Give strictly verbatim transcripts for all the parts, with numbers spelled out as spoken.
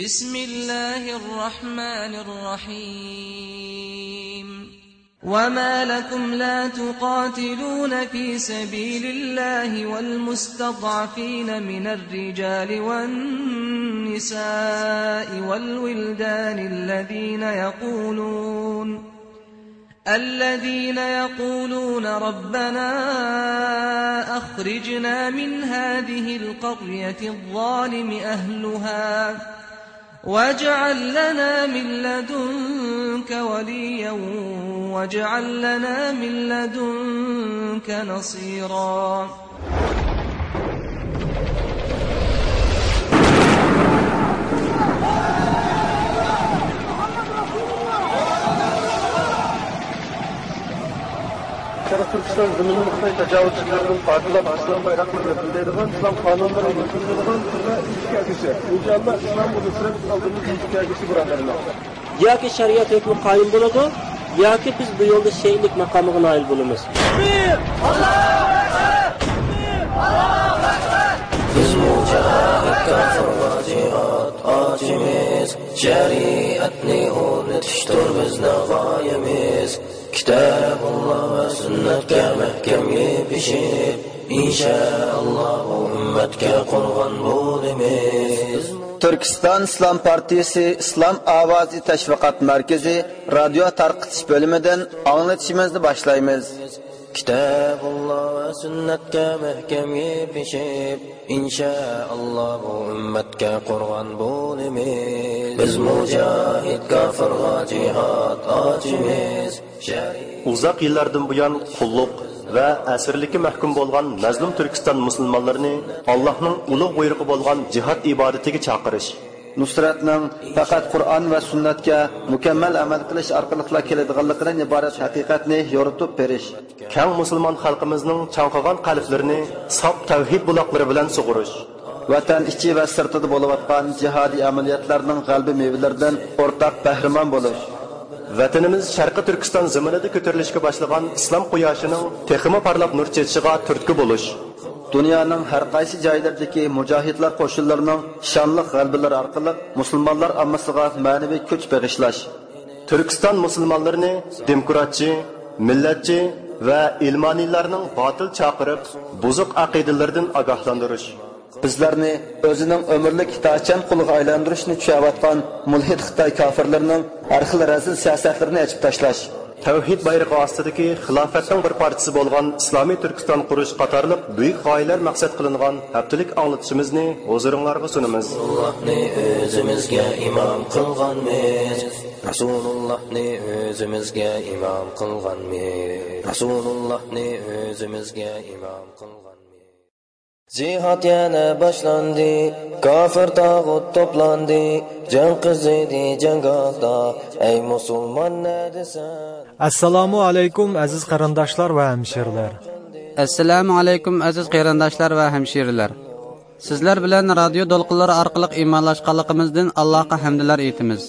بسم الله الرحمن الرحيم. وما لكم لا تقاتلون في سبيل الله والمستضعفين من الرجال والنساء والولدان الذين يقولون الذين يقولون ربنا أخرجنا من هذه القرية الظالم أهلها واجعل لنا من لدنك وليا واجعل لنا من لدنك نصيرا. شەرقىي تۈركىستان زېمىنىنى خىتاي تاجاۋۇزچىلىرىدىن پاكلاپ، ئىسلام بايراقلىرىنى بىلدۈرىدىغان، ئىسلام قانۇنلىرىنى يۈرگۈزىدىغان تۈرلەر ئىشكە ئەگىشى. ئىنشائاللا، ئىسلام ئۇلۇسىنى ئالدىمىزدا ئىشكە ئەگىشى، بۇرادەرلەر. ياكى شەرىئەت ھۆكمى قايىم بولىدۇ، ياكى بىز بۇ يولدا شېھىتلىك ماقامىغا نائىل بولىمىز. بىز مۇجاھىد كاپىرغا جىھاد ئاچىمىز، شەرىئەتنى ئورنىتىشتۇر بىزنىڭ غايىمىز. كىتابۇللا ۋە سۈننەتكە مەھكەم يېپىشىپ، ئىنشائاللا بۇ ئۈممەتكە قورغان بولىمىز. تۈركىستان ئىسلام پارتىيىسى ئىسلام ئاۋازى تەشۋىقات مەركىزى رادىيو تارقىتىش بۆلۈمىدىن ئاڭلىتىشىمىزنى باشلايمىز. كىتابۇللا ۋە سۈننەتكە مەھكەم يېپىشىپ، ئىنشائاللا بۇ ئۈممەتكە قورغان بولىمىز. بىز مۇجاھىد كاپىرغا جىھاد ئاچىمىز. ئۇزاق يىللاردىن بۇيان قۇللۇق ۋە ئەسىرلىككە مەھكۇم بولغان مەزلۇم تۈركىستان مۇسۇلمانلىرىنى ئاللاھنىڭ ئۇلۇغ بۇيرۇقى بولغان جىھاد ئىبادىتىگە چاقىرىش. نۇسرەتنىڭ پەقەت قۇرئان ۋە سۈننەتكە مۇكەممەل ئەمەل قىلىش ئارقىلىقلا كېلىدىغانلىقىدىن ئىبارەت ھەقىقەتنى يورۇتۇپ بېرىش. كەڭ مۇسۇلمان خەلقىمىزنىڭ چاڭقىغان قەلبلىرىنى ساپ تەۋھىد بۇلاقلىرى بىلەن سۇغۇرۇش. ۋەتەن ئىچى ۋە سىرتىدا بولۇۋاتقان جىھادىي ئەمەلىيەتلەرنىڭ غەلىبە مېۋىلىرىدىن ئورتاق بەھرىمەن بولۇش. ۋەتىنىمىز شەرقىي تۈركىستان زېمىنىدا كۆتۈرۈلۈشكە باشلىغان ئىسلام قۇياشىنىڭ تېخىمۇ پارلاپ نۇر چېچىشىغا تۈرتكە بولۇش. دۇنيانىڭ ھەر قايسى جايلىرىدىكى مۇجاھىدلار قوشۇنلىرىنىڭ شانلىق غەلىبىلىرى ئارقىلىق مۇسۇلمانلار ئاممىسىغا مەنىۋى كۈچ بېغىشلاش. تۈركىستان مۇسۇلمانلىرىنى دېموكراتچى، مىللەتچى ۋە ئىلمانىيلارنىڭ باتىل چاقىرىپ، بۇزۇق ئەقىدىلىرىدىن ئاگاھلاندۇرۇش. بىزلەرنى ئۆزىنىڭ ئۆمۈرلۈك ئىتائەتچان قۇلىغا ئايلاندۇرۇشنى چۈشەۋاتقان مۇلھىد خىتاي كاپىرلىرىنىڭ ھەر خىل رەزىل سىياسەتلىرىنى ئېچىپ تاشلاش. تەۋھىد بايرىقى ئاستىدىكى خىلاپەتنىڭ بىر پارچىسى بولغان ئىسلامىي تۈركىستان قۇرۇش قاتارلىق بۈيۈك غايىلەر مەقسەت قىلىنغان ھەپتىلىك ئاڭلىتىشىمىزنى ھۇزۇرۇڭلارغا سۇنىمىز. رەسۇلۇللاھنى ئۆزىمىزگە ئىمام قىلغانمىز. رەسۇلۇللاھنى ئۆزىمىزگە ئىمام قىلغانمىز. رەسۇلۇللاھنى ئۆزىمىزگە ئىمام قىلغانمىز. جىھاد يەنە باشلاندى، كافىر تاغۇت توپلاندى، جەڭ قىزىدى جەڭگاھتا، ئەي مۇسۇلمان نەدىسەن؟ ئەسسالامۇ ئەلەيكۇم، ئەزىز قېرىنداشلار ۋە ھەمشىرىلەر. ئەسسالامۇ ئەلەيكۇم، ئەزىز قېرىنداشلار ۋە ھەمشىرىلەر. سىزلەر بىلەن رادىيو دولقۇنلىرى ئارقىلىق ئىمانلاشقانلىقىمىزدىن ئاللاغا ھەمدىلەر ئېيتىمىز.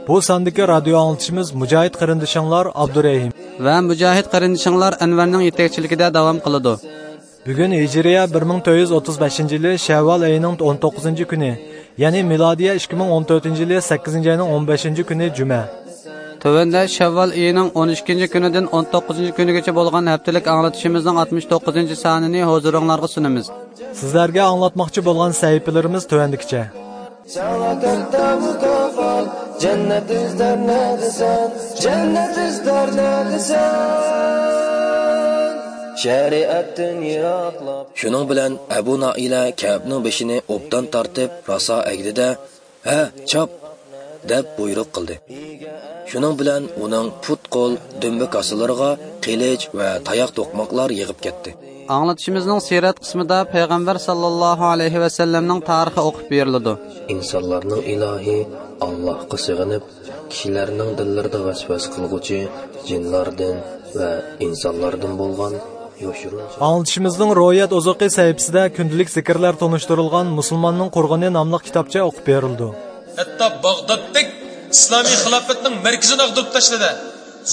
بۇ ساندىكى رادىيو ئاڭلىتىشىمىز مۇجاھىد قېرىندىشىڭلار ئابدۇرېھىم ۋە مۇجاھىد قېرىندىشىڭلار ئەنۋەرنىڭ يېتەكچىلىكىدە داۋام قىلىدۇ. بۈگۈن ھىجرىيە بىر مىڭ تۆت يۈز ئوتتۇز بەشىنچى يىلى شەۋۋال ئېيىنىڭ ئون توققۇزىنچى كۈنى، يەنى مىلادىيە ئىككى مىڭ ئون تۆتىنچى يىلى سەككىزىنچى ئاينىڭ ئون بەشىنچى كۈنى جۈمە. تۆۋەندە شەۋۋال ئېيىنىڭ ئون ئىككىنچى كۈنىدىن ئون توققۇزىنچى كۈنىگىچە بولغان ھەپتىلىك ئاڭلىتىشىمىزنىڭ ئاتمىش توققۇزىنچى سانىنى ھۇزۇرۇڭلارغا سۇنىمىز. سىزلەرگە ئاڭلاتماقچى بولغان سەھىپىلىرىمىز تۆۋەندىكىچە. ساڭا قەددەم مۇكاپات، جەننەت ئىزدەر نەدىسەن؟ جەننەت ئىزدەر نەدىسەن؟ شەرىئەتتىن يىراقلاپ. شۇنىڭ بىلەن ئەبۇ نائىلە كەئبنىڭ بېشىنى ئوبدان تارتىپ، راسا ئەگدى-دە، ھە، چاپ! دەپ بۇيرۇق قىلدى. شۇنىڭ بىلەن ئۇنىڭ پۇت-قول، دۈمبە كاسىلىرىغا قىلىچ ۋە تاياق توقماقلار يېغىپ كەتتى. ئاڭلىتىشىمىزنىڭ سىرەت قىسمىدا پەيغەمبەر ساللاللاھۇ ئەلەيھى ۋەسەللەمنىڭ تارىخى ئوقۇپ بېرىلىدۇ. ئىنسانلارنىڭ ئىلاھى ئاللاھقا سېغىنىپ، كىشىلەرنىڭ دىللىرىدا ۋەسۋەسە قىلغۇچى جىنلاردىن ۋە ئىنسانلاردىن بولغان يوشۇرۇن. ئاڭلىتىشىمىزنىڭ روھىيەت ئوزۇقى سەھىپىسىدە كۈندىلىك زىكىرلەر تونۇشتۇرۇلغان مۇسۇلماننىڭ قۇرغىنى ناملىق كىتابچە ئوقۇپ بېرىلىدۇ. ھەتتا باغدادتەك ئىسلامىي خىلاپەتنىڭ مەركىزىنى ئاغدۇرۇپ تاشلىدى.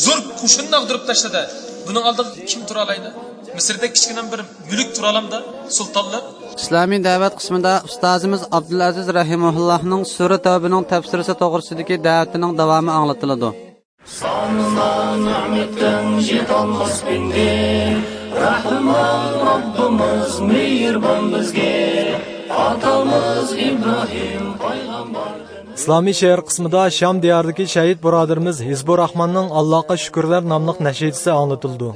زور قوشۇننى ئاغدۇرۇپ تاشلىدى. بۇنىڭ ئالدىغا كىم تۇرالايدۇ؟ مىسىردەك كىچىككىنە بىر مۈلۈك تۇرالامدا سۇلتانلىق. ئىسلامىي دەۋەت قىسمىدا ئۇستازىمىز ئابدۇلئەزىز رەھىمۇللاھنىڭ سۈرە تەۋبىنىڭ تەپسىرىسى توغرىسىدىكى دەۋىتىنىڭ داۋامى ئاڭلىتىلىدۇ. سانىما نېمەتنىڭ يېتەلمەس بىندى، رەھمان رەببىمىز مېھرىبان بىزگە، ئاتىمىز ئىبراھىم پەيغەمبەردىن. ئىسلامىي شېئىر قىسمىدا شام دىيارىدىكى شەھىت بۇرادىرىمىز ھىزبۇر راھماننىڭ ئاللاغا شۈكۈرلەر ناملىق نەشىدىسى ئاڭلىتىلىدۇ.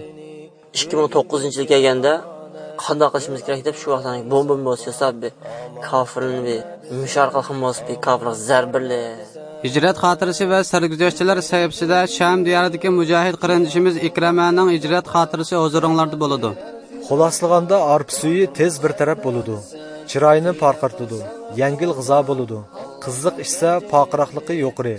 ئىككى مىڭ توققۇزىنچى يىل كەلگەندە، قانداق قىلىشىمىز كېرەك دەپ، شۇ ۋاقىتتا بومبا بولسا ياساپ، بىر كاپىرنى بىر مۇشۇ ئارقىلىق بولسا بىر كاپىرغا زەربىلى. ھىجرەت خاتىرىسى ۋە سەرگۈزەشتلەر سەھىپىسىدە شام دىيارىدىكى مۇجاھىد قېرىندىشىمىز ئىكرەمەنىڭ ھىجرەت خاتىرىسى ھۇزۇرۇڭلاردا بولىدۇ. خۇلاسىلىغاندا، ئارپا سۈيى تېز بىر تەرەپ بولىدۇ، چىراينى پارقىرىتىدۇ، يەڭگىل غىزا بولىدۇ. قىزىق ئىچسە، پارقىراقلىقى يۇقىرى،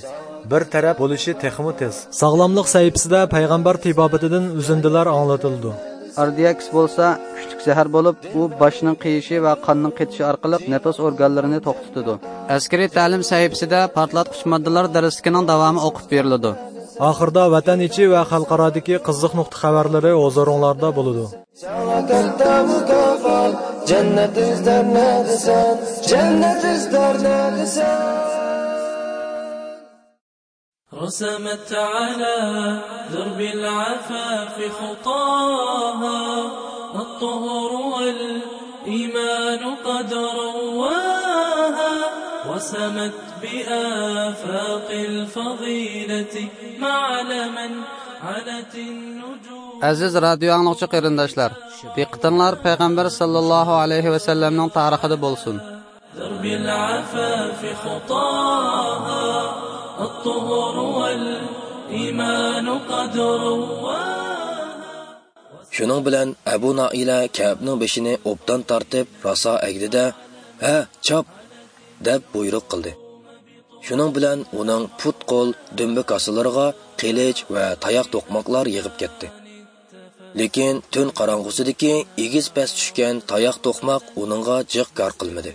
بىر تەرەپ بولۇشى تېخىمۇ تېز. ساغلاملىق سەھىپىسىدە پەيغەمبەر تېبابىتىدىن ئۈزۈندىلەر ئاڭلىتىلىدۇ. ئاردىياكس بولسا كۈچلۈك زەھەر بولۇپ، ئۇ باشنىڭ قېيىشى ۋە قاننىڭ قېتىشى ئارقىلىق نەپەس ئورگانلىرىنى توختىتىدۇ. ئەسكىرىي تەلىم سەھىپىسىدە پارتلاتقۇچ ماددىلار دەرسلىكىنىڭ داۋامى ئوقۇپ بېرىلىدۇ. ئاخىرىدا ۋەتەن ئىچى ۋە خەلقئارادىكى قىزىق نۇقتا خەۋەرلىرى ھۇزۇرۇڭلاردا بولىدۇ. ساڭا كاتتا مۇكاپات، جەننەت ئىزدەر نەدىسەن، جەننەت ئىزدەر نەدىسەن. رسمت على درب العفاف خطاها، الطهر والإيمان قد رواها، وسمت بآفاق الفضيلة معلما علت النجوم. ئەزىز رادىيو ئاڭلىغۇچى قېرىنداشلار، دىققىتىڭلار پەيغەمبەر ساللاللاھۇ ئەلەيھى ۋەسەللەمنىڭ تارىخىدا بولسۇن. درب العفاف خطاها، الطهر والإيمان قد رواها. شۇنىڭ بىلەن ئەبۇ نائىلە كەئبنىڭ بېشىنى ئوبدان تارتىپ، راسا ئەگدى-دە، «ھە، چاپ!» دەپ بۇيرۇق قىلدى. شۇنىڭ بىلەن ئۇنىڭ پۇت-قول، دۈمبە كاسىلىرىغا قىلىچ ۋە تاياق توقماقلار يېغىپ كەتتى. لېكىن تۈن قاراڭغۇسىدىكى ئېگىز-پەس چۈشكەن تاياق توقماق ئۇنىڭغا جىق كار قىلمىدى.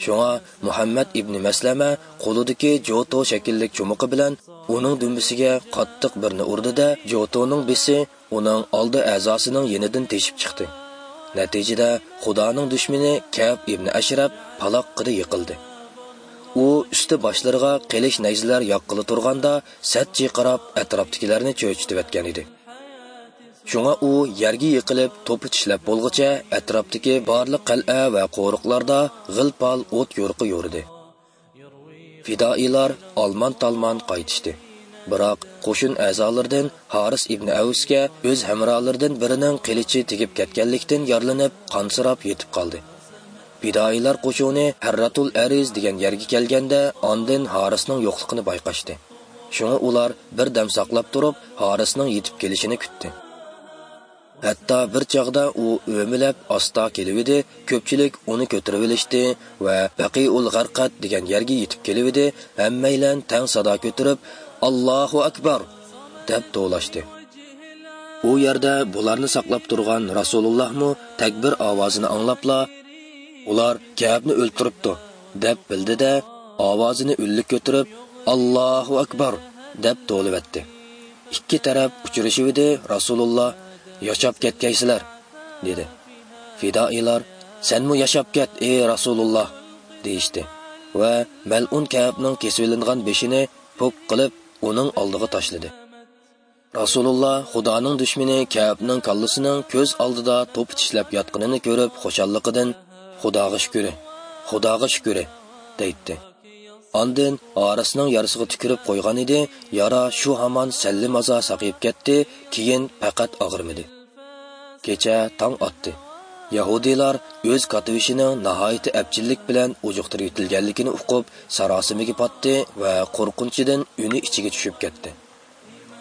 شۇڭا مۇھەممەد ئىبنى مەسلەمە قولىدىكى جوتو شەكىللىك چومىقى بىلەن ئۇنىڭ دۈمبىسىگە قاتتىق بىرنى ئۇردى-دە، جوتونىڭ بىسى ئۇنىڭ ئالدى ئەزاسىنىڭ يېنىدىن تېشىپ چىقتى. نەتىجىدە خۇدانىڭ دۈشمىنى كەئب ئىبنى ئەشرەپ پالاققىدە يىقىلدى. ئۇ ئۈستى باشلىرىغا قىلىچ نەيزىلەر ياغقىلى تۇرغاندا سەت چىرقىراپ ئەتراپتىكىلەرنى چۆچۈتۈۋەتكەن ئىدى. شۇڭا ئۇ يەرگە يىقىلىپ توپا چىشلەپ بولغۇچە ئەتراپتىكى بارلىق قەلئە ۋە قورۇقلاردا غىل-پال ئوت-يورۇقى يورۇدى. پىدائىيلار ئالمان-تالمان قايتىشتى. بىراق قوشۇن ئەزالىرىدىن ھارىس ئىبنى ئەۋسكە ئۆز ھەمراھلىرىدىن بىرىنىڭ قىلىچى تېگىپ كەتكەنلىكتىن يارىلىنىپ، قانسىراپ يېتىپ قالدى. پىدائىيلار قوشۇنى ھەرراتۇل ئەرىز دېگەن يەرگە كەلگەندە، ئاندىن ھارىسنىڭ يوقلۇقىنى بايقاشتى. شۇڭا ئۇلار بىر دەم ساقلاپ تۇرۇپ، ھارىسنىڭ يېتىپ كېلىشىنى كۈتتى. ھەتتا بىر چاغدا ئۇ ئۆمىلەپ ئاستا كېلىۋىدى، كۆپچىلىك ئۇنى كۆتۈرۈۋېلىشتى ۋە بەقىئۇل غەرقەد دېگەن يەرگە يېتىپ كېلىۋىدى، ھەممەيلەن تەڭ سادا كۆتۈرۈپ، «ئاللاھۇ ئەكبەر!» دەپ توۋلاشتى. ئۇ يەردە بۇلارنى ساقلاپ تۇرغان رەسۇلۇللاھمۇ تەكبىر ئاۋازىنى ئاڭلاپلا، «ئۇلار كەئبنى ئۆلتۈرۈپتۇ» دەپ بىلدى-دە، ئاۋازىنى ئۈنلۈك كۆتۈرۈپ، «ئاللاھۇ ئەكبەر!» دەپ توۋلىۋەتتى. ئىككى تەرەپ ئۇچرىشىۋىدى، رەسۇلۇللا، «ياشاپ كەتكەيسىلەر!» دېدى. پىدائىيلار، «سەنمۇ ياشاپ كەت، ئى رەسۇلۇللا!» دېيىشتى ۋە مەلئۇن كەئبنىڭ كېسىۋېلىنغان بېشىنى پوك قىلىپ، ئۇنىڭ ئالدىغا تاشلىدى. رەسۇلۇللا خۇدانىڭ دۈشمىنى كەئبنىڭ كاللىسىنىڭ كۆز ئالدىدا توپا چىشلەپ ياتقىنىنى كۆرۈپ خۇشاللىقىدىن، «خۇداغا شۈكرى، خۇداغا شۈكرى!» دەيتتى. ئاندىن ھارىسنىڭ يارىسىغا تۈكۈرۈپ قويغانىدى، يارا شۇ ھامان سەللىمازا ساقىيىپ كەتتى، كېيىن پەقەت ئاغرىمىدى. كېچە تاڭ ئاتتى. يەھۇدىيلار ئۆز كاتتىبېشىنىڭ ناھايىتى ئەپچىللىك بىلەن ئۇجۇقتۇرۇۋېتىلگەنلىكىنى ئۇقۇپ، ساراسىمىگە پاتتى ۋە قورقۇنچىدىن ئۈنى ئىچىگە چۈشۈپ كەتتى.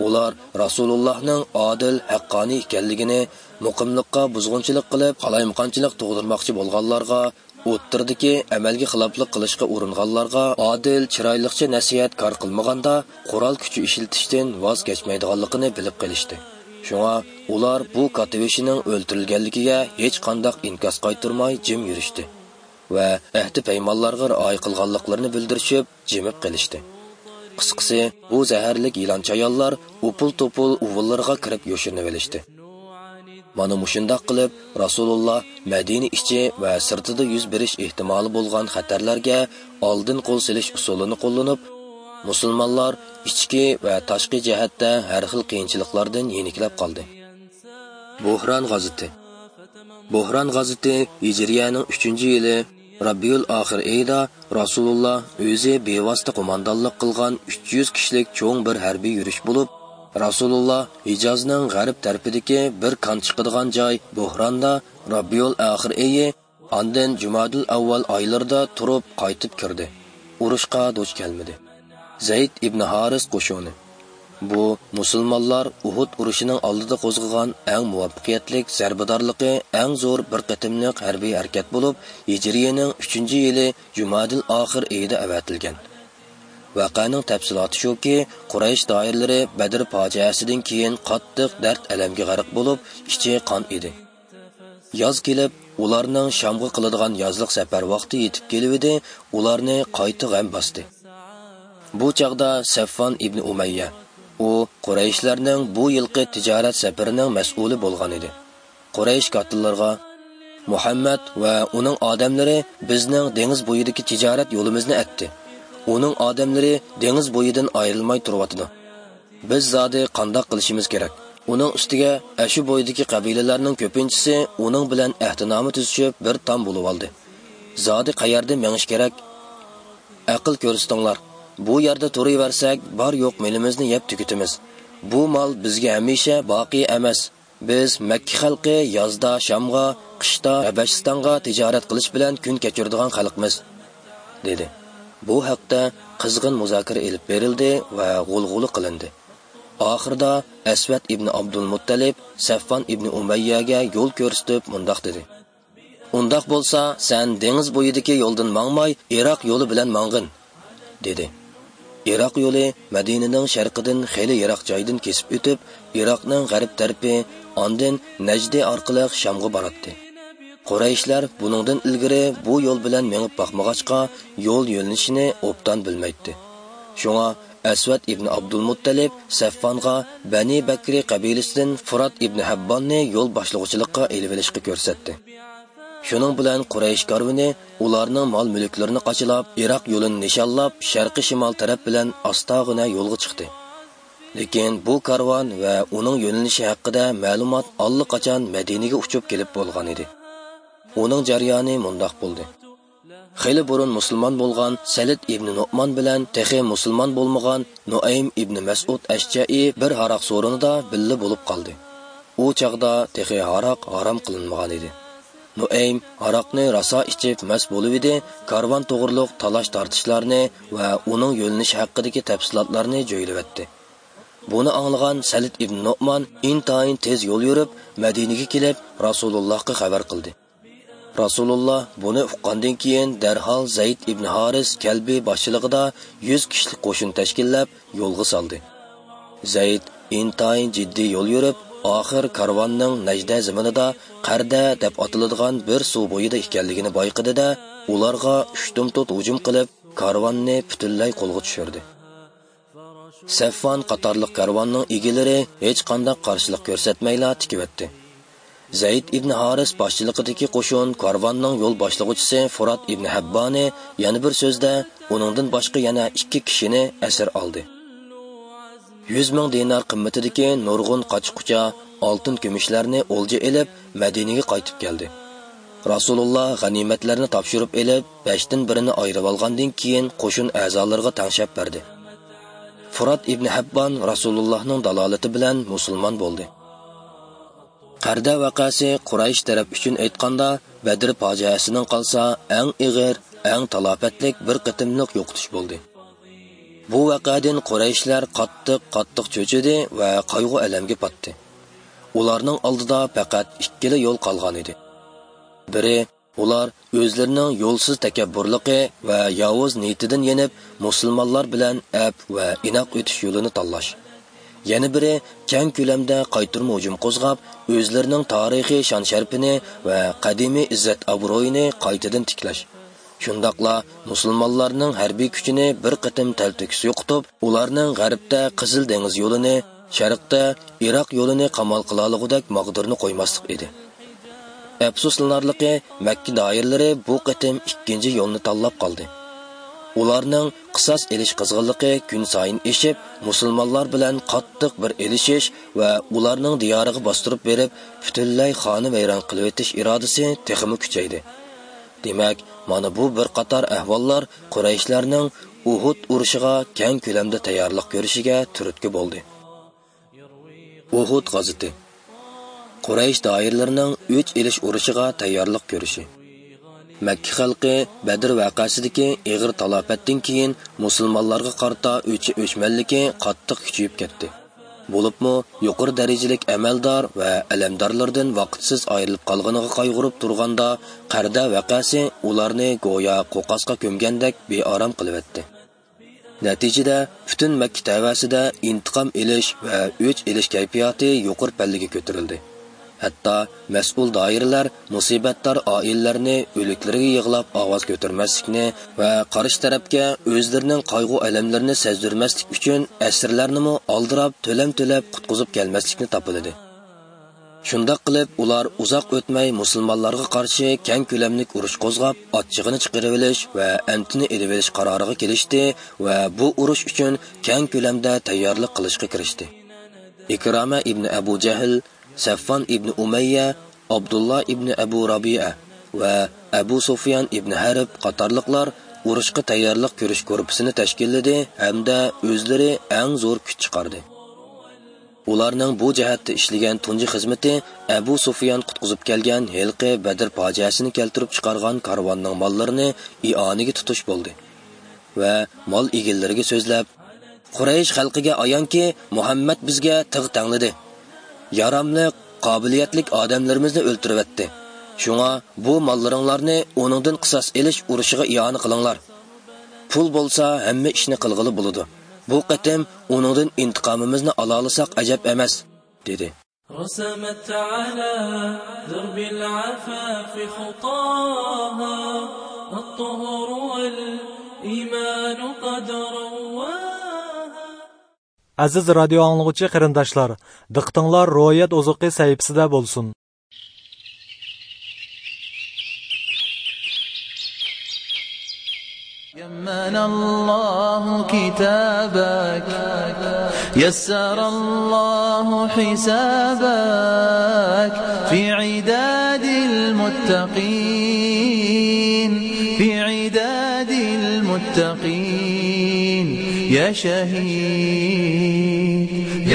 ئۇلار رەسۇلۇللاھنىڭ ئادىل، ھەققانىي ئىكەنلىكىنى، مۇقىملىققا بۇزغۇنچىلىق قىلىپ، قالايمىقانچىلىق تۇغدۇرماقچى بولغانلارغا، ئوتتۇرىدىكى ئەمەلگە خىلاپلىق قىلىشقا ئۇرۇنغانلارغا ئادىل، چىرايلىقچە نەسىھەت كار قىلمىغاندا، قورال كۈچى ئىشلىتىشتىن ۋاز كەچمەيدىغانلىقىنى بىلىپ قېلىشتى. شۇڭا ئۇلار بۇ كاتتىبېشىنىڭ ئۆلتۈرۈلگەنلىكىگە ھېچقانداق ئىنكاس قايتۇرماي جىم يۈرۈشتى ۋە ئەھدى-پەيمانلارغا رىئايە قىلغانلىقلىرىنى بىلدۈرۈشۈپ، جىمىپ قېلىشتى. قىسقىسى، بۇ زەھەرلىك يىلان چايانلار ئوپۇل-توپۇل ئۇۋىلىرىغا كىرىپ يوشۇرۇنۇۋېلىشتى. مانا مۇشۇنداق قىلىپ، رەسۇلۇللا مەدىنە ئىچى ۋە سىرتىدا يۈز بېرىش ئېھتىمالى بولغان خەتەرلەرگە ئالدىن قول سېلىش ئۇسۇلىنى قوللىنىپ، مۇسۇلمانلار ئىچكى ۋە تاشقى جەھەتتە ھەر خىل قىيىنچىلىقلاردىن يېنىكلەپ قالدى. بوھران غازىتى. بوھران غازىتى ھىجرىيەنىڭ ئۈچىنچى يىلى رەبىئۇل ئاخىر ئېيىدا رەسۇلۇللا ئۆزى بىۋاسىتە قوماندانلىق قىلغان ئۈچ يۈز كىشىلىك چوڭ بىر ھەربىي يۈرۈش بولۇپ، رەسۇلۇللا ھىجازنىڭ غەرب تەرىپىدىكى بىر كان چىقىدىغان جاي بوھراندا رەبىئۇل ئاخىر ئېيى، ئاندىن جۇمادىل ئەۋۋەل ئايلىرىدا تۇرۇپ قايتىپ كىردى. ئۇرۇشقا دۇچ كەلمىدى. زەيد ئىبن ھارىس قوشۇنى. بۇ مۇسۇلمانلار ئۇھۇد ئۇرۇشىنىڭ ئالدىدا قوزغىغان ئەڭ مۇۋەپپەقىيەتلىك زەربىدارلىقى، ئەڭ زور بىر قېتىملىق ھەربىي ھەرىكەت بولۇپ، ھىجرىيەنىڭ ئۈچىنچى يىلى جۇمادىل ئاخىر ئېيىدا ئەۋەتىلگەن. ۋەقەنىڭ تەپسىلاتى شۇكى، قۇرەيش دائىرىلىرى بەدر پاجىئەسىدىن كېيىن قاتتىق دەرد-ئەلەمگە غەرق بولۇپ، ئىچى قان ئىدى. ياز كېلىپ، ئۇلارنىڭ شامغا قىلىدىغان يازلىق سەپەر ۋاقتى يېتىپ كېلىۋىدى، ئۇلارنى قايتا غەم باستى. بۇ چاغدا سەفۋان ئىبنى ئۇمەييە، ئۇ قۇرەيشلەرنىڭ بۇ يىلقى تىجارەت سەپىرىنىڭ مەسئۇلى بولغان ئىدى. قۇرەيش كاتتىلىرىغا، «مۇھەممەد ۋە ئۇنىڭ ئادەملىرى بىزنىڭ دېڭىز بويىدىكى تىجارەت يولىمىزنى ئەتتى. ئۇنىڭ ئادەملىرى دېڭىز بويىدىن ئايرىلماي تۇرۇۋاتىدۇ. بىز زادى قانداق قىلىشىمىز كېرەك؟ ئۇنىڭ ئۈستىگە ئەشۇ بويىدىكى قەبىلىلەرنىڭ كۆپىنچىسى ئۇنىڭ بىلەن ئەھدىنامە تۈزۈشۈپ، بىر تام بولۇۋالدى. زادى قەيەردىن مېڭىش كېرەك؟ ئەقىل كۆرسىتىڭلار. بۇ يەردە تۇرۇۋەرسەك، بار-يوق مېلىمىزنى يەپ تۈگىتىمىز. بۇ مال بىزگە ھەمىشە باقىي ئەمەس. بىز مەككە خەلقى يازدا شامغا، قىشتا ھەبەشىستانغا تىجارەت قىلىش بىلەن كۈن كەچۈرىدىغان خەلقمىز» دېدى. بۇ ھەقتە قىزغىن مۇزاكىرە ئېلىپ بېرىلدى ۋە غۇلغۇلا قىلىندى. ئاخىرىدا ئەسۋەد ئىبنى ئابدۇلمۇتتەلىپ سەفۋان ئىبنى ئۇمەييەگە يول كۆرسىتىپ مۇنداق دېدى: «ئۇنداق بولسا، سەن دېڭىز بويىدىكى يولدىن ماڭماي، ئىراق يولى بىلەن ماڭغىن» دېدى. ئىراق يولى مەدىنىنىڭ شەرقىدىن خېلى يىراق جايدىن كېسىپ ئۆتۈپ، ئىراقنىڭ غەرب تەرىپى، ئاندىن نەجدى ئارقىلىق شامغا باراتتى. قۇرەيشلەر بۇنىڭدىن ئىلگىرى بۇ يول بىلەن مېڭىپ باقمىغاچقا، يول يۆنىلىشىنى ئوبدان بىلمەيتتى. شۇڭا ئەسۋەد ئىبنى ئابدۇلمۇتتەلىپ سەفۋانغا بەنى بەكرى قەبىلىسىدىن فۇرات ئىبنى ھەبباننى يول باشلىغۇچىلىققا ئېلىۋېلىشقا كۆرسەتتى. شۇنىڭ بىلەن قۇرەيش كارۋىنى ئۇلارنىڭ مال-مۈلۈكلىرىنى قاچىلاپ، ئىراق يولىنى نىشانلاپ، شەرقىي شىمال تەرەپ بىلەن ئاستاغىنە يولغا چىقتى. لېكىن بۇ كارۋان ۋە ئۇنىڭ يۆنىلىشى ھەققىدە مەلۇمات ئاللىقاچان مەدىنىگە ئۇچۇپ كېلىپ بولغان ئىدى. ئۇنىڭ جەريانى مۇنداق بولدى. خېلى بۇرۇن مۇسۇلمان بولغان سەلىت ئىبنى نوئمان بىلەن تېخى مۇسۇلمان بولمىغان نۇئەيم ئىبنى مەسئۇد ئەشجەئى بىر ھاراق سورۇنىدا بىللە بولۇپ قالدى. ئۇ چاغدا تېخى ھاراق ھارام قىلىنمىغان ئىدى. نۇئەيم ھاراقنى راسا ئىچىپ مەست بولۇۋىدى، كارۋان توغرۇلۇق تالاش-تارتىشلارنى ۋە ئۇنىڭ يۆنىلىشى ھەققىدىكى تەپسىلاتلارنى جۆيلۈۋەتتى. بۇنى ئاڭلىغان سەلىت ئىبنى نوئمان ئىنتايىن تېز يول يۈرۈپ، مەدىنىگە كېلىپ، رەسۇلۇللاھقا خەۋەر قىلدى. رەسۇلۇللا بۇنى ئۇققاندىن كېيىن، دەرھال زەيد ئىبنى ھارىس كەلبى باشچىلىقىدا يۈز كىشىلىك قوشۇن تەشكىللەپ، يولغا سالدى. زەيد ئىنتايىن جىددىي يول يۈرۈپ، ئاخىر كارۋاننىڭ نەجدە زېمىنىدا قەردە دەپ ئاتىلىدىغان بىر سۇ بويىدا ئىكەنلىكىنى بايقىدى-دە، ئۇلارغا ئۇشتۇمتۇت ھۇجۇم قىلىپ، كارۋاننى پۈتۈنلەي قولغا چۈشۈردى. سەفۋان قاتارلىق كارۋاننىڭ ئىگىلىرى ھېچقانداق قارشىلىق كۆرسەتمەيلا تىكىۋەتتى. زەيد ئىبنى ھارىس باشچىلىقىدىكى قوشۇن كارۋاننىڭ يول باشلىغۇچىسى فۇرات ئىبنى ھەببانى، يەنە بىر سۆزدە، ئۇنىڭدىن باشقا يەنە ئىككى كىشىنى ئەسىر ئالدى. يۈز مىڭ دىنار قىممىتىدىكى نۇرغۇن قاچا-قۇچا، ئالتۇن-كۈمۈشلەرنى ئولجا ئېلىپ، مەدىنىگە قايتىپ كەلدى. رەسۇلۇللا غەنىيمەتلەرنى تاپشۇرۇپ ئېلىپ، بەشتىن بىرىنى ئايرىۋالغاندىن كېيىن، قوشۇن ئەزالىرىغا تەڭشەپ بەردى. فۇرات ئىبنى ھەببان رەسۇلۇللانىڭ دالالىتى بىلەن مۇسۇلمان بولدى. قەردە ۋەقەسى قۇرەيش تەرەپ ئۈچۈن ئېيتقاندا، بەدر پاجىئەسىنىڭ قالسا ئەڭ ئېغىر، ئەڭ تالاپەتلىك بىر قېتىملىق يوقىتىش بولدى. بۇ ۋەقەدىن قۇرەيشلەر قاتتىق، قاتتىق چۆچۈدى ۋە قايغۇ-ئەلەمگە پاتتى. ئۇلارنىڭ ئالدىدا پەقەت ئىككىلا يول قالغان ئىدى. بىرى، ئۇلار ئۆزلىرىنىڭ يولسىز تەكەببۇرلۇقى ۋە ياۋۇز نىيىتىدىن يېنىپ، مۇسۇلمانلار بىلەن ئەپ ۋە ئىناق ئۆتۈش يولىنى تاللاش. يەنە بىرى، كەڭ كۆلەمدە قايتۇرما ھۇجۇم قوزغاپ، ئۆزلىرىنىڭ تارىخىي شان-شەرىپىنى ۋە قەدىمىي ئىززەت-ئابرۇيىنى قايتىدىن تىكلەش. شۇنداقلا مۇسۇلمانلارنىڭ ھەربىي كۈچىنى بىر قېتىم تەلتۆكۈس يوقىتىپ، ئۇلارنىڭ غەربتە قىزىل دېڭىز يولىنى، شەرقتە ئىراق يولىنى قامال قىلالىغۇدەك ماغدۇرنى قويماسلىق ئىدى. ئەپسۇسلىنارلىقى، مەككە دائىرىلىرى بۇ قېتىم ئىككىنچى يولنى تاللاپ قالدى. ئۇلارنىڭ قىساس ئېلىش قىزغىنلىقى كۈنسايىن ئېشىپ، مۇسۇلمانلار بىلەن قاتتىق بىر ئېلىشىش ۋە ئۇلارنىڭ دىيارىغا باستۇرۇپ بېرىپ، پۈتۈنلەي خانىۋەيران قىلىۋېتىش ئىرادىسى تېخىمۇ كۈچەيدى. دېمەك، مانا بۇ بىر قاتار ئەھۋاللار قۇرەيشلەرنىڭ ئۇھۇد ئۇرۇشىغا كەڭ كۆلەمدە تەييارلىق كۆرۈشىگە تۈرتكە بولدى. ئۇھۇد غازىتى. قۇرەيش دائىرىلىرىنىڭ ئۆچ ئېلىش ئۇرۇشىغا تەييارلىق كۆرۈشى. مەككە خەلقى بەدر ۋەقەسىدىكى ئېغىر تالاپەتتىن كېيىن مۇسۇلمانلارغا قارىتا ئۆچ-، ئۆچمەنلىكى قاتتىق كۈچىيىپ كەتتى. بولۇپمۇ يۇقىرى دەرىجىلىك ئەمەلدار ۋە ئەلەمدارلىرىدىن ۋاقىتسىز ئايرىلىپ قالغىنىغا قايغۇرۇپ تۇرغاندا، قەردە ۋەقەسى ئۇلارنى گويا قوقاسقا كۆمگەندەك بىئارام قىلىۋەتتى. نەتىجىدە، پۈتۈن مەككە تەۋەسىدە ئىنتىقام ئېلىش ۋە ئۆچ ئېلىش كەيپىياتى يۇقىرى پەللىگە كۆتۈرۈلدى. ھەتتا مەسئۇل دائىرىلەر مۇسىبەتدار ئائىلىلەرنى ئۆلۈكلىرىگە يىغلاپ ئاۋاز كۆتۈرمەسلىكنى ۋە قارشى تەرەپكە ئۆزلىرىنىڭ قايغۇ-ئەلەملىرىنى سەزدۈرمەسلىك ئۈچۈن ئەسىرلەرنىمۇ ئالدىراپ تۆلەم تۆلەپ قۇتقۇزۇپ كەلمەسلىكنى تاپىلىدى. شۇنداق قىلىپ، ئۇلار ئۇزاق ئۆتمەي مۇسۇلمانلارغا قارشى كەڭ كۆلەملىك ئۇرۇش قوزغاپ، ئاچچىقىنى چىقىرىۋېلىش ۋە ئەنتىنى ئېلىۋېلىش قارارىغا كېلىشتى ۋە بۇ ئۇرۇش ئۈچۈن كەڭ كۆلەمدە تەييارلىق قىلىشقا كىرىشتى. ئىكرامە ئىبنى ئەبۇ جەھل، سەفۋان ئىبنى ئۇمەييە، ئابدۇللا ئىبنى ئەبۇ رابىئە ۋە ئەبۇ سۇفيان ئىبنى ھەرب قاتارلىقلار ئۇرۇشقا تەييارلىق كۆرۈش گۇرۇپپىسىنى تەشكىللىدى ھەمدە ئۆزلىرى ئەڭ زور كۈچ چىقاردى. ئۇلارنىڭ بۇ جەھەتتە ئىشلىگەن تۇنجى خىزمىتى ئەبۇ سۇفيان قۇتقۇزۇپ كەلگەن ھېلىقى بەدر پاجىئەسىنى كەلتۈرۈپ چىقارغان كارۋاننىڭ ماللىرىنى ئىئانىگە تۇتۇش بولدى ۋە مال ئىگىلىرىگە سۆزلەپ، «قۇرەيش خەلقىگە ئايانكى، مۇھەممەد بىزگە تىغ تەڭلىدى. ياراملىق، قابىلىيەتلىك ئادەملىرىمىزنى ئۆلتۈرۈۋەتتى. شۇڭا بۇ ماللىرىڭلارنى ئۇنىڭدىن قىساس ئېلىش ئۇرۇشىغا ئىئانە قىلىڭلار. پۇل بولسا ھەممە ئىشنى قىلغىلى بولىدۇ. بۇ قېتىم ئۇنىڭدىن ئىنتىقامىمىزنى ئالالىساق ئەجەب ئەمەس» دېدى. رسمت على درب العفاف خطاها، الطهر والإيمان قد رواها. ئەزىز رادىيو ئاڭلىغۇچى قېرىنداشلار، دىققىتىڭلار روھىيەت ئوزۇقى سەھىپىسىدە بولسۇن. يمن الله كتابك، يسر الله حسابك، في عداد المتقين، في عداد المتقين يا شهيد.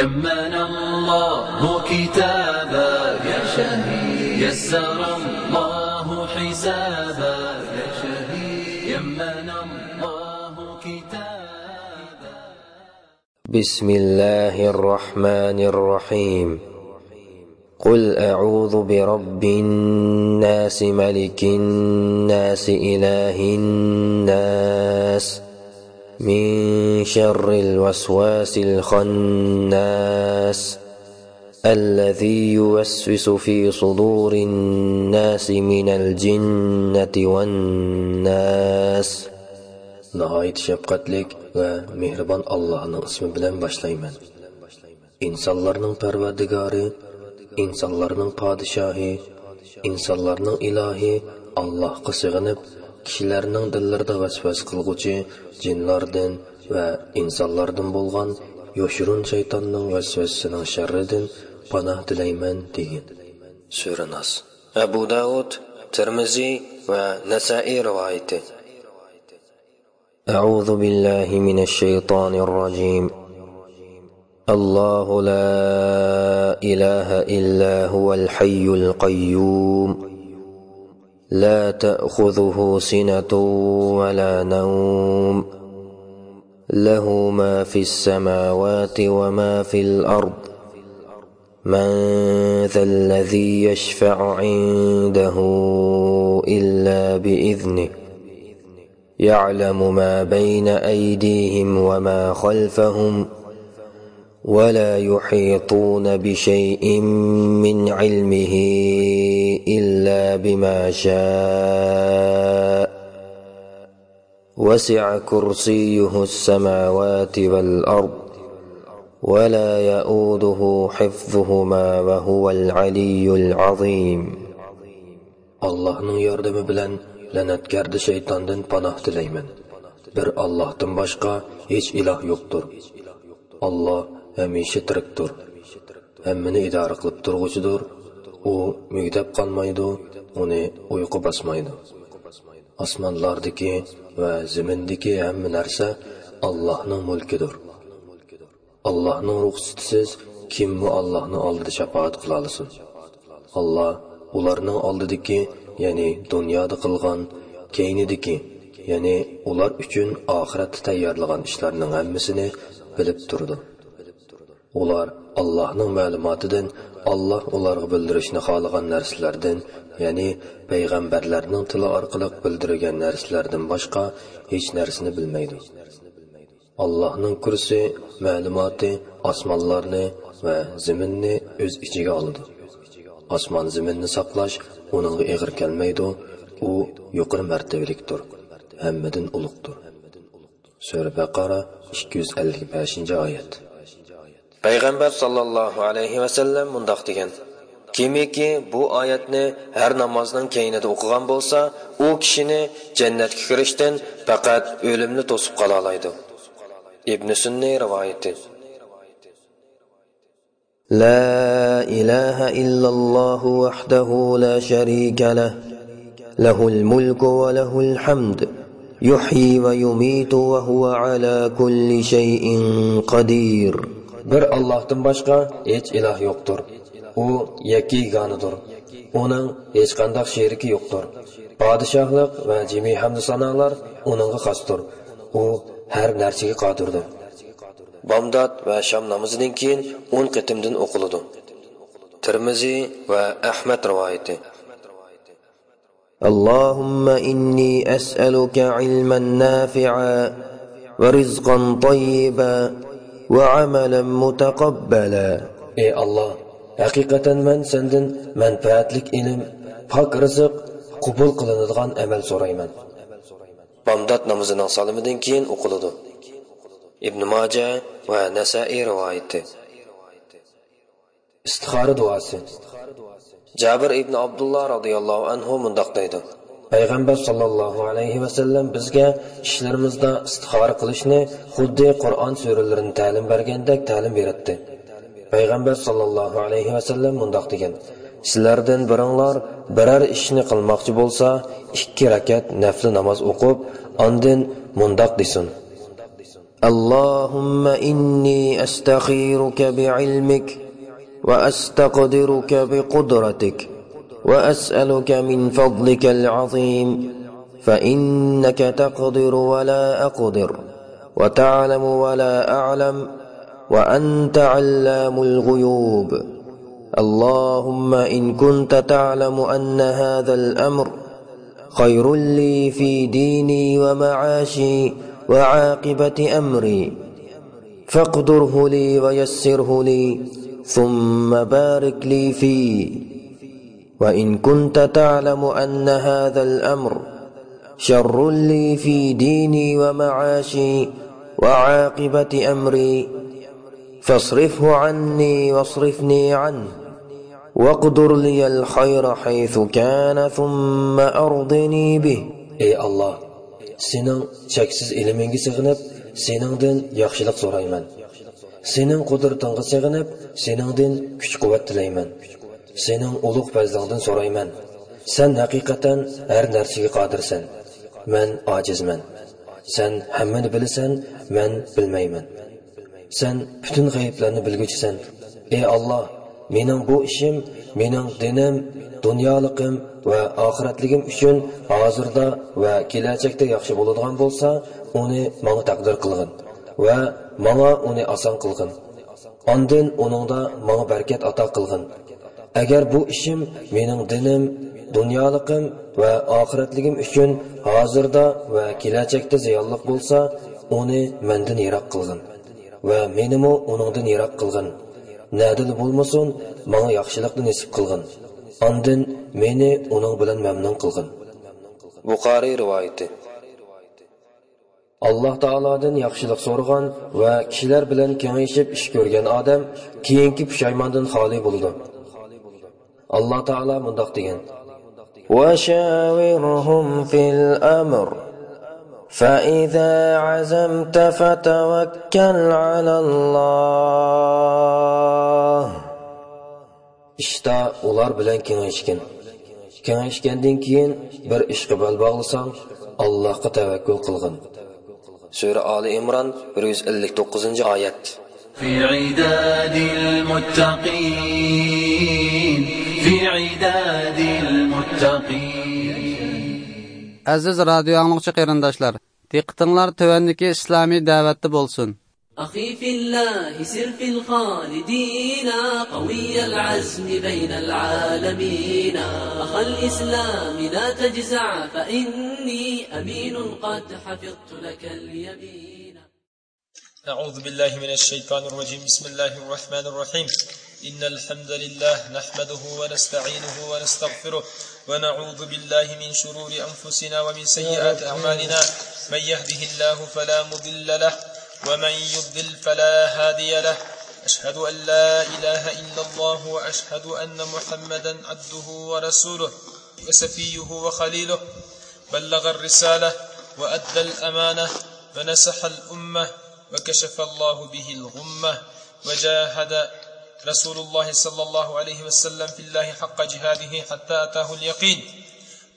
يمن الله كتابك، يا شهيد، يسر الله حسابك، يا شهيد، يمن الله كتابك. بسم الله الرحمن الرحيم. قل أعوذ برب الناس، ملك الناس، إله الناس، من شر الوسواس الخناس، الذي يوسوس في صدور الناس من الجنة والناس. ناھايىتى شەپقەتلىك ۋە مېھرىبان ئاللاھنىڭ ئىسمى بىلەن باشلايمەن. ئىنسانلارنىڭ پەرۋەردىگارى، ئىنسانلارنىڭ پادىشاھى، ئىنسانلارنىڭ ئىلاھى ئاللاھقا سېغىنىپ، كىشىلەرنىڭ دىللىرىدا ۋەسۋەسە قىلغۇچى جىنلاردىن ۋە ئىنسانلاردىن بولغان يوشۇرۇن شەيتاننىڭ ۋەسۋەسىسىنىڭ شەررىدىن پاناھ تىلەيمەن دېگىن. سۈرە ناس. ئەبۇ داۋۇد، تىرمىزى ۋە نەسائىي رىۋايىتى. أعوذ بالله من الشيطان الرجيم. الله لا إله إلا هو الحي القيوم. لا تأخذه سنة ولا نوم. له ما في السماوات وما في الأرض. من ذا الذي يشفع عنده إلا بإذنه. يعلم ما بين أيديهم وما خلفهم، ولا يحيطون بشيء من علمه إلا بما شاء. وسع كرسيه السماوات والأرض، ولا يؤوده حفظهما وهو العلي العظيم. ئاللاھنىڭ ياردىمى بىلەن لەنەتكەردە شەيتاندىن پاناھ تىلەيمەن. بىر ئاللاھتىن باشقا ھېچ ئىلاھ يوقتۇر. ئاللاھ ھەمىشە تىرىكتۇر. ھەممىنى ئىدارە قىلىپ تۇرغۇچىدۇر. ئۇ مۈگدەپ قالمايدۇ، ئۇنى ئۇيقۇ باسمايدۇ. ئاسمانلاردىكى ۋە زېمىندىكى ھەممە نەرسە ئاللاھنىڭ مۈلكىدۇر. ئاللاھنىڭ رۇخسىتىسىز كىممۇ ئاللاھنىڭ ئالدىدا شاپائەت قىلالىسۇن؟ ئاللاھ ئۇلارنىڭ ئالدىدىكى، يەنى دۇنيادا قىلغان، كەينىدىكى، يەنى ئۇلار ئۈچۈن ئاخىرەتتە تەييارلىغان ئىشلارنىڭ ھەممىسىنى بىلىپ تۇرىدۇ. ئۇلار ئاللاھنىڭ مەلۇماتىدىن، ئاللاھ ئۇلارغا بىلدۈرۈشنى خالىغان نەرسىلەردىن، يەنى پەيغەمبەرلەرنىڭ تىلى ئارقىلىق بىلدۈرگەن نەرسىلەردىن باشقا ھېچ نەرسىنى بىلمەيدۇ. ئاللاھنىڭ كۇرسى، مەلۇماتى ئاسمانلارنى ۋە زېمىننى ئۆز ئىچىگە ئالىدۇ. ئاسمان زېمىننى ساقلاش ئۇنىڭغا ئېغىر كەلمەيدۇ، ئۇ يۇقىرى مەرتىۋىلىكتۇر، ھەممىدىن ئۇلۇغدۇر. سۈرە بەقەرە، ئىككى يۈز ئەللىك بەشىنچى ئايەت. پەيغەمبەر ساللاللاھۇ ئەلەيھى ۋەسەللەم مۇنداق دېگەن: كىمكى بۇ ئايەتنى ھەر نامازنىڭ كەينىدە ئوقۇغان بولسا، ئۇ كىشىنى جەننەتكە كىرىشتىن پەقەت ئۆلۈملا توسۇپ قالالايدۇ. ئىبنى سۈننى رىۋايىتى. لا إله إلا الله وحده لا شريك له، له الملك وله الحمد، يحيي ويميت وهو على كل شيء قدير. بىر ئاللاھتىن باشقا ھېچ ئىلاھ يوقتۇر. ئۇ يەككە يېگانىدۇر. ئۇنىڭ ھېچقانداق شېرىكى يوقتۇر. پادىشاھلىق ۋە جىمى ھەمدۇ سانالار ئۇنىڭغا خاستۇر. ئۇ ھەر نەرسىگە قادىردۇر. بامدات ۋە شام نامىزىدىن كېيىن ئون قېتىمدىن ئوقۇلىدۇ. تىرمىزى ۋە ئەھمەد رىۋايىتى. اللهم إني أسألك علما نافعا ورزقا طيبا وعملا متقبلا. ئەي ئاللاھ، ھەقىقەتەن مەن سەندىن مەنپەئەتلىك ئىلىم، پاك رىزىق، قوبۇل قىلىنىدىغان ئەمەل سورايمەن. بامدات نامىزىنىڭ سالىمىدىن كېيىن ئوقۇلىدۇ. ئىبن ماجە ۋە نەسائىي رىۋايىتى. ئىستىخارە دۇئاسى. جابىر ئىبن ئابدۇللا رازىياللاھۇ ئەنھۇ مۇنداق دەيدۇ: پەيغەمبەر ساللاللاھۇ ئەلەيھى ۋەسەللەم بىزگە ئىشلىرىمىزدا ئىستىخارە قىلىشنى خۇددى قۇرئان سۈرىلىرىنى تەلىم بەرگەندەك تەلىم بېرەتتى. پەيغەمبەر ساللاللاھۇ ئەلەيھى ۋەسەللەم مۇنداق دېگەن: سىلەردىن بىرىڭلار بىرەر ئىشنى قىلماقچى بولسا، ئىككى رەكەت نەپلى ناماز ئوقۇپ، ئاندىن مۇنداق دېسۇن: اللهم إني أستخيرك بعلمك وأستقدرك بقدرتك وأسألك من فضلك العظيم، فإنك تقدر ولا أقدر، وتعلم ولا أعلم، وأنت علام الغيوب. اللهم إن كنت تعلم أن هذا الأمر خير لي في ديني ومعاشي وعاقبة أمري، فاقدره لي ويسره لي، ثم بارك لي فيه. وإن كنت تعلم أن هذا الأمر شر لي في ديني ومعاشي وعاقبة أمري، فاصرفه عني واصرفني عنه، واقدر لي الخير حيث كان ثم أرضني به. ئەي ئاللاھ، سېنىڭ چەكسىز ئىلمىڭگە سېغىنىپ، سېنىڭدىن ياخشىلىق سورايمەن. سېنىڭ قۇدرىتىڭغا سېغىنىپ، سېنىڭدىن كۈچ-قۇۋۋەت تىلەيمەن. سېنىڭ ئۇلۇغ پەزلىڭدىن سورايمەن. سەن ھەقىقەتەن ھەر نەرسىگە قادىرسەن. مەن ئاجىزمەن. سەن ھەممىنى بىلىسەن، مەن بىلمەيمەن. سەن پۈتۈن غەيىبلەرنى بىلگۈچىسەن. ئەي ئاللاھ، مېنىڭ بۇ ئىشىم، مېنىڭ دىنىم، دۇنيالىقىم ۋە ئاخىرەتلىكىم ئۈچۈن ھازىردا ۋە كېلەچەكتە ياخشى بولىدىغان بولسا، ئۇنى ماڭا تەقدىر قىلغىن ۋە ماڭا ئۇنى ئاسان قىلغىن. ئاندىن ئۇنىڭدا ماڭا بەرىكەت ئاتا قىلغىن. ئەگەر بۇ ئىشىم مېنىڭ دىنىم، دۇنيالىقىم ۋە ئاخىرەتلىكىم ئۈچۈن ھازىردا ۋە كېلەچەكتە زىيانلىق بولسا، ئۇنى مەندىن يىراق قىلغىن ۋە مېنىمۇ ئۇنىڭدىن يىراق قىلغىن. نەدىلا بولمىسۇن، ماڭا ياخشىلىقنى نېسىپ قىلغىن. ئاندىن مېنى ئۇنىڭ بىلەن مەمنۇن قىلغىن. بۇخارىي رىۋايىتى. ئاللاھ تائالادىن ياخشىلىق سورىغان ۋە كىشىلەر بىلەن كېڭىشىپ ئىش كۆرگەن ئادەم كېيىنكى پۇشايماندىن خالىي بولىدۇ. ئاللاھ تائالا مۇنداق دېگەن: وشاورهم في الأمر فإذا عزمت فتوكل على الله. ئىشتا ئۇلار بىلەن كېڭەشكىن. كېڭەشكەندىن كېيىن بىر ئىشقا بەل باغلىساڭ، ئاللاھقا تەۋەككۈل قىلغىن. سۈرە ئالى ئىمران، بىر يۈز ئەللىك توققۇزىنچى ئايەت. في عداد المتقين، في عداد المتقين. ئەزىز رادىيو ئاڭلىغۇچى قېرىنداشلار، دىققىتىڭلار تۆۋەندىكى ئىسلامىي دەۋەتتە بولسۇن. أخي في الله سر في الخالدين، قوي العزم بين العالمين. أخا الإسلام لا تجزع، فإني أمين قد حفظت لك اليمين. أعوذ بالله من الشيطان الرجيم. بسم الله الرحمن الرحيم. إن الحمد لله نحمده ونستعينه ونستغفره ونعوذ بالله من شرور أنفسنا ومن سيئات أعمالنا. من يهده الله فلا مضل له ومن يضلل فلا هادي له. أشهد أن لا إله إلا الله وأشهد أن محمدا عبده ورسوله وصفيه وخليله. بلغ الرسالة وأدى الأمانة ونصح الأمة وكشف الله به الغمة وجاهد رسول الله صلى الله عليه وسلم في الله حق جهاده حتى أتاه اليقين.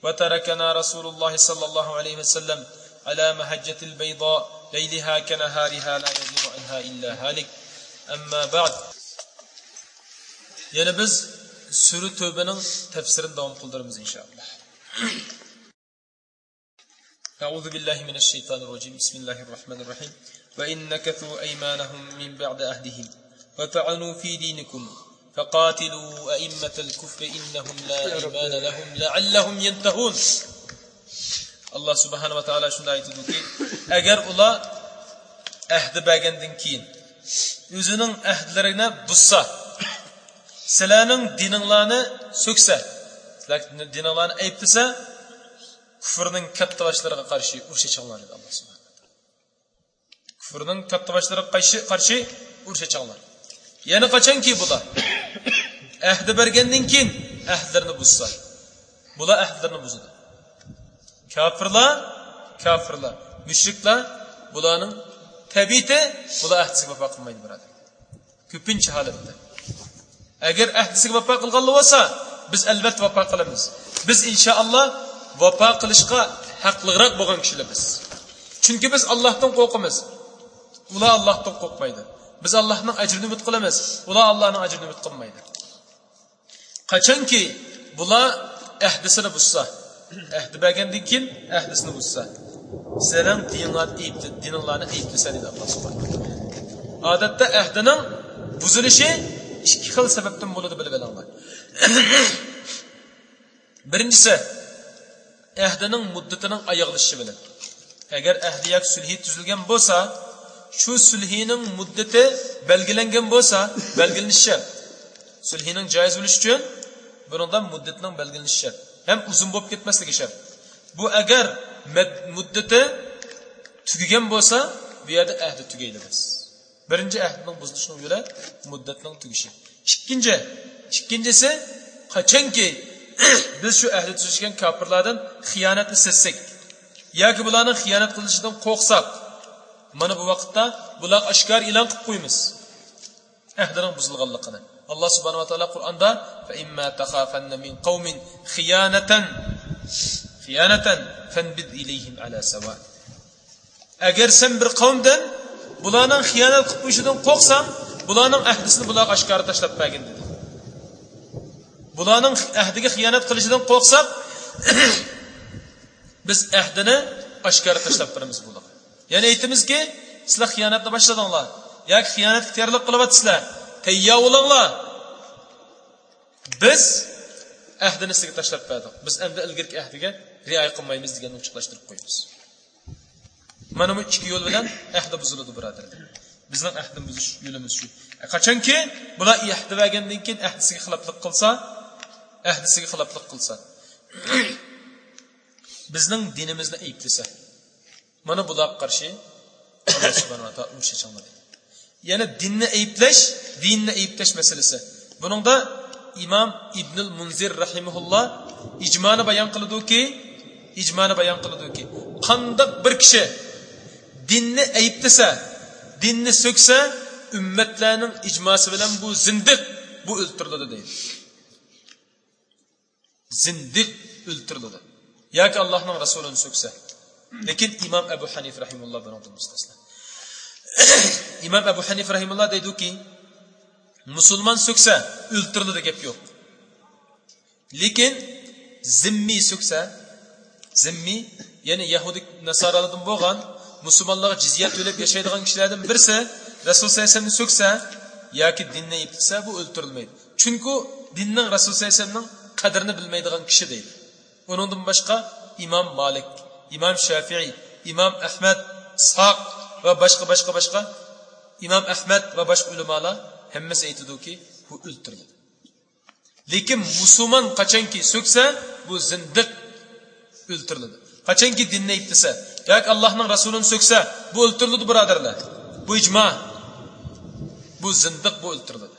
وتركنا رسول الله صلى الله عليه وسلم على محجة البيضاء ليلها كنهارها لا يزيغ عنها إلا هالك. أما بعد. يەنە بىز سۈرە تەۋبىنىڭ تەپسىرىنى داۋام قىلدۇرىمىز، ئىنشائاللاھ. أعوذ بالله من الشيطان الرجيم. بسم الله الرحمن الرحيم. وإن نكثوا أيمانهم من بعد عهدهم وطعنوا في دينكم فقاتلوا أئمة الكفر إنهم لا أيمان لهم لعلهم ينتهون. ئاللاھ سۇبھانەھۇ ۋە تائالا شۇنداق ئېيتىدۇكى، ئەگەر ئۇلار ئەھدى بەرگەندىن كېيىن ئۆزىنىڭ ئەھدىلىرىنى بۇزسا، سىلەرنىڭ دىنىڭلارنى سۆكسە، سىلەر دىنىڭلارنى ئەيىبلىسە، كۇفرنىڭ كاتتىباشلىرىغا قارشى ئۇرۇش ئېچىڭلار، دېدى ئاللاھ سۇبھانەھۇ ۋە تائالا. كۇفرنىڭ كاتتىباشلىرىغا قارشى، قارشى ئۇرۇش ئېچىڭلار. يەنى قاچانكى بۇلار ئەھدى بەرگەندىن كېيىن ئەھدىلىرىنى بۇزسا، بۇلار ئەھدىلىرىنى بۇزىدۇ. كاپىرلار، كاپىرلار، مۇشرىكلار، بۇلارنىڭ تەبىئىتى، بۇلار ئەھدىسىگە ۋاپا قىلمايدۇ، بۇرادەر. كۆپىنچە ھالەتتە. ئەگەر ئەھدىسىگە ۋاپا قىلغانلا بولسا، بىز ئەلۋەتتە ۋاپا قىلىمىز. بىز ئىنشائاللا ۋاپا قىلىشقا ھەقلىقراق بولغان كىشىلەر بىز. چۈنكى بىز ئاللاھتىن قورقىمىز. ئۇلار ئاللاھتىن قورقمايدۇ. بىز ئاللاھنىڭ ئەجرىنى ئۈمىد قىلىمىز. ئۇلار ئاللاھنىڭ ئەجرىنى ئۈمىد قىلمايدۇ. قاچانكى بۇلار ئەھدىسىنى بۇزسا، ئەھدى بەرگەندىن كېيىن ئەھدىسىنى بۇزسا، سىلەرنىڭ دىنىڭلارنى ئەيىبلە-، دىنىڭلارنى ئەيىبلىسە، دېدى ئاللاھ سۇبھانەھۇ ۋە تائالا. ئادەتتە ئەھدىنىڭ بۇزۇلۇشى ئىككى خىل سەۋەبتىن بولىدۇ، بىلىپ ئېلىڭلار. بىرىنچىسى، ئەھدىنىڭ مۇددىتىنىڭ ئاياغلىشىشى بىلەن. ئەگەر ئەھدى ياكى سۈلھى تۈزۈلگەن بولسا، شۇ سۈلھىنىڭ مۇددىتى بەلگىلەنگەن بولسا، بەلگىلىنىشى شەرت. سۈلھىنىڭ جايىز بولۇشى ئۈچۈن بۇنىڭدا مۇددىتىنىڭ بەلگىلىنىشى شەرت. ھەم ئۇزۇن بولۇپ كەتمەسلىكى شەرت. بۇ ئەگەر مەد-، مۇددىتى تۈگىگەن بولسا، بۇ يەردە ئەھدى تۈگەيدۇ بىز. بىرىنچى، ئەھدىنىڭ بۇزۇلۇشىنىڭ يولى مۇددەتنىڭ تۈگىشى. ئىككىنچى، ئىككىنچىسى، قاچانكى بىز شۇ ئەھدى تۈزۈشكەن كاپىرلاردىن خىيانەتنى سەزسەك ياكى بۇلارنىڭ خىيانەت قىلىشىدىن قورقساق، مانا بۇ ۋاقىتتا بۇلارغا ئاشكارا ئېلان قىلىپ قويىمىز ئەھدىنىڭ بۇزۇلغانلىقىنى. ئاللاھ سۇبھانەھۇ ۋە تائالا قۇرئاندا، فَإِمَّا تَخَافَنَّ مِنْ قَوْمٍ خِيَانَةً، خِيَانَةً فَانْبِذْ إِلَيْهِمْ عَلَى سَوَاءٍ. ئەگەر سەن بىر قەۋمدىن بۇلارنىڭ خىيانەت قىلىپ قويۇشىدىن قورقساڭ، بۇلارنىڭ ئەھدىسىنى بۇلارغا ئاشكارا تاشلاپ بەرگىن، دېدى. بۇلارنىڭ ئەھدىگە خىيانەت قىلىشىدىن قورقساق، بىز ئەھدىنى ئاشكارا تاشلاپ بېرىمىز بۇلارغا. يەنى ئېيتىمىزكى، سىلەر خىيانەتنى باشلىدىڭلار ياكى خىيانەتكە تەييارلىق قىلىۋاتىسىلەر، تەييار بولۇڭلار. بىز ئەھدىنى سىزگە تاشلاپ بەردۇق. بىز ئەمدى ئىلگىرىكى ئەھدىگە رىئايە قىلمايمىز دېگەننى ئوچۇقلاشتۇرۇپ قويىمىز. مانا بۇ ئىككى يول بىلەن ئەھدى بۇزۇلىدۇ، بۇرادەرلەر. بىزنىڭ ئەھدىنى بۇزۇش يولىمىز شۇ. قاچانكى بۇلار ئەھدى بەرگەندىن كېيىن ئەھدىسىگە خىلاپلىق قىلسا، ئەھدىسىگە خىلاپلىق قىلسا، بىزنىڭ دىنىمىزنى ئەيىبلىسە، مانا بۇلارغا قارشى ئاللا سۇبھانەھۇ ۋە تائالا ئۇرۇش ئېچىڭلار دېدى. يەنى دىننى ئەيىبلەش، دىننى ئەيىبلەش مەسىلىسى. بۇنىڭدا ئىمام ئىبنۇل مۇنزىر رەھىمەھۇللا ئىجمانى بايان قىلىدۇكى، ئىجمانى بايان قىلىدۇكى، قانداق بىر كىشى دىننى ئەيىبلىسە، دىننى سۆكسە، ئۈممەتلەرنىڭ ئىجماسى بىلەن بۇ زىندىق، بۇ ئۆلتۈرۈلىدۇ دەيدۇ. زىندىق ئۆلتۈرۈلىدۇ. ياكى ئاللاھنىڭ رەسۇلىنى سۆكسە. لېكىن ئىمام ئەبۇ ھەنىفە رەھىمەھۇللا بۇنىڭدىن مۇستەسنا. ئىمام ئەبۇ ھەنىفە رەھىمەھۇللا دەيدۇكى، مۇسۇلمان سۆكسە ئۆلتۈرۈلىدۇ، گەپ يوق. لېكىن زىممىي سۆكسە، زىممىي، يەنى يەھۇدىي ناسارالاردىن بولغان، مۇسۇلمانلارغا جىزيە تۆلەپ ياشايدىغان كىشىلەردىن بىرسى رەسۇل سەللەللاھۇ ئەلەيھى ۋەسەللەمنى سۆكسە ياكى دىننى ئەيىبلىسە، بۇ ئۆلتۈرۈلمەيدۇ. چۈنكى دىننىڭ، رەسۇل سەللەللاھۇ ئەلەيھى ۋەسەللەمنىڭ قەدرىنى بىلمەيدىغان كىشى دەيدۇ. ئۇنىڭدىن باشقا ئىمام مالىك، ئىمام شافىئىي، ئىمام ئەھمەد، ئىسھاق ۋە باشقا، باشقا، باشقا، ئىمام ئەھمەد ۋە باشقا ئۆلىمالار ھەممىسى ئېيتىدۇكى، بۇ ئۆلتۈرۈلىدۇ. لېكىن مۇسۇلمان قاچانكى سۆكسە، بۇ زىندىق، ئۆلتۈرۈلىدۇ. قاچانكى دىننى ئەيىبلىسە ياكى ئاللاھنىڭ رەسۇلىنى سۆكسە، بۇ ئۆلتۈرۈلىدۇ، بۇرادەرلەر. بۇ ئىجما. بۇ زىندىق، بۇ ئۆلتۈرۈلىدۇ.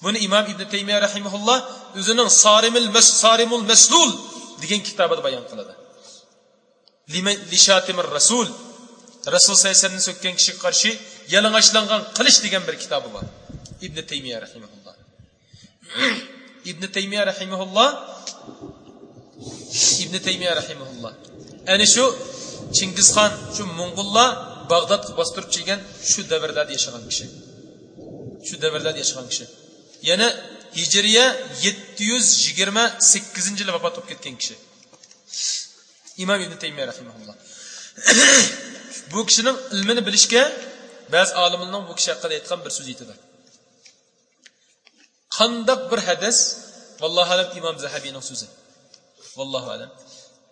بۇنى ئىمام ئىبنى تەيمىيە رەھىمەھۇللا ئۆزىنىڭ سارىمىل مەس-، سارىمۇل مەسلۇل دېگەن كىتابىدا بايان قىلىدۇ. لىمە-، لىشاتىمىر رەسۇل، رەسۇل سەللەللاھۇ ئەلەيھى ۋەسەللەمنى سۆككەن كىشىگە قارشى يالىڭاچلانغان قىلىچ دېگەن بىر كىتابى بار ئىبنى تەيمىيە رەھىمەھۇللا. ئىبنى تەيمىيە رەھىمەھۇللا، ئىبنى تەيمىيە رەھىمەھۇللا ئەنە شۇ چىڭگىزخان، شۇ موڭغۇللار باغدادقا باستۇرۇپ كەلگەن شۇ دەۋرلەردە ياشىغان كىشى. شۇ دەۋرلەردە ياشىغان كىشى. يەنى ھىجرىيە يەتتە يۈز يىگىرمە سەككىزىنچى يىلى ۋاپات بولۇپ كەتكەن كىشى. ئىمام ئىبنى تەيمىيە رەھىمەھۇللا. بۇ كىشىنىڭ ئىلمىنى بىلىشكە بەزى ئالىملارنىڭ بۇ كىشى ھەققىدە ئېيتقان بىر سۆزى يېتىدۇ. قانداق بىر ھەدىس، ۋاللاھۇ ئەلەم، ئىمام زەھەبىنىڭ سۆزى. ۋاللاھۇ ئەلەم.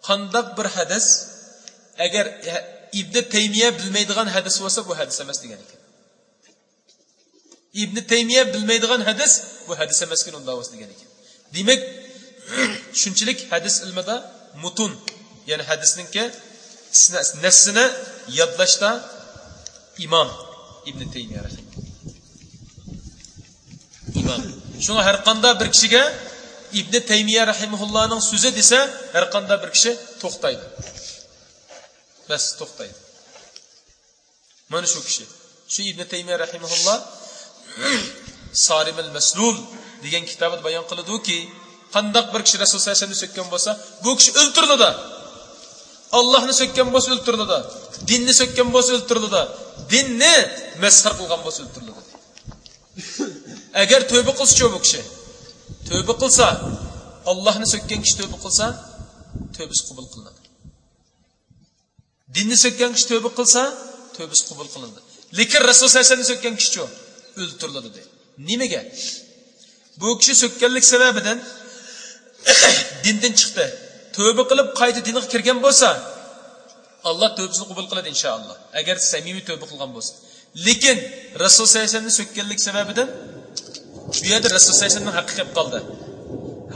قانداق بىر ھەدىس، ئەگەر ئىبنى تەيمىيە بىلمەيدىغان ھەدىس بولسا، بۇ ھەدىس ئەمەس دېگەن ئىكەن. ئىبنى تەيمىيە بىلمەيدىغان ھەدىس، بۇ ھەدىس ئەمەسكەن، ئۇنداق بولسا دېگەن ئىكەن. دېمەك، شۇنچىلىك ھەدىس ئىلمىدا مۇتۇن، يەنى ھەدىسنىڭكى سنە-، نەسسىنى يادلاشتا ئىمام ئىبنى تەيمىيە رەھىمەھۇللا. ئىمام. شۇڭا ھەر قانداق بىر كىشىگە ئىبنى تەيمىيە رەھىمەھۇللانىڭ سۆزى دېسە، ھەر قانداق بىر كىشى توختايدۇ. بەس، توختايدۇ. مانا شۇ كىشى. شۇ ئىبنى تەيمىيە رەھىمەھۇللا سارىمىل مەسلۇل دېگەن كىتابىدا بايان قىلىدۇكى، قانداق بىر كىشى رەسۇل سەللەللاھۇ ئەلەيھى ۋەسەللەمنى سۆككەن بولسا، بۇ كىشى ئۆلتۈرۈلىدۇ. ئاللاھنى سۆككەن بولسا ئۆلتۈرۈلىدۇ. دىننى سۆككەن بولسا ئۆلتۈرۈلىدۇ. دىننى مەسخىرە قىلغان بولسا ئۆلتۈرۈلىدۇ. ئەگەر تۆبە قىلسىچۇ بۇ كىشى؟ تۆبە قىلسا، ئاللاھنى سۆككەن كىشى تۆبە قىلسا، تۆبىسى قوبۇل قىلىنىدۇ. دىننى سۆككەن كىشى تۆبە قىلسا، تۆبىسى قوبۇل قىلىنىدۇ. لېكىن رەسۇل سەللەللاھۇ ئەلەيھى ۋەسەللەمنى سۆككەن كىشىچۇ؟ ئۆلتۈرۈلىدۇ دەيدۇ. نېمىگە؟ بۇ كىشى سۆككەنلىك سەۋەبىدىن دىندىن چىقتى. تۆبە قىلىپ قايتا دىنغا كىرگەن بولسا، ئاللا تۆبىسىنى قوبۇل قىلىدۇ، ئىنشائاللا. ئەگەر سەمىمىي تۆبە قىلغان بولسا. لېكىن رەسۇل سەللەللاھۇ ئەلەيھى ۋەسەللەمنى سۆككەنلىك سەۋەبىدىن بۇ يەردە رەسۇل سەللەللاھۇ ئەلەيھى ۋەسەللەمنىڭ ھەققى كەپ قالدى.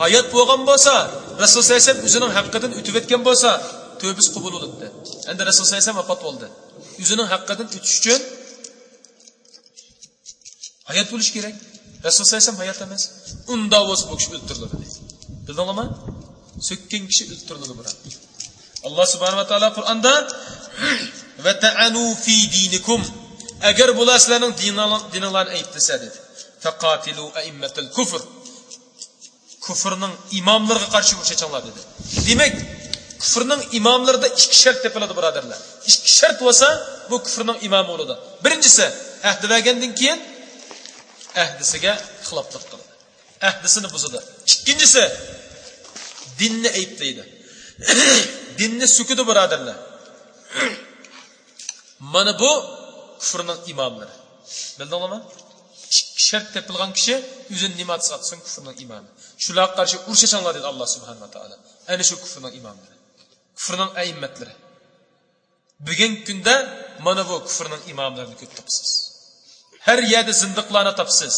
ھايات بولغان بولسا، رەسۇل سەللەللاھۇ ئەلەيھى ۋەسەللەم ئۆزىنىڭ ھەققىدىن ئۆتۈۋەتكەن بولسا، تۆبىسى قوبۇل بولاتتى. ئەمدى رەسۇل سەللەللاھۇ ئەلەيھى ۋەسەللەم ۋاپات بولدى. ئۆزىنىڭ ھەققىدىن ئۆتۈش ئۈچۈن ھايات بولۇش كېرەك. رەسۇل سەللەللاھۇ ئەلەيھى ۋەسەللەم ھايات ئەمەس. ئۇنداق بولسا بۇ كىشى ئۆلتۈرۈلىدۇ دەيدۇ. بىلدىڭلارمۇ؟ سۆككەن كىشى ئۆلتۈرۈلىدۇ، بۇرادەر. ئاللا سۇبھانەھۇ ۋە تائالا قۇرئاندا، «ۋە تەئەنۇ فى دىنىكۇم»، ئەگەر بۇلار سىلەرنىڭ دىنىڭ-، دىنىڭلارنى ئەيىبلىسە دېدى. «فەقاتىلۇ ئەئىممەتەل كۇفر»، كۇفرنىڭ ئىماملىرىغا قارشى ئۇرۇش ئېچىڭلار دېدى. دېمەك، كۇفرنىڭ ئىماملىرىدا ئىككى شەرت تېپىلىدۇ، بۇرادەرلەر. ئىككى شەرت بولسا، بۇ كۇفرنىڭ ئىمامى بولىدۇ. بىرىنچىسى، ئەھدى بەرگەندىن كېيىن ئەھدىسىگە خىلاپلىق قىلىدۇ. ئەھدىسىنى بۇزىدۇ. ئىككىنچىسى، دىننى ئەيىبلەيدۇ. دىننى سۆكىدۇ، بۇرادەرلەر. مانا بۇ كۇفرنىڭ ئىماملىرى. بىلدىڭلارمۇ؟ ئىككى شەرت تېپىلغان كىشى ئۆزىنى نېمە ئاتىسا ئاتىسۇن، كۇفرنىڭ ئىمامى. شۇلارغا قارشى ئۇرۇش ئېچىڭلار دېدى ئاللا سۇبھانەھۇ ۋە تائالا. ئەنە شۇ كۇفرنىڭ ئىماملىرى. كۇفرنىڭ ئەئىممەتلىرى. بۈگۈنكى كۈندە مانا بۇ كۇفرنىڭ ئىماملىرىنى كۆپ تاپىسىز. ھەر يەردە زىندىقلارنى تاپىسىز.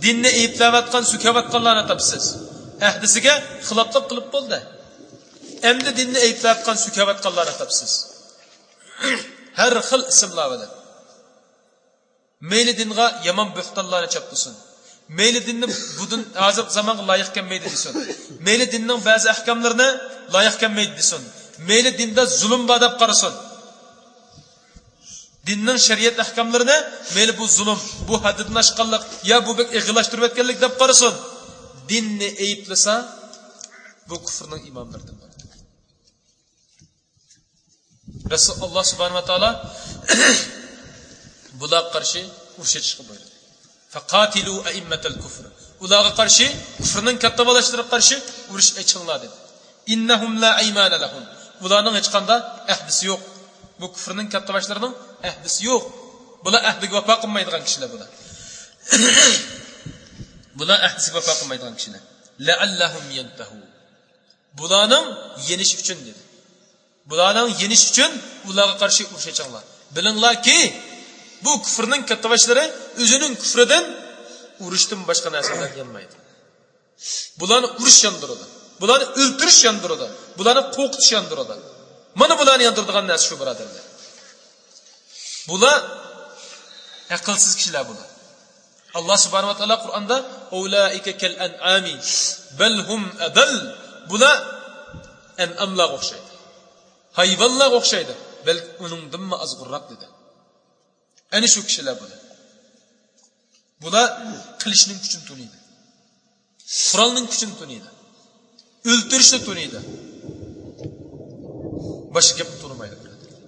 دىننى ئەيىبلەۋاتقان، سۆكۈۋاتقانلارنى تاپىسىز. ئەھدىسىگە خىلاپلىق قىلىپ بولدى. ئەمدى دىننى ئەيىبلەۋاتقان، سۆكۈۋاتقانلارنى تاپىسىز. ھەر خىل ئىسىملار بىلەن. مەيلى دىنغا يامان بۆھتانلارنى چاپلىسۇن. مەيلى دىننى بۇ دىن ھازىرقى زامانغا لايىق كەلمەيدۇ دېسۇن. مەيلى دىننىڭ بەزى ئەھكاملىرىنى لايىق كەلمەيدۇ دېسۇن. مەيلى دىندا زۇلۇم بار دەپ قارىسۇن. دىننىڭ شەرىئەت ئەھكاملىرىنى مەيلى بۇ زۇلۇم، بۇ ھەددىدىن ئاشقانلىق، يا بۇ بەك ئېغىرلاشتۇرۇۋەتكەنلىك دەپ قارىسۇن. دىننى ئەيىبلىسە، بۇ كۇفرنىڭ ئىماملىرىدىن بولىدۇ. رەسۇل، ئاللا سۇبھانەھۇ ۋە تائالا بۇلارغا قارشى ئۇرۇش ئېچىشقا بۇيرۇدى. فَقَاتِلُوا أَئِمَّةَ الْكُفْرِ. ئۇلارغا قارشى، كۇفرنىڭ كاتتىباشلىرىغا قارشى ئۇرۇش ئېچىڭلار دېدى. إِنَّهُمْ لَا أَيْمَانَ لَهُمْ. ئۇلارنىڭ ھېچقانداق ئەھدىسى يوق. بۇ كۇفرنىڭ كاتتىباشلىرىنىڭ ئەھدىسى يوق. بۇلار ئەھدىگە ۋاپا قىلمايدىغان كىشىلەر بۇلار. بۇلار ئەھدىسىگە ۋاپا قىلمايدىغان كىشىلەر. لَعَلَّهُمْ يَنْتَهُونَ. بۇلارنىڭ يېنىشى ئۈچۈن دېدى. بۇلارنىڭ يېنىشى ئۈچۈن ئۇلارغا قارشى ئۇرۇش ئېچىڭلار. بىلىڭلاركى، بۇ كۇفرنىڭ كاتتىباشلىرى ئۆزىنىڭ كۇفرىدىن ئۇرۇشتىن باشقا نەرسە بىلەن يانمايدۇ. بۇلارنى ئۇرۇش ياندۇرىدۇ. بۇلارنى ئۆلتۈرۈش ياندۇرىدۇ. بۇلارنى قورقۇتۇش ياندۇرىدۇ. مانا بۇلارنى ياندۇرىدىغان نەرسە شۇ، بۇرادەرلەر. بۇلار ئەقىلسىز كىشىلەر بۇلار. ئاللا سۇبھانەھۇ ۋە تائالا قۇرئاندا، «ئۇلائىكە كەل ئەنئامى بەل ھۇم ئەدەل.» بۇلار ئەنئاملارغا ئوخشايدۇ. ھايۋانلارغا ئوخشايدۇ. بەلكى ئۇنىڭدىنمۇ ئازغىنراق دېدى. ئەنە شۇ كىشىلەر بۇلار. بۇلار قىلىچنىڭ كۈچىنى تونۇيدۇ. قورالنىڭ كۈچىنى تونۇيدۇ. ئۆلتۈرۈشنى تونۇيدۇ. باشقا گەپنى تونۇمايدۇ، بۇرادەرلەر.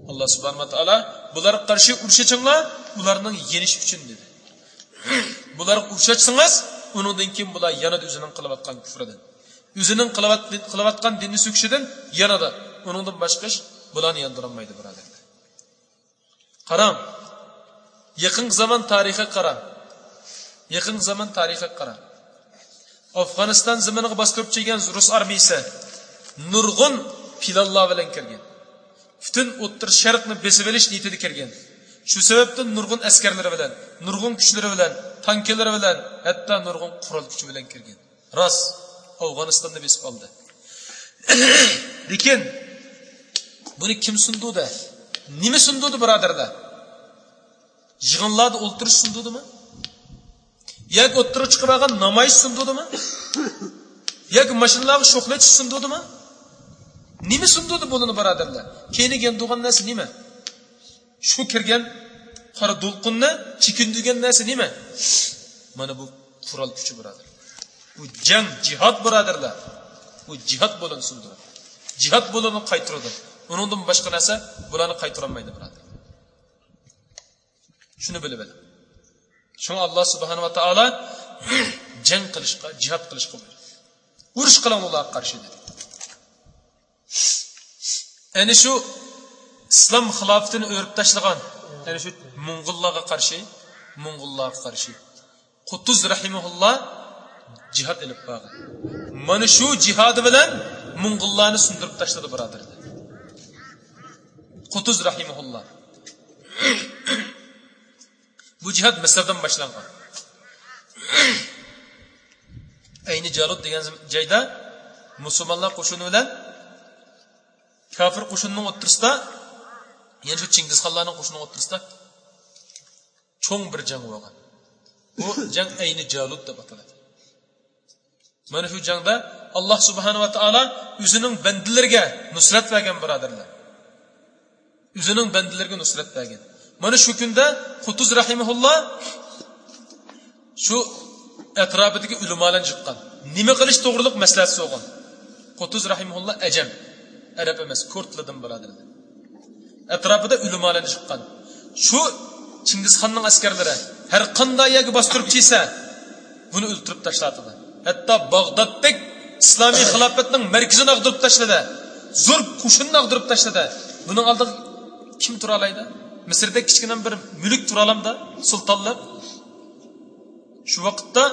ئاللا سۇبھانەھۇ ۋە تائالا، «بۇلارغا قارشى ئۇرۇش ئېچىڭلار، ئۇلارنىڭ يېنىشى ئۈچۈن» دېدى. بۇلارغا ئۇرۇش ئاچسىڭىز، ئۇنىڭدىن كېيىن بۇلار يانىدۇ ئۆزىنىڭ قىلىۋاتقان كۇفرىدىن. ئۆزىنىڭ قىلىۋات-، قىلىۋاتقان دىننى سۆكۈشىدىن يانىدۇ. ئۇنىڭدىن باشقا ئىش بۇلارنى ياندۇرالمايدۇ، بۇرادەرلەر. قاراڭ، يېقىنقى زامان تارىخىغا قاراڭ. يېقىنقى زامان تارىخىغا قاراڭ. ئافغانىستان زېمىنىغا باستۇرۇپ كەلگەن رۇس ئارمىيىسى نۇرغۇن پىلانلار بىلەن كىرگەن. پۈتۈن ئوتتۇرا شەرقنى بېسىۋېلىش نىيىتىدە كىرگەن. شۇ سەۋەبتىن نۇرغۇن ئەسكەرلىرى بىلەن، نۇرغۇن كۈچلىرى بىلەن، تانكىلىرى بىلەن، ھەتتا نۇرغۇن قورال كۈچى بىلەن كىرگەن. راست، ئافغانىستاننى بېسىپ ئالدى. لېكىن بۇنى كىم سۇندۇردى؟ نېمە سۇندۇردى، بۇرادەرلەر؟ يىغىنلاردا ئولتۇرۇش سۇندۇردىمۇ؟ ياكى ئوتتۇرىغا چىقىپ بارغان نامايىش سۇندۇردىمۇ؟ ياكى ماشىنىلارغا شوخلىۋېتىش سۇندۇردىمۇ؟ نېمە سۇندۇردى بۇلارنى، بۇرادەرلەر؟ كەينىگە ياندۇرغان نەرسە نېمە؟ شۇ كىرگەن قارا دولقۇننى چېكىندۈرگەن نەرسە نېمە؟ مانا بۇ قورال كۈچى، بۇرادەر. بۇ جەڭ، جىھاد، بۇرادەرلەر. بۇ جىھاد بۇلارنى سۇندۇرىدۇ. جىھاد بۇلارنى قايتۇرىدۇ. ئۇنىڭدىن باشقا نەرسە بۇلارنى قايتۇرالمايدۇ، بۇرادەر. شۇنى بىلىۋېلىڭ. شۇڭا ئاللا سۇبھانەھۇ ۋە تائالا جەڭ قىلىشقا، جىھاد قىلىشقا بۇيرۇدى. ئۇرۇش قىلىڭ ئۇلارغا قارشى دېدى. ئەنە شۇ ئىسلام خىلاپىتىنى ئۆرۈپ تاشلىغان، ئەنە شۇ موڭغۇللارغا قارشى، موڭغۇللارغا قارشى قۇتۇز رەھىمەھۇللا جىھاد ئېلىپ بارغان. مانا شۇ جىھادى بىلەن موڭغۇللارنى سۇندۇرۇپ تاشلىدى، بۇرادەرلەر. قۇتۇز رەھىمەھۇللا. بۇ جىھاد مىسىردىن باشلانغان. ئەينى جالۇت دېگەن جايدا مۇسۇلمانلار قوشۇنى بىلەن كاپىر قوشۇنىنىڭ ئوتتۇرىسىدا، يەنى شۇ چىڭگىزخانلارنىڭ قوشۇنىنىڭ ئوتتۇرىسىدا چوڭ بىر جەڭ بولغان. بۇ جەڭ ئەينى جالۇت دەپ ئاتىلىدۇ. مانا شۇ جەڭدە ئاللا سۇبھانەھۇ ۋە تائالا ئۆزىنىڭ بەندىلىرىگە نۇسرەت بەرگەن، بۇرادەرلەر. ئۆزىنىڭ بەندىلىرىگە نۇسرەت بەرگەن. مانا شۇ كۈندە قۇتۇز رەھىمەھۇللا شۇ ئەتراپىدىكى ئۆلىمالارنى يىغقان. نېمە قىلىش توغرۇلۇق مەسلىھەت سورىغان. قۇتۇز رەھىمەھۇللا ئەجەم، ئەرەب ئەمەس، كۇردلاردىن، بۇرادەرلەر. ئەتراپىدا ئۆلىمالارنى يىغقان. شۇ چىڭگىزخاننىڭ ئەسكەرلىرى ھەر قانداق يەرگە باستۇرۇپ كەلسە، بۇنى ئۆلتۈرۈپ تاشلاۋاتىدۇ. ھەتتا باغدادتەك ئىسلامىي خىلاپەتنىڭ مەركىزىنى ئاغدۇرۇپ تاشلىدى. زور قوشۇننى ئاغدۇرۇپ تاشلىدى. بۇنىڭ ئالدىغا كىم تۇرالايدۇ؟ مىسىردەك كىچىككىنە بىر مۈلۈك تۇرالامدا؟ سۇلتانلىق. شۇ ۋاقىتتا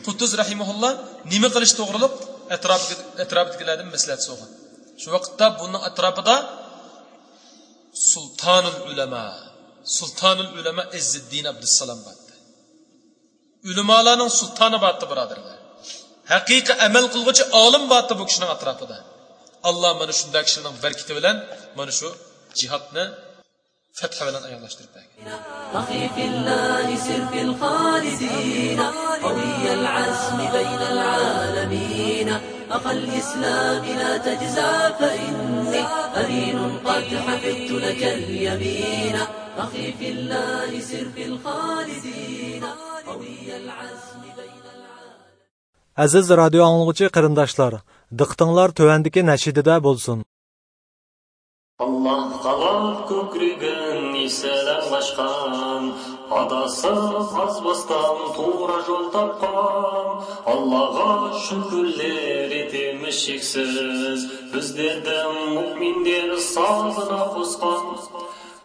قۇتۇز رەھىمەھۇللا نېمە قىلىش توغرۇلۇق ئەتراپىدىكى، ئەتراپىدىكىلەردىن مەسلىھەت سورىغان. شۇ ۋاقىتتا بۇنىڭ ئەتراپىدا سۇلتانۇل ئۇلەما، سۇلتانۇل ئۇلەما ئىززىددىن ئابدۇسسالام بارتى. ئۆلىمالارنىڭ سۇلتانى بارتى، بۇرادەرلەر. ھەقىقىي ئەمەل قىلغۇچى ئالىم بارتى بۇ كىشىنىڭ ئەتراپىدا. ئاللا مانا شۇنداق كىشىلەرنىڭ بەرىكىتى بىلەن مانا شۇ جىھادنى فەتھە بىلەن ئاياغلاشتۇرۇپ بەرگەن. أخي في الله سر في الخالدين، قوي العزم بين العالمين، أخا الإسلام لا تجزع فإني أمين قد حفظت لك اليمين. أخي في الله سر في الخالدين، قوي العزم بين العالمين. ئەزىز رادىيو ئاڭلىغۇچى قېرىنداشلار، دىققىتىڭلار تۆۋەندىكى نەشىدىدە بولسۇن. ئاللاھ قالاپ كۆكرىكىنى سەلەم ئاچقان، ئاداسىز ئازباستان توغرا يول تاپقان. ئاللاھقا شۈكۈرلىرى تېمىشىكسىز، بىزلەردىن مۇئمىندىن سازىنا قوسقان.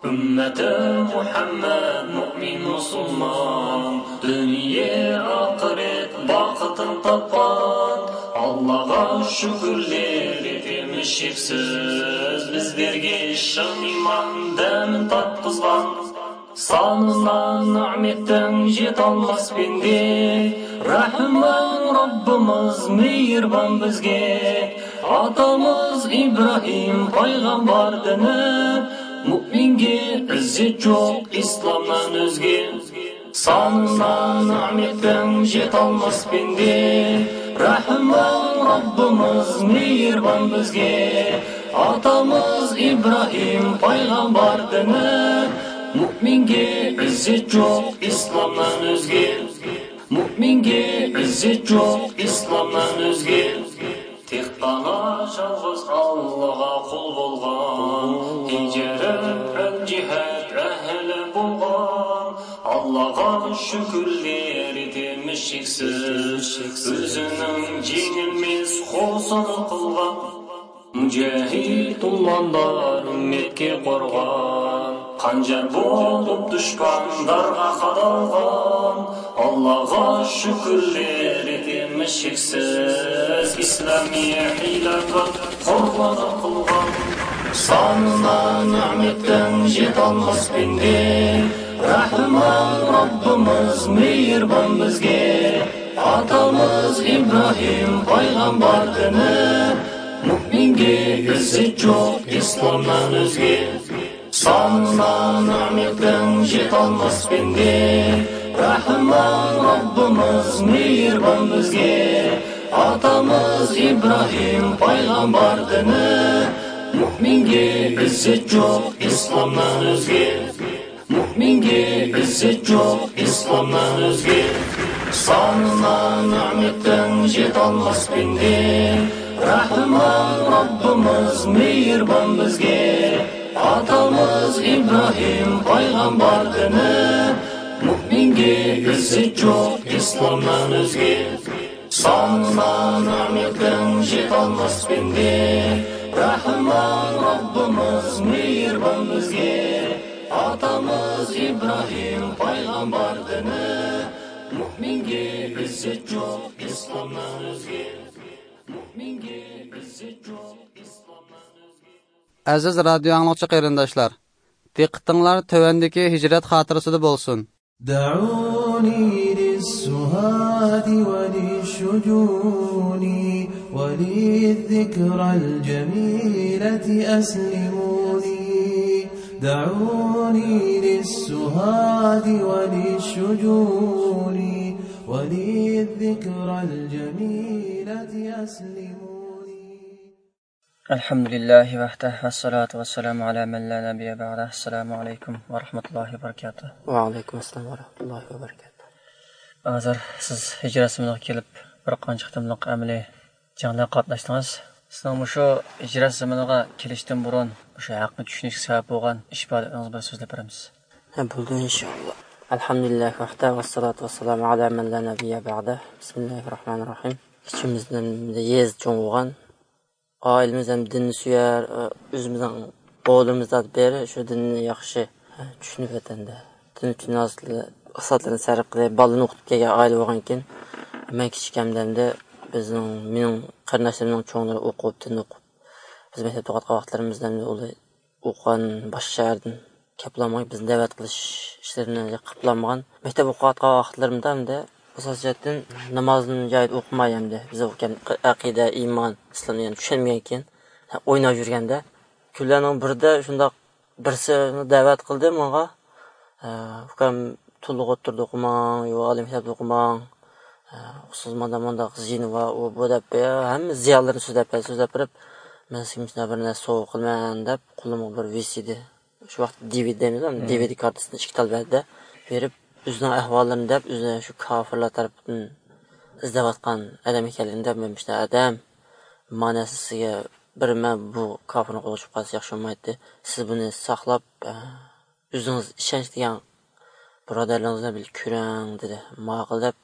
ئۈممىتى مۇھەممەد مۇئمىن مۇسۇلمان، دۇنيا ئاخىرەت باقىتىن تاپقان. ئاللاھقا شۈكۈرلىرى تېمىشىكسىز، بىزلەرگە ئىشان ئىمان دەمىن تارتقۇزغان. سانىنا نېمەتنىڭ يېتەلمەس بەندى، رەھمان رەببىمىز مېھرىبان بىزگە. ئاتىمىز ئىبراھىم پەيغەمبەردىن، مۇئمىنگە ئىززەت يوق ئىسلامدىن ئۆزگە. سانىنا نېمەتنىڭ يېتەلمەس بەندى، رەھمان رەببىمىز مېھرىبان بىزگە. ئاتىمىز ئىبراھىم پەيغەمبەردىن، مۇئمىنگە ئىززەت يوق ئىسلامدىن ئۆزگە. مۇئمىنگە ئىززەت يوق ئىسلامدىن ئۆزگە. تېخى يالغۇز ئاللاغا قۇل بولغان، ھىجرەت بىلەن جىھاد ئەھلى بولغان. ئاللاغا شۈكۈرلىرى تېمىشىكسىز، ئۆزىنىڭ جېنىنى مىس غۇسلى قىلغان. مۇجاھىد تۇماندا ئۈممەتكە قورغان، خەنجەر بولۇپ دۈشمەن دارغا قادالغان. ئاللاغا شۈكۈرلىرى تېمىشىكسىز، ئىسلامىي خىلاپەت قۇربان قىلغان. سانىنا نېمەتنىڭ يېتەلمەس بەندى، رەھمان رەببىمىز مېھرىبان بىزگە. ئاتىمىز ئىبراھىم پەيغەمبەردىن، مۇئمىنگە ئىززەت يوق ئىسلامدىن ئۆزگە. سانىنا نېمەتنىڭ يېتەلمەس بەندى، رەھمان رەببىمىز مېھرىبان بىزگە. ئاتىمىز ئىبراھىم پەيغەمبەردىن، مۇئمىنگە ئىززەت يوق ئىسلامدىن ئۆزگە. مۇئمىنگە ئىززەت يوق ئىسلامدىن ئۆزگە. سانىنا نېمەتنىڭ يېتەلمەس بەندى، رەھمان رەببىمىز مېھرىبان بىزگە. ئاتىمىز ئىبراھىم پەيغەمبەردىن، مۇئمىنگە ئىززەت يوق ئىسلامدىن ئۆزگە. سانىنا نېمەتنىڭ يېتەلمەس بەندى، رەھمان رەببىمىز مېھرىبان بىزگە. ئاتىمىز ئىبراھىم پەيغەمبەردىن، مۇئمىنگە ئىززەت يوق ئىسلامدىن ئۆزگە. مۇئمىنگە ئىززەت يوق ئىسلامدىن ئۆزگە. ئەزىز رادىيو ئاڭلىغۇچى قېرىنداشلار، دىققىتىڭلار تۆۋەندىكى ھىجرەت خاتىرىسىدە بولسۇن. دعوني للسهاد وللشجون، وللذكرى الجميلة أسلموني. دعوني للسهاد وللشجون، وللذكرى الجميلة أسلموني. الحمد لله وحده والصلاة والسلام على من لا نبي بعده. السلام عليكم ورحمة الله وبركاته. وعليكم السلام ورحمة الله وبركاته. ھازىر سىز ھىجرەت زېمىنىغا كېلىپ، بىر قانچە قېتىملىق ئەمەلىي جەڭلەرگە قاتناشتىڭىز. سىزنىڭ مۇشۇ ھىجرەت زېمىنىغا كېلىشتىن بۇرۇن مۇشۇ ھەقنى چۈشىنىشكە سەۋەب بولغان ئىش پائالىيىتىڭىز بىلەن سۆزلەپ بېرەمسىز؟ ھە، بولىدۇ، ئىنشائاللا. الحمد لله وحده والصلاة والسلام على من لا نبي بعده. بسم الله الرحمن الرحيم. ئىچىمىزدىن يېزا چوڭ بولغان، ئائىلىمىز ھەم دىننى سۆيەر، ئۆزىمىزنىڭ بالىلىرىمىز بىرى شۇ دىننى ياخشى چۈشىنىپ، ۋەتەندە دىن ئۈچۈن ئىسلاھاتلىرىنى سەرپ قىلىپ، بالىنى ئوقۇتۇپ كەلگەن ئائىلە بولغانكىن، مەن كىچىكىمدە ئەمدى بىزنىڭ، مېنىڭ قېرىنداشلىرىمنىڭ چوڭلىرى ئوقۇپ، دىن ئوقۇپ، بىز مەكتەپتە ئوقۇۋاتقان ۋاقىتلىرىمىزدا ئەمدى ئۇلار ئوقۇغان باشقا شەھەردىن كەپلەنمىگەن، بىزنى دەۋەت قىلىش ئىشلىرىنى قىلىپلانمىغان. مەكتەپ ئوقۇۋاتقان ۋاقىتلىرىمدا ئەمدى ئاساسىي جەھەتتىن نامازنى جايىدا ئوقۇماي، ئەمدى بىز ئوقۇغان ئەقىدە، ئىمان، ئىسلامنى يەنە چۈشەنمىگەنكىن، ئويناپ يۈرگەندە، كۈنلەرنىڭ بىرىدە شۇنداق بىرسى دەۋەت قىلدى ماڭا. ئۇكام، تولۇق ئوتتۇرىدا ئوقۇماڭ، يو ئالىي مەكتەپتە ئوقۇماڭ، ئۇقسىز مانداق مانداق زىيىنى بار، ئۇ بۇ دەپ، ھەممە زىيانلىرىنى سۆزلەپ، سۆزلەپ بېرىپ، مەن سىزگە مۇشۇنداق بىر نەرسە سوۋغا قىلىمەن دەپ، قولۇمغا بىر ۋىسىدى، شۇ ۋاقىت دىۋىدى دەيمىز، دىۋىدى كارتىسىنى ئىككى تال بەردى، بېرىپ، ئۆزىنىڭ ئەھۋاللىرىنى دەپ، ئۆزىنى شۇ كاپىرلار تەرىپىدىن ئىزدەۋاتقان ئادەم ئىكەنلىكىنى دەپ، مەن مۇشۇنداق ئادەم، مانا سىزگە بىرىمەن، بۇ كاپىرنىڭ قولىغا چۈشۈپ قالسا ياخشى بولمايتتى. سىز بۇنى ساقلاپ، ئە، ئۆزىڭىز ئىشەنچ دېگەن بۇرادەرلىرىڭىز بىلەن بىللە كۆرۈڭ، دېدى. ماقۇل دەپ،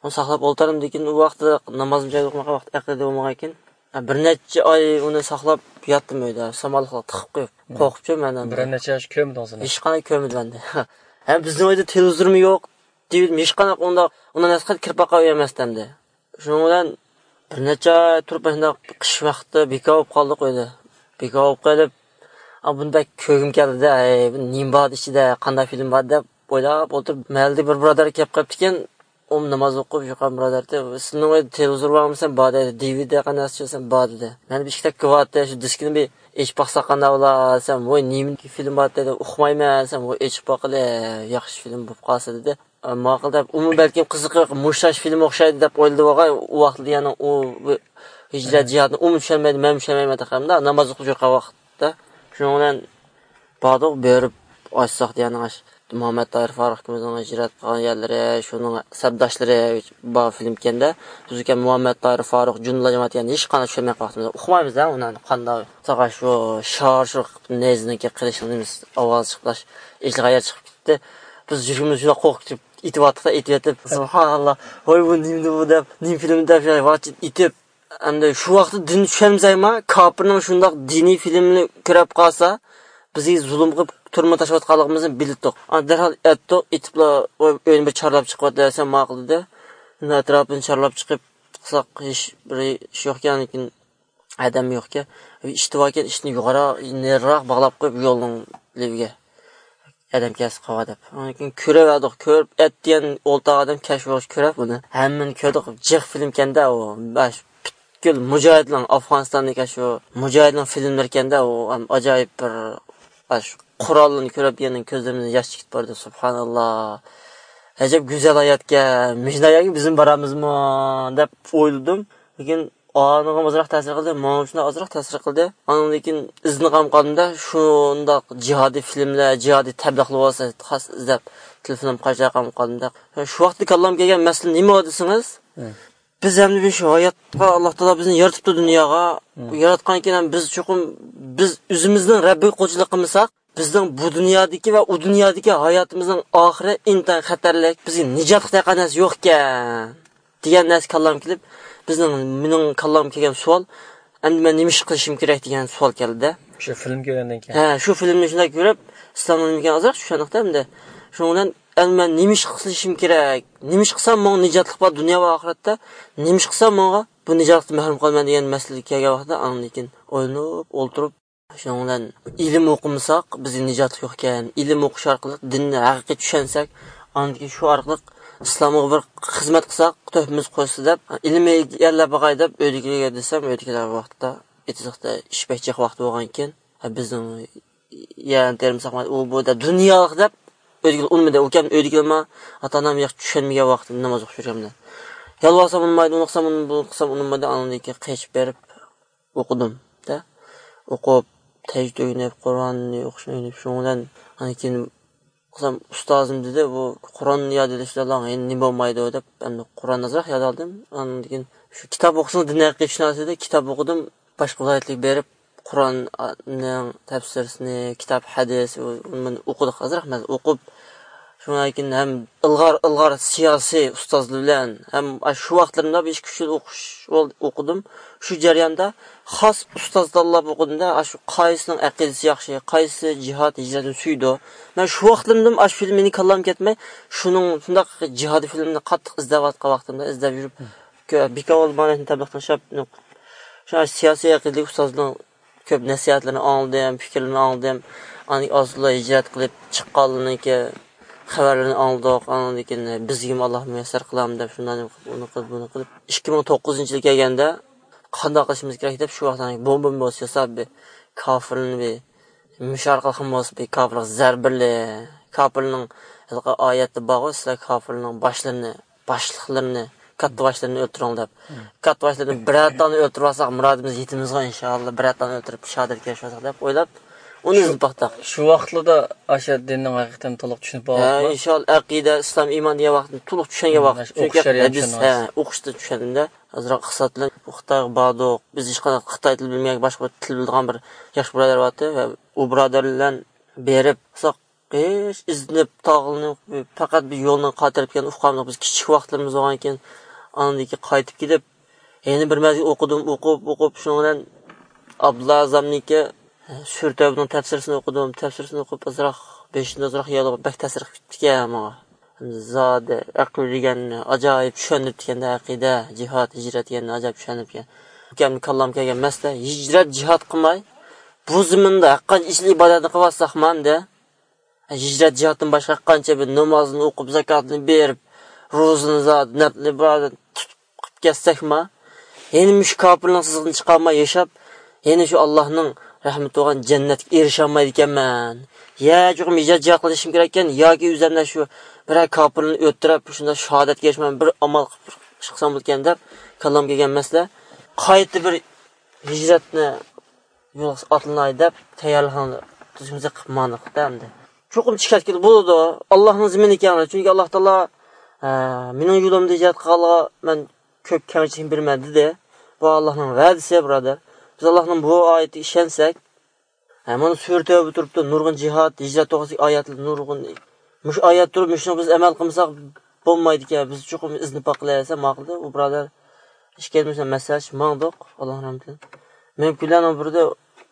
ئۇنى ساقلاپ ئولتۇردۇم. لېكىن ئۇ ۋاقىتتا نامازنى جايىدا ئوقۇمىغان ۋاقىت ئەقىدە بولمىغان ئىكەن. ئە، بىر نەچچە ئاي ئۇنى ساقلاپ ياتتىم ئۆيدە، سامانلىققا تىقىپ قويۇپ. قورقۇپچۇ مەن ئەمدى. بىر نەچچە ئاي كۆرمىدىڭىز ئۇنى؟ ھېچقانداق كۆرمىدىم ئەمدى. ھەم بىزنىڭ ئۆيدە تېلېۋىزورمۇ يوق، دېۋىدىمۇ ھېچقانداق ئۇنداق، ئۇنداق نەرسىگە كىرىپ باققان ئۆي ئەمەستى ئەمدى. شۇنىڭ بىلەن بىر نەچچە ئاي تۇرۇپ، مۇشۇنداق قىش ۋاقتى بىكار بولۇپ قالدۇق ئۆيدە. بىكار بولۇپ قېلىپ، ئا، بۇنى بەك كۆرگۈم كەلدى-دە، ئەي، بۇ نېمە بار ئىچىدە، قانداق فىلىم بار دەپ ئويلاپ ئولتۇرۇپ، مەھەللىدە بىر بۇرادەر كېلىپ قېپتىكەن، ئۇمۇ ناماز ئوقۇپ يۈرگەن بۇرادەر، سىزنىڭ ئۆيدە تېلېۋىزور بارمۇ دېسەم، بار دەيدۇ، دىۋىدى قانداق دېسەم، بار دېدى. مەن بىر ئىككى تەككە بار دېدى، شۇ دىسكىنى بىر ئېچىپ باقساق قانداق بولا دېسەم، ۋوي، نېمە فىلىم بار دېدى، ئۇقمايمەن دېسەم، ۋوي، ئېچىپ باققىلى، ياخشى فىلىم بولۇپ قالسا دېدى. ماقۇل دەپ، ئۇمۇ بەلكىم قىزىقىپ، مۇشۇ فىلىمگە ئوخشايدۇ دەپ ئويلىدى بولغاي، ئۇ ۋاقىتتا يەنە ئۇ بۇ ھىجرەت جىھادىنى ئۇمۇ چۈشەنمەيدۇ، مەنمۇ چۈشەنمەيمەن تېخى، ناماز ئوقۇپ يۈرگەن ۋاقىتتا. شۇنىڭ بىلەن باردۇق، بېرىپ ئاچساق دېگەن ئاش. مۇھەممەد تاھىر فاروق ئىككىمىزنىڭ ھىجرەت قىلغان يەرلىرى، شۇنىڭ سەپداشلىرى بار فىلىم ئىكەندە. بىز ئۇكەم مۇھەممەد تاھىر فاروق، جۇندىلار جامائىتى، يەنى ھېچقانداق چۈشەنمەي قاپتىمىز. ئۇقمايمىز ھە ئۇنى قانداق. ساقا شۇ شار شۇ نەيزىنىڭكى قىلىشنىڭ نېمىسى ئاۋازى چىقىپ، ھېچقايەر چىقىپ كېتىپ، بىز يۈرىكىمىز شۇنداق قورقۇپ كېتىپ، ئېتىۋاتتۇق-دە، ئېتىۋېتىپ، سۇبھاناللا، ۋاي، بۇ نېمىدى بۇ دەپ، نېمە فىلىم دەپ، ۋاچىت ئېتىپ، ئەمدى شۇ ۋاقىتتا دىن چۈشەنمىسەكمۇ، كاپىرنىڭ شۇنداق دىنىي فىلىمنى كۆرۈپ قالسا، بىزگە زۇلۇم قىلىپ تۈرمىگە تاشلاۋاتقانلىقىمىزنى بىلدۇق. ئاندىن دەرھال ئەتتۇق، ئېتىپلا، ئۆينى بىر چارلاپ چىقىۋەت دېسەم، ماقۇل دېدى. ئەتراپىنى چارلاپ چىقىپ، قىلساق، ھېچ بىر ئىش يوقكەن، لېكىن ئادەم يوقكەن. ئىشتى باركەن، ئىشتىنى يۇقىرى، نېرىراق باغلاپ قويۇپ، يولنىڭ لېۋىگە. ئادەم كەلسە قاۋا دەپ. ئاندىن كېيىن كۆرۈۋەردۇق، كۆرۈپ، ئەتىگەن ئولتۇرغان ئادەم كەچ بولغاچ كۆرۈپ بۇنى. ھەممىنى كۆردۇق، جىق فىلىمكەندە ئۇ. باش پۈتكۈل مۇجاھىدلار، ئافغانىستاندىكى شۇ مۇجاھىدلار فىلىملىرىكەندە ئۇ. ھەم ئاجايىپ بىر، باش قوراللىرىنى كۆرۈپ يەنە كۆزلىرىمدىن ياش چىقىپ باردى. سۇبھاناللا. ئەجەب گۈزەل ھاياتكەن. مۇشۇنداق ھاياتقا بىزمۇ بارامىزمۇ دەپ ئويلىدىم. لېكىن ئانىغىمۇ ئازراق تەسىر قىلدى، ماڭا شۇنداق ئازراق تەسىر قىلدى. ئاندىن كېيىن ئىزدىنىپ قالدىم-دە، شۇنداق جىھادىي فىلىملەر، جىھادىي تەبلىغلار بولسا خاس ئىزدەپ، تېلېفونۇم قاچا قالدىم-دە. شۇ ۋاقىتتا كاللامغا كەلگەن مەسىلە نېمە دېسىڭىز، بىز ھەمدە شۇ ھاياتقا ئاللا تائالا بىزنى يارىتىپتۇ دۇنياغا. ياراتقان كېيىن ھەم بىز چوقۇم، بىز ئۆزىمىزنىڭ رەببىگە قۇلچىلىق قىلمىساق، بىزنىڭ بۇ دۇنيادىكى ۋە ئۇ دۇنيادىكى ھاياتىمىزنىڭ ئاخىرى ئىنتايىن خەتەرلىك، بىزگە نىجاتلىق دېگەن نەرسە يوقكەن، دېگەن نەرسە كاللامغا كېلىپ، بىزنىڭ، مېنىڭ كاللامغا كەلگەن سوئال، ئەمدى مەن نېمە ئىش قىلىشىم كېرەك دېگەن سوئال كەلدى. شۇ فىلىم كۆرگەندىن كېيىن. ھە، شۇ فىلىمنى شۇنداق كۆرۈپ، ئىسلامنىڭ نېمە ئازراق چۈشەندۇق-تە ئەمدى. شۇنىڭ بىلەن، ئەمدى مەن نېمە ئىش قىلىشىم كېرەك؟ نېمە ئىش قىلسام ماڭا نىجاتلىق بار دۇنيا ۋە ئاخىرەتتە؟ نېمە ئىش قىلسام ماڭا بۇ نىجاتلىقتىن مەھرۇم قالىمەن دېگەن مەسىلىگە كەلگەن ۋاقىتتا، ئاندىن كېيىن ئويلىنىپ ئولتۇرۇپ، شۇنىڭ بىلەن ئىلىم ئوقۇمىساق، بىزگە نىجاتلىق يوق ئىكەن. ئىلىم ئوقۇش ئارقىلىق دىننى ھەقىقىي چۈشەنسەك، ئاندىن كېيىن شۇ ئارقىلىق ئىسلامغا بىر خىزمەت قىلساق، تۆھپىمىز قوشسا دەپ، ئىلىم ئىگىلەپ باقاي دەپ ئۆيدىكىلەرگە دېسەم، ئۆيدىكىلەر ۋاقتىدا ئېتىزلىقتا ئىش بەك جىق ۋاقتى بولغانىكەن. بىزنىڭ يەرنى تېرىمىساق، ئۇ بۇ دەپ دۇنيالىق دەپ ئۆيدىكىلەر ئۇنىمىدى. ئۇكام ئۆيدىكىلەرمۇ ئاتا-ئانام ياخشى چۈشەنمىگەن ۋاقتىدا ناماز ئوقۇش يۈرگەندە. يالۋارسام ئۇنىمايدۇ، ئۇنىقسام ئۇنىمىدى، ئۇنىقسام ئۇنىمىدى، ئاندىن كېيىن قېچىپ بېرىپ، ئوقۇدۇم-دە. ئوقۇپ، تەجۋىد ئۆگىنىپ، قۇرئاننى ئوقۇشنى ئۆگىنىپ، شۇنىڭ بىلەن ئاندىن كېيىن قىلسام، ئۇستازىم دېدى، بۇ قۇرئان ياد ئېلىشلا ئەڭ نېمە بولمايدۇ دەپ، ئەمدى قۇرئان ئازراق ياد ئالدىم. ئاندىن كېيىن شۇ كىتاب ئوقۇسىڭىز دىن ھەققىدە چۈشىنەرسىز دېدى، كىتاب ئوقۇدۇم. باشقا ۋىلايەتلەرگە بېرىپ، قۇرئاننىڭ تەپسىرىنى، كىتاب، ھەدىس، ئۇ-، ئۇنى ئوقۇدۇق، ئازراق مەزمۇن ئوقۇپ، شۇنىڭدىن كېيىن ھەم ئىلغار، ئىلغار سىياسىي ئۇستازلار بىلەن ھەم شۇ ۋاقىتلىرىمدا بىر ئىككى، ئۈچ يىل ئوقۇش، ئوقۇدۇم. شۇ جەرياندا خاس ئۇستاز تاللاپ ئوقۇدۇم-دە، شۇ قايسىنىڭ ئەقىدىسى ياخشى، قايسى جىھاد، ھىجرەتنى سۆيىدۇ. مەن شۇ ۋاقىتلىرىمدىمۇ ئاشۇ فىلىم مېنىڭ كاللامغا كەتمەي، شۇنىڭ شۇنداق جىھادىي فىلىمنى قاتتىق ئىزدەۋاتقان ۋاقتىمدا، ئىزدەپ يۈرۈپ، كۆ-، بىكار بولۇپ مانا شۇنى تەبلىغ تاشلاپ، شۇ سىياسىي ئەقىدىلىك ئۇستازنىڭ كۆپ نەسىھەتلىرىنى ئاڭلىدىم، پىكىرلىرىنى ئاڭلىدىم. ئاندىن كېيىن ئازلا ھىجرەت قىلىپ چىققانلىرىنىڭكى خەۋەرلىرىنى ئاڭلىدۇق. ئاندىن كېيىن بىزگىمۇ ئاللا مۇيەسسەر قىلامدۇ دەپ شۇنداق نېمە قىلىپ، ئۇنى قىلىپ، بۇنى قىلىپ، ئىككى مىڭ توققۇزىنچى يىلى كەلگەندە قانداق قىلىشىمىز كېرەك دەپ شۇ ۋاقىتتا بومبا بومبا ياساپ بىر كاپىرلارنى بىر مۇشۇ ئارقىلىق بولسا بىر كاپىرلىق زەربىلى، كاپىرنىڭ ھېلىقى ئايەتتە بارغۇ، سىلەر كاپىرنىڭ باشلىرىنى، باشلىقلىرىنى، كاتتا باشلىرىنى ئۆلتۈرۈڭ دەپ. كاتتا باشلىرىنى بىرەر تانى ئۆلتۈرۈپ ئالساق، مۇرادىمىزغا يېتىمىزغۇ ئىنشاللا، بىرەر تانى ئۆلتۈرۈپ شاھادەتكە ئېرىشىۋالساق دەپ ئويلاپ، ئۇنى ئىزدىنىپ باقتۇق. شۇ ۋاقىتلاردا ئاشۇ دىننىڭ ھەقىقەتەن تولۇق چۈشىنىپ ھە، بولۇپ، ئىنشاللا، ئەقىدە، ئىسلام، ئىمان دېگەن ۋاقىتنى تولۇق چۈشەنگەن ۋاقىت. چۈنكى ھەدىس، ھە، ئوقۇشتا چۈشەندىم-دە. ئازراق ئىقتىساد بىلەن بۇ خىتايغا باردۇق. بىز ھېچقانداق خىتاي تىلى بىلمىگەن، باشقا بىر تىل بىلىدىغان بىر ياخشى بۇرادەر بارتى ۋە ئۇ بۇرادەر بىلەن بېرىپ، ئۇزاق ھېچ ئىزدىنىپ، تاغلىنىپ، پەقەت بىر يولنى قايتۇرۇپ كەلگەن ئۇقامدۇق. بىز كىچىك ۋاقىتلىرىمىز بولغانكەن، ئاندىن كېيىن قايتىپ كېلىپ، يەنە بىر مەزگىل ئوقۇدۇم، ئوقۇپ، ئوقۇپ، شۇنىڭ بىلەن ئابدۇللا ئەزەمنىڭكى سۈرە تەۋبىنىڭ تەپسىرىسىنى ئوقۇدۇم. تەپسىرىسىنى ئوقۇپ، ئازراق بېشىمدا ئازراق يالغا بەك تەسىر قىلىپ كەتتىكەن ماڭا. زادى ئەقىدە دېگەننى ئاجايىپ چۈشەندۈرۈپتىكەن-دە، ئەقىدە، جىھاد، ھىجرەت دېگەننى ئاجايىپ چۈشەندۈرۈپتىكەن. ئۇكامنىڭ كاللامغا كەلگەن مەسىلە، ھىجرەت، جىھاد قىلماي، بۇ زېمىندا ھەرقانچە ئىش ئىبادەتنى قىلىۋاتساقمۇ ئەمدى، ھىجرەت، جىھادتىن باشقا ھەرقانچە بىر نامازنى ئوقۇپ، زاكاتنى بېرىپ، روزىنى زادى، نەپلى ئىبادەت تۇتۇپ قىلىپ كەتسەكمۇ، يەنە مۇشۇ كاپىرنىڭ سىزىقىدىن چىقالماي ياشاپ، يەنە شۇ ئاللاھنىڭ رەھمىتى بولغان جەننەتكە ئېرىشەلمەيدىكەنمەن. يا چوقۇم ھىجرەت، جىھاد قىلىشىم كېرەككەن، ياكى ئۆزۈمدە شۇ بىرەر كاپىرنى ئۆلتۈرۈپ، شۇنداق شاھادەتكە ئېرىشىمەن، بىر ئامال قىلىپ ئىش قىلسام بولىدىكەن دەپ كاللامغا كەلگەن مەسىلە. قايتا بىر ھىجرەتنى يولغا ئاتلىناي دەپ تەييارلىقنى تۈزۈمىزگە قىلىپ ماڭدۇق-دە ئەمدى. چوقۇم چىقىپ كېتىدۇ، بولىدۇ. ئاللاھنىڭ زېمىنى ئىكەن، چۈنكى ئاللاھ تائالا، ئە، مېنىڭ يولۇمدا ھىجرەت قىلغانلارغا مەن كۆپ كەمچىلىك بېرىمەن دېدى. بۇ ئاللاھنىڭ ۋەدىسى، بۇرادەر. بىز ئاللاھنىڭ بۇ ئايىتىگە ئىشەنسەك، ھە، مانا سۈرە تەۋبە تۇرۇپتۇ، نۇرغۇن جىھاد، ھىجرەت توغرىسىدىكى ئايەتلەر نۇرغۇن. مۇشۇ ئايەت تۇرۇپ، مۇشۇنى بىز ئەمەل قىلمىساق بولمايدىكەن، بىز چوقۇم ئىزدىنىپ باقىلى دېسە ماقۇل دېدى. ئۇ بۇرادەر ئىش كەلمىسە مەسلىھەتلىشىپ ماڭدۇق، ئاللاھ رەھمىتى. مېنىڭ كۈنلەرنىڭ بىرىدە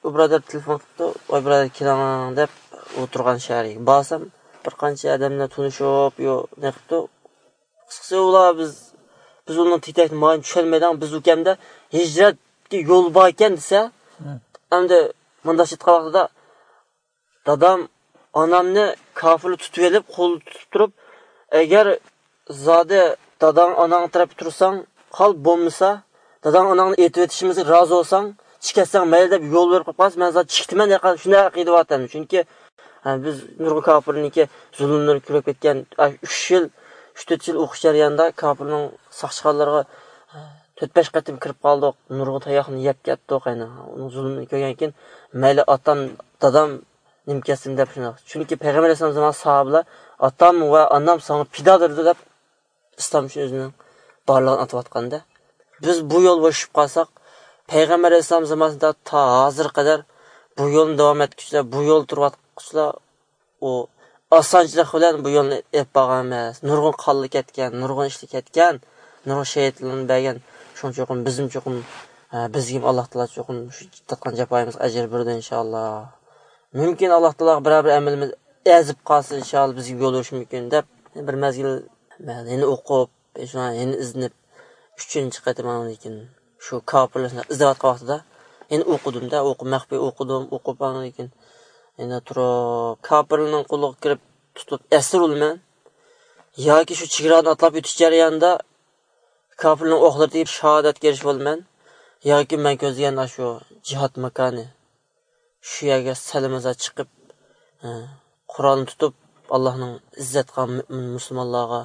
ئۇ بۇرادەر تېلېفون قىپتۇ، ۋاي بۇرادەر كېلىڭ دەپ ئولتۇرغان شەھەرگە. بارسام بىر قانچە ئادەم بىلەن تونۇشۇپ، يو، نېقىپتۇ. قىسقىسى ئۇلار بىز، بىز ئۇنىڭ تېتەكنى مايىنى چۈشەنمەيدىغان، بىز ئۇكەمدە ھىجرەتكە يول باركەن دېسە، ئەمدى مۇنداق ئېيتقان ۋاقتىدا دادام، ئانامنى كاپىرلار تۇتۇۋېلىپ، قولدا تۇتۇپ تۇرۇپ، ئەگەر زادى داداڭ، ئاناڭ تەرەپتە تۇرساڭ، قال، بولمىسا، داداڭ، ئاناڭنى ئېتىۋېتىشىمىزغا رازى بولساڭ، چىقىپ كەتسەڭ مەيلى دەپ يول بېرىپ قويۇپ قالسا، مەن زادى چىقىتىمەن دېگەن شۇنداق ئەقىدە بارتەن. چۈنكى، ھە، بىز نۇرغۇن كاپىرنىڭكى زۇلۇملىرىنى كۆرۈپ كەتكەن، ئۈچ يىل، ئۈچ تۆت يىل ئوقۇش جەريانىدا كاپىرنىڭ ساقچىخانىلىرىغا تۆت بەش قېتىم كىرىپ قالدۇق، نۇرغۇن تاياقنى يەپ كەتتۇق. يەنە ئۇنىڭ زۇلۇمىنى كۆرگەندىن كېيىن، مەيلى ئاتام، دادام نېمە كەتسۇن دەپ شۇنداق. چۈنكى پەيغەمبەر ئەلەيھىسسالام زامانىدا ساھابىلەر، ئاتام ۋە ئانام ساڭا پىدادۇر دەپ ئىسلام ئۈچۈن ئۆزىنىڭ بارلىقىنى ئاتىۋاتقاندا، بىز بۇ يول بوشىشىپ قالساق، پەيغەمبەر ئەلەيھىسسالام زامانىسىدا تا ھازىرغا قەدەر بۇ يولنى داۋام ئەتكۈچىلەر، بۇ يولدا تۇرۇۋاتقۇچىلار ئۇ ئاسانچىلىق بىلەن بۇ يولنى ئېلىپ بارغان ئەمەس. نۇرغۇن قانلار كەتكەن، نۇرغۇن ئىشلار كەتكەن، نۇرغۇن شېھىتلەرنى بەرگەن. شۇڭا چوقۇم بىزمۇ چوقۇم، ھە، بىزگىمۇ ئاللاھ تائالا چوقۇم شۇ تارتقان جاپايىمىزغا ئەجىر بېرىدۇ ئىنشاللاھ. مۇمكىن ئاللاھ تائالاغا بىرەر بىر ئەمىلىمىز ئەزىپ قالسا ئىنشاللاھ بىزگە يول بېرىشى مۇمكىن دەپ بىر مەزگىل مەن يەنە ئوقۇپ، شۇڭا يەنە ئىزدىنىپ، ئۈچىنچى قېتىم ئاندىن كېيىن شۇ كاپىرلارنى ئىزدەۋاتقان ۋاقتىدا يەنە ئوقۇدۇم-دە، ئوقۇپ، مەخپىي ئوقۇدۇم، ئوقۇپ ئاندىن كېيىن يەنە تۇرۇپ، كاپىرلارنىڭ قولىغا كىرىپ تۇتۇپ ئەسىر بولىمەن ياكى شۇ چېگرانى ئاتلاپ ئۆتۈش جەريانىدا كاپىرلارنىڭ ئوقلىرى تېگىپ شاھادەتكە ئېرىشىپ بولىمەن ياكى مەن كۆزلىگەن ئاشۇ جىھاد ماكانى، شۇ يەرگە سەلىمىزا چىقىپ، ئە، قورالنى تۇتۇپ، ئاللاھنىڭ ئىززەت قىلغان مۆمىن مۇسۇلمانلارغا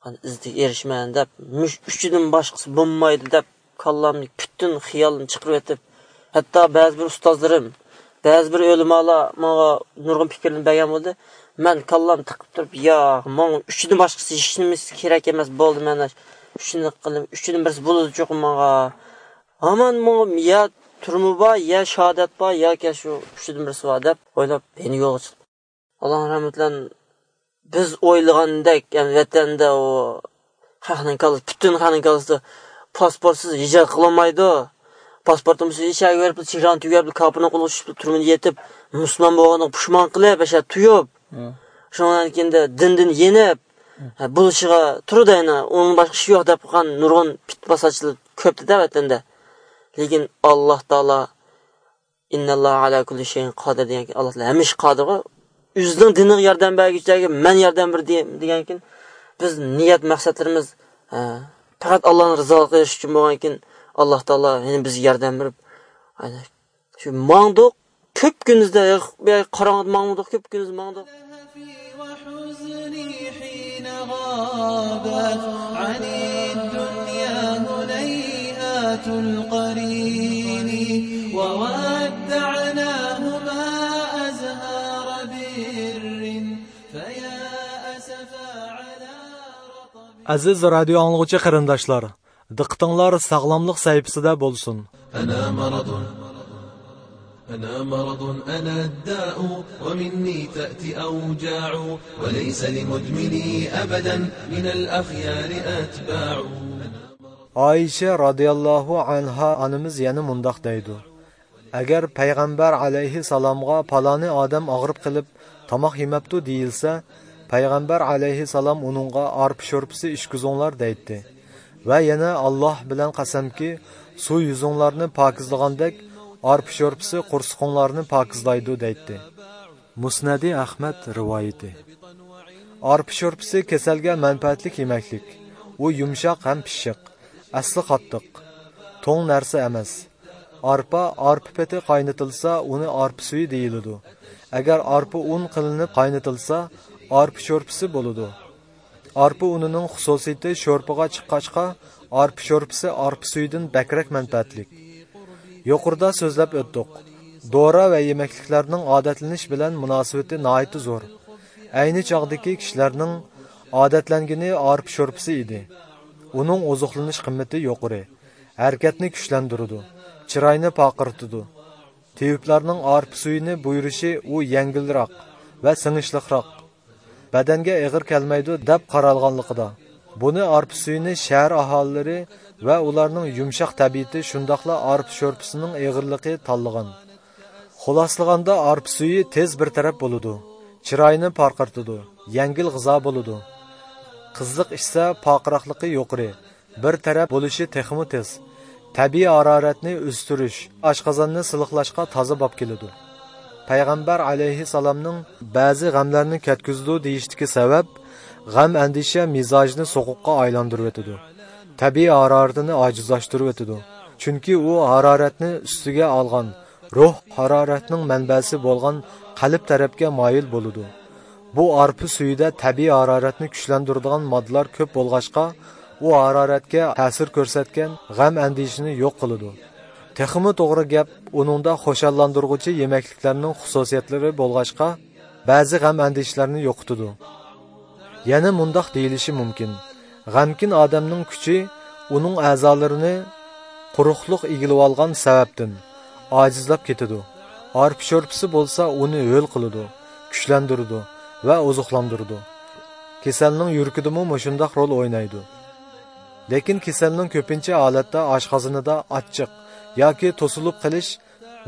ئىززەتكە ئېرىشىمەن دەپ، مۇشۇ ئۈچىدىن باشقىسى بولمايدۇ دەپ، كاللامنى پۈتۈن خىيالىمنى چىقىرىۋېتىپ، ھەتتا بەزى بىر ئۇستازلىرىم، بەزى بىر ئۆلىمالار ماڭا نۇرغۇن پىكىرلىرىنى بەرگەن بولدى. مەن كاللامنى تىقىپ تۇرۇپ، ياق، ماڭا ئۈچىدىن باشقىسى ھېچ نېمىسى كېرەك ئەمەس، بولدى، مەن ئۈچىنى قىلىپ، ئۈچىدىن بىرسى بولىدۇ چوقۇم ماڭا. ھامان ماڭا يا تۈرمە بار، يا شاھادەت بار، ياكى شۇ ئۈچىدىن بىرسى بار دەپ ئويلاپ، يەنە يولغا چىقتىم. ئاللاھنىڭ رەھمىتى بىلەن بىز ئويلىغاندەك، يەنى ۋەتەندە ئۇ خەقنىڭ كاللىسى، پۈتۈن خەقنىڭ كاللىسىدا پاسپورتسىز ھىجرەت قىلالمايدۇ. پاسپورتىمىز ئىچەرگە بېرىپ، چېگرانى تۈگەپ، كاپىرنىڭ قولىغا چۈشۈپ، تۈرمىدە يېتىپ، مۇسۇلمان بولغىنىغا پۇشمان قىلىپ، ياشاپ تۇيۇپ، شۇنىڭدىن كېيىن دىندىن يېنىپ، ھە، بولۇشىغا تۇرىدۇ يەنە، ئۇنىڭ باشقا ئىشى يوق دەپ قىلغان نۇرغۇن پىتنە پاساتچىلار كۆپتىدە ۋەتەندە. لېكىن ئاللاھ تائالا، «ئىنناللاھە ئەلا كۇللى شەيئىن قادىر» دېگەنكىن، ئاللاھ تائالا ھەممە ئىشقا قادىرغۇ. ئۆزىنىڭ دىنىغا ياردەم بەرگۈچىلەرگە مەن ياردەم بېرەي دېگەنكىن، بىز نىيەت مەقسەتلىرىمىز، ھە، پەقەت ئاللاھنىڭ رىزالىقىغا ئېرىشىش ئۈچۈن بولغانكىن، ئاللاھ تائالا يەنە بىزگە ياردەم بېرىپ، شۇ ماڭدۇق، كۆپ كۈندۈزدە، يا، قاراڭغۇدا ماڭدۇق، كۆپ كۈندۈز ماڭدۇق. وحزني حين غابت عن الدنيا هنيهات القرين، وودعناهما أزهار بر، فيا أسفا على رطب. ئەزىز رادىيو ئاڭلىغۇچى قېرىنداشلار، دىققىتىڭلار ساغلاملىق سەھىپىسىدە بولسۇن. أنا مرض، أنا مرض، أنا الداء، ومني تأتي أوجاع، وليس لمدمني أبدا من الأخيار أتباع. ئائىشە رازىياللاھۇ ئەنھا ئانىمىز يەنە مۇنداق دەيدۇ: ئەگەر پەيغەمبەر ئەلەيھىسسالامغا پالانى ئادەم ئاغرىپ قېلىپ تاماق يېمەپتۇ دېيىلسە، پەيغەمبەر ئەلەيھىسسالام ئۇنىڭغا ئارپا شورپىسى ئىچكۈزۈڭلار دەيتتى. ۋە يەنە ئاللاھ بىلەن قەسەمكى، سۇ يۈزۈڭلارنى پاكىزلىغاندەك، ئارپا شورپىسى قورسىقىڭلارنى پاكىزلايدۇ دەيتتى. مۇسنەدى ئەخمەد رىۋايىتى. ئارپا شورپىسى كېسەلگە مەنپەئەتلىك يېمەكلىك. ئۇ يۇمشاق ھەم پىششىق، ئەسلى قاتتىق، توڭ نەرسە ئەمەس. ئارپا، ئارپا پېتى قاينىتىلسا، ئۇنى ئارپا سۈيى دېيىلىدۇ. ئەگەر ئارپا ئۇن قىلىنىپ قاينىتىلسا، ئارپا شورپىسى بولىدۇ. ئارپا ئۇنىنىڭ خۇسۇسىيىتى شورپىغا چىققاچقا، ئارپا شورپىسى ئارپا سۈيىدىن بەكرەك مەنپەئەتلىك. يۇقىرىدا سۆزلەپ ئۆتتۇق. دورا ۋە يېمەكلىكلەرنىڭ ئادەتلىنىش بىلەن مۇناسىۋىتى ناھايىتى زور. ئەينى چاغدىكى كىشىلەرنىڭ ئادەتلەنگىنى ئارپا شورپىسى ئىدى. ئۇنىڭ ئوزۇقلىنىش قىممىتى يۇقىرى، ھەرىكەتنى كۈچلەندۈرىدۇ، چىراينى پارقىرىتىدۇ. تېۋىپلارنىڭ ئارپا سۈيىنى بۇيرۇشى ئۇ يەڭگىلرەك ۋە سىڭىشلىقراق، بەدەنگە ئېغىر كەلمەيدۇ دەپ قارالغانلىقىدا، بۇنى ئارپا سۈيىنى شەھەر ئاھالىلىرى ۋە ئۇلارنىڭ يۇمشاق تەبىئىتى، شۇنداقلا ئارپا شورپىسىنىڭ ئېغىرلىقى تاللىغان. خۇلاسىلىغاندا، ئارپا سۈيى تېز بىر تەرەپ بولىدۇ، چىراينى پارقىرىتىدۇ، يەڭگىل غىزا بولىدۇ. قىزىق ئىچسە، پارقىراقلىقى يۇقىرى، بىر تەرەپ بولۇشى تېخىمۇ تېز. تەبىئىي ھارارەتنى ئۆستۈرۈش، ئاشقازاننى سىلىقلاشقا تازا باب كېلىدۇ. پەيغەمبەر ئەلەيھىسسالامنىڭ بەزى غەملەرنى كەتكۈزىدۇ دېيىشتىكى سەۋەب، غەم ئەندىشە مىزاجنى سوغۇققا ئايلاندۇرۇۋېتىدۇ. تەبىئىي ھارارىتىنى ئاجىزلاشتۇرۇۋېتىدۇ. چۈنكى ئۇ ھارارەتنى ئۈستىگە ئالغان، روھ ھارارەتنىڭ مەنبەسى بولغان قەلب تەرەپكە مايىل بولىدۇ. بۇ ئارپا سۈيىدە تەبىئىي ھارارەتنى كۈچلەندۈرىدىغان ماددىلار كۆپ بولغاچقا، ئۇ ھارارەتكە تەسىر كۆرسەتكەن غەم ئەندىشىنى يوق قىلىدۇ. تېخىمۇ توغرا گەپ، ئۇنىڭدا خۇشاللاندۇرغۇچى يېمەكلىكلەرنىڭ خۇسۇسىيەتلىرى بولغاچقا، بەزى غەم ئەندىشىلەرنى يوقىتىدۇ. يەنە مۇنداق دېيىلىشى مۇمكىن، غەمكىن ئادەمنىڭ كۈچى ئۇنىڭ ئەزالىرىنى قۇرۇقلۇق ئىگىلىۋالغان سەۋەبتىن ئاجىزلاپ كېتىدۇ. ئارپا شورپىسى بولسا ئۇنى ھۆل قىلىدۇ، كۈچلەندۈرىدۇ ۋە ئوزۇقلاندۇرىدۇ. كېسەلنىڭ يۈرىكىدىمۇ مۇشۇنداق رول ئوينايدۇ. لېكىن كېسەلنىڭ كۆپىنچە ھالەتتە ئاشقازىنىدا ئاچچىق ياكى توسۇلۇپ قېلىش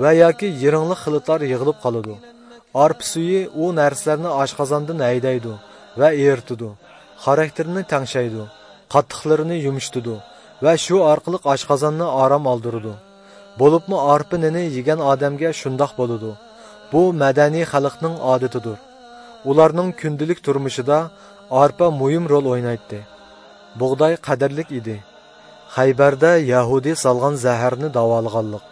ۋە ياكى يىرىڭلىق خىلىتلار يىغىلىپ قالىدۇ. ئارپا سۈيى ئۇ نەرسىلەرنى ئاشقازاندىن ھەيدەيدۇ ۋە ئېرىتىدۇ، خاراكتېرىنى تەڭشەيدۇ، قاتتىقلىرىنى يۇمشىتىدۇ ۋە شۇ ئارقىلىق ئاشقازاننى ئارام ئالدۇرىدۇ. بولۇپمۇ ئارپا نېنى يېگەن ئادەمگە شۇنداق بولىدۇ. بۇ مەدەنىي خەلقنىڭ ئادىتىدۇر. ئۇلارنىڭ كۈندىلىك تۇرمۇشىدا ئارپا مۇھىم رول ئوينايتتى. بۇغداي قەدىرلىك ئىدى. خەيبەردە يەھۇدىي سالغان زەھەرنى داۋالىغانلىق.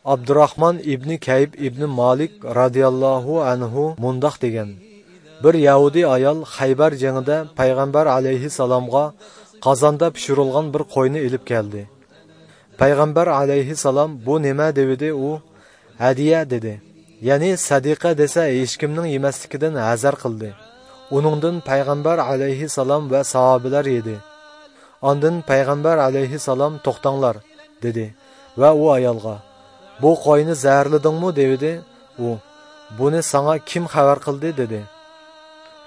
ئابدۇراخمان ئىبنى كەيب ئىبنى مالىك رازىياللاھۇ ئەنھۇ مۇنداق دېگەن: بىر يەھۇدىي ئايال خەيبەر جېڭىدە پەيغەمبەر ئەلەيھىسسالامغا قازاندا پىشۇرۇلغان بىر قوينى ئېلىپ كەلدى. پەيغەمبەر ئەلەيھىسسالام: «بۇ نېمە؟» دېۋىدى. ئۇ: «ھەدىيە» دېدى. يەنى سەدىقە دېسە، ھېچكىمنىڭ يېمەسلىكىدىن ھەزەر قىلدى. ئۇنىڭدىن پەيغەمبەر ئەلەيھىسسالام ۋە ساھابىلەر يېدى. ئاندىن پەيغەمبەر ئەلەيھىسسالام: «توختاڭلار» دېدى ۋە ئۇ ئايالغا: «بۇ قوينى زەھەرلىدىڭمۇ؟» دېۋىدى. ئۇ: «بۇنى ساڭا كىم خەۋەر قىلدى؟» دېدى.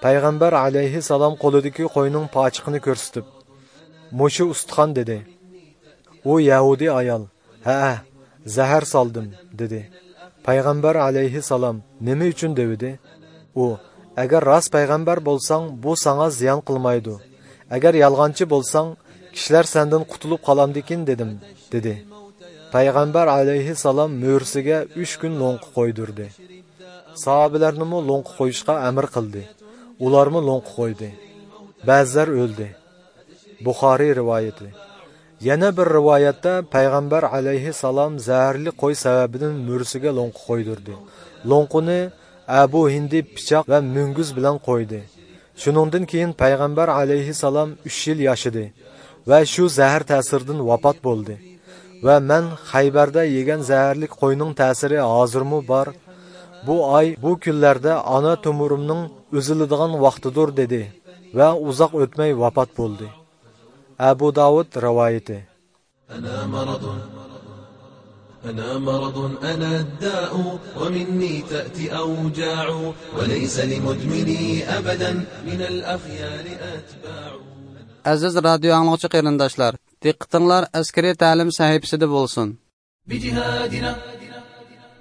پەيغەمبەر ئەلەيھىسسالام قولىدىكى قوينىڭ پاچىقىنى كۆرسىتىپ: «مۇشۇ ئۇستىخان» دېدى. ئۇ يەھۇدىي ئايال: «ھەئە، زەھەر سالدىم» دېدى. پەيغەمبەر ئەلەيھىسسالام: «نېمە ئۈچۈن؟» دېۋىدى. ئۇ: «ئەگەر راست پەيغەمبەر بولساڭ، بۇ ساڭا زىيان قىلمايدۇ. ئەگەر يالغانچى بولساڭ، كىشىلەر سەندىن قۇتۇلۇپ قالامدىكىن دېدىم» دېدى. پەيغەمبەر ئەلەيھىسسالام مۈرىسىگە ئۈچ كۈن لوڭقا قويدۇردى. ساھابىلەرنىمۇ لوڭقا قويۇشقا ئەمىر قىلدى. ئۇلارمۇ لوڭقا قويدى. بەزىلەر ئۆلدى. بۇخارىي رىۋايىتى. يەنە بىر رىۋايەتتە پەيغەمبەر ئەلەيھىسسالام زەھەرلىك قوي سەۋەبىدىن مۈرىسىگە لوڭقا قويدۇردى. لوڭقىنى ئەبۇ ھىندى پىچاق ۋە مۈڭگۈز بىلەن قويدى. شۇنىڭدىن كېيىن پەيغەمبەر ئەلەيھىسسالام ئۈچ يىل ياشىدى ۋە شۇ زەھەر تەسىرىدىن ۋاپات بولدى. ۋە مەن خەيبەردە يېگەن زەھەرلىك قوينىڭ تەسىرى ھازىرمۇ بار. بۇ ئاي، بۇ كۈنلەردە ئانا تومۇرۇمنىڭ ئۈزۈلىدىغان ۋاقتىدۇر، دېدى ۋە ئۇزاق ئۆتمەي ۋاپات بولدى. ئەبۇ داۋۇد رىۋايىتى. أنا مرض، أنا مرض، أنا الداء، ومني تأتي أوجاع، وليس لمدمني أبدا من الأخيار أتباع. ئەزىز رادىيو ئاڭلىغۇچى قېرىنداشلار، دىققىتىڭلار ئەسكىرىي تەلىم سەھىپىسىدە بولسۇن. بجهادنا،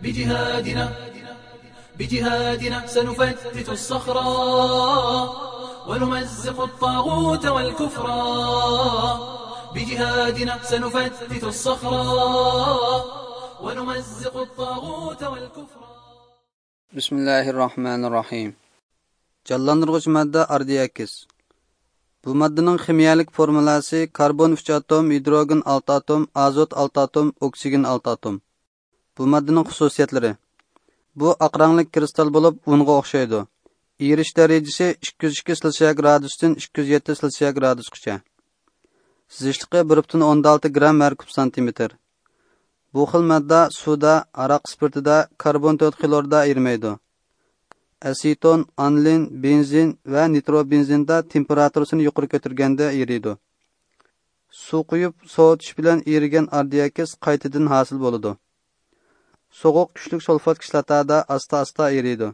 بجهادنا، بجهادنا سنفتت الصخر ونمزق الطاغوت والكفر. بجهادنا سنفتت الصخر ونمزق الطاغوت والكفر. بسم الله الرحمن الرحيم. جانلاندۇرغۇچ ماددا ئاردىئاكسىد. بۇ ماددىنىڭ خىمىيەلىك فورمۇلاسى كاربون ئۈچ ئاتوم، ھىدروگېن ئالتە ئاتوم، ئازوت ئالتە ئاتوم، ئوكسىگېن ئالتە ئاتوم. بۇ ماددىنىڭ خۇسۇسىيەتلىرى. بۇ ئاق رەڭلىك كىرىستال بولۇپ، ئۇنغا ئوخشايدۇ. ئېرىش دەرىجىسى ئىككى يۈز ئىككى سېلسىيە گرادۇستىن ئىككى يۈز يەتتە سېلسىيە گرادۇسقىچە. سىزىشلىقى بىر پۈتۈن ئوندىن ئالتە گرام ھەر كۇب سانتىمېتىر. بۇ خىل ماددا سۇدا، ھاراق ئىسپىرتىدا، كاربون تۆت خلوردا ئېرىمەيدۇ. ئەسېتون، ئانىلىن، بېنزىن ۋە نىتروبېنزىندا تېمپېراتۇرىسىنى يۇقىرى كۆتۈرگەندە ئېرىيدۇ. سۇ قۇيۇپ سوۋۇتۇش بىلەن ئېرىگەن ئاردىئاكسىد قايتىدىن ھاسىل بولىدۇ. سوغۇق كۈچلۈك سۇلفات كىسلاتادا ئاستا-ئاستا ئېرىيدۇ.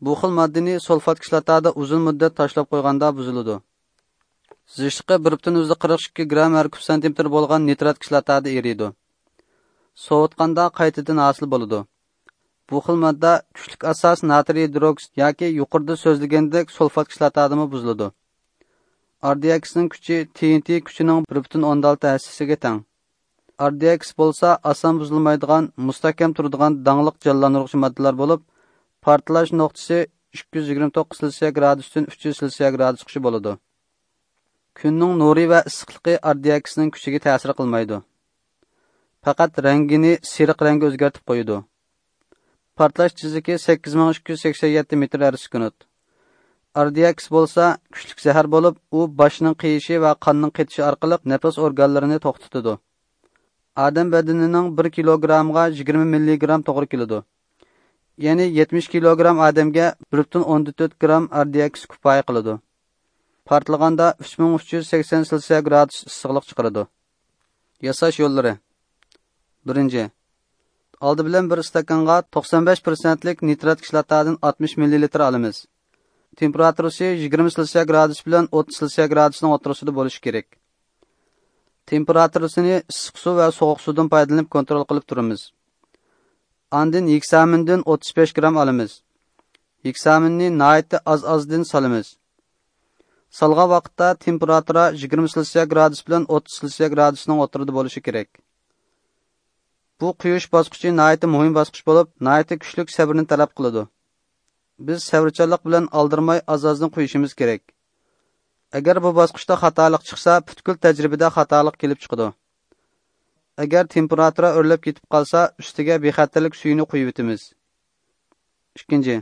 بۇ خىل ماددىنى سۇلفات كىسلاتادا ئۇزۇن مۇددەت تاشلاپ قويغاندا بۇزۇلىدۇ. سىزىشلىقى بىر پۈتۈن يۈزدە قىرىق ئىككى گرام ھەر كۇب سانتىمېتىر بولغان نىترات كىسلاتادا ئېرىيدۇ. سوۋۇتقاندا قايتىدىن ھاسىل بولىدۇ. بۇ خىل ماددا كۈچلۈك ئاساس ناترىي گىدروكسىد ياكى يۇقىرىدا سۆزلىگەندەك سۇلفات كىسلاتادىمۇ بۇزۇلىدۇ. ئاردىئاكسىدنىڭ كۈچى تى ئېن تى كۈچىنىڭ بىر پۈتۈن ئوندىن ئالتە ھەسسىسىگە تەڭ. ئاردىئاكسىد بولسا ئاسان بۇزۇلمايدىغان، مۇستەھكەم تۇرىدىغان داڭلىق جانلاندۇرغۇچى ماددىلار بولۇپ، پارتلاش نۇقتىسى ئىككى يۈز يىگىرمە توققۇز سېلسىيە گرادۇستىن ئۈچ يۈز سېلسىيە گرادۇسقىچە بولىدۇ. كۈننىڭ نۇرى ۋە ئىسسىقلىقى ئاردىئاكسىدنىڭ كۈچىگە تەسىر قىلمايدۇ. پەقەت رەڭگىنى سېرىق رەڭگە ئۆزگەرتىپ قويىدۇ. پارتلاش تېزلىكى سەككىز مىڭ ئىككى يۈز سەكسەن يەتتە مېتىر ھەر سېكۇنت. ئاردىئاكسىد بولسا كۈچلۈك زەھەر بولۇپ، ئۇ باشنىڭ قېيىشى ۋە قاننىڭ قېتىشى ئارقىلىق نەپەس ئورگانلىرىنى توختىتىدۇ. ئادەم بەدىنىنىڭ بىر كىلوگرامغا يىگىرمە مىللىگرام توغرا كېلىدۇ. يەنى يەتمىش كىلوگرام ئادەمگە بىر پۈتۈن ئوندىن تۆت گرام ئاردىئاكسىد كۇپايە قىلىدۇ. پارتلىغاندا ئۈچ مىڭ ئۈچ يۈز سەكسەن سېلسىيە گرادۇس ئىسسىقلىق چىقىرىدۇ. ياساش يوللىرى. بىرىنچى، ئالدى بىلەن بىر ئىستاكانغا توقسان بەش پىرسەنتلىك نىترات كىسلاتادىن ئاتمىش مىللىلىتىر ئالىمىز. تېمپېراتۇرىسى يىگىرمە سېلسىيە گرادۇس بىلەن ئوتتۇز سېلسىيە گرادۇسنىڭ ئوتتۇرىسىدا بولۇشى كېرەك. تېمپېراتۇرىسىنى ئىسسىق سۇ ۋە سوغۇق سۇدىن پايدىلىنىپ كونترول قىلىپ تۇرىمىز. ئاندىن ھېكسامىندىن ئوتتۇز بەش گرام ئالىمىز. ھېكسامىننى ناھايىتى ئاز-ئازدىن سالىمىز. سالغان ۋاقىتتا تېمپېراتۇرا يىگىرمە سېلسىيە گرادۇس بىلەن ئوتتۇز سېلسىيە گرادۇسنىڭ ئوتتۇرىدا بولۇشى كېرەك. بۇ قۇيۇش باسقۇچى ناھايىتى مۇھىم باسقۇچ بولۇپ، ناھايىتى كۈچلۈك سەۋرنى تەلەپ قىلىدۇ. بىز سەۋرچانلىق بىلەن ئالدىرىماي ئاز-ئازدىن قۇيۇشىمىز كېرەك. ئەگەر بۇ باسقۇچتا خاتالىق چىقسا، پۈتكۈل تەجرىبىدە خاتالىق كېلىپ چىقىدۇ. ئەگەر تېمپېراتۇرا ئۆرلەپ كېتىپ قالسا، ئۈستىگە بىخەتەرلىك سۈيىنى قۇيۇۋېتىمىز. ئىككىنچى،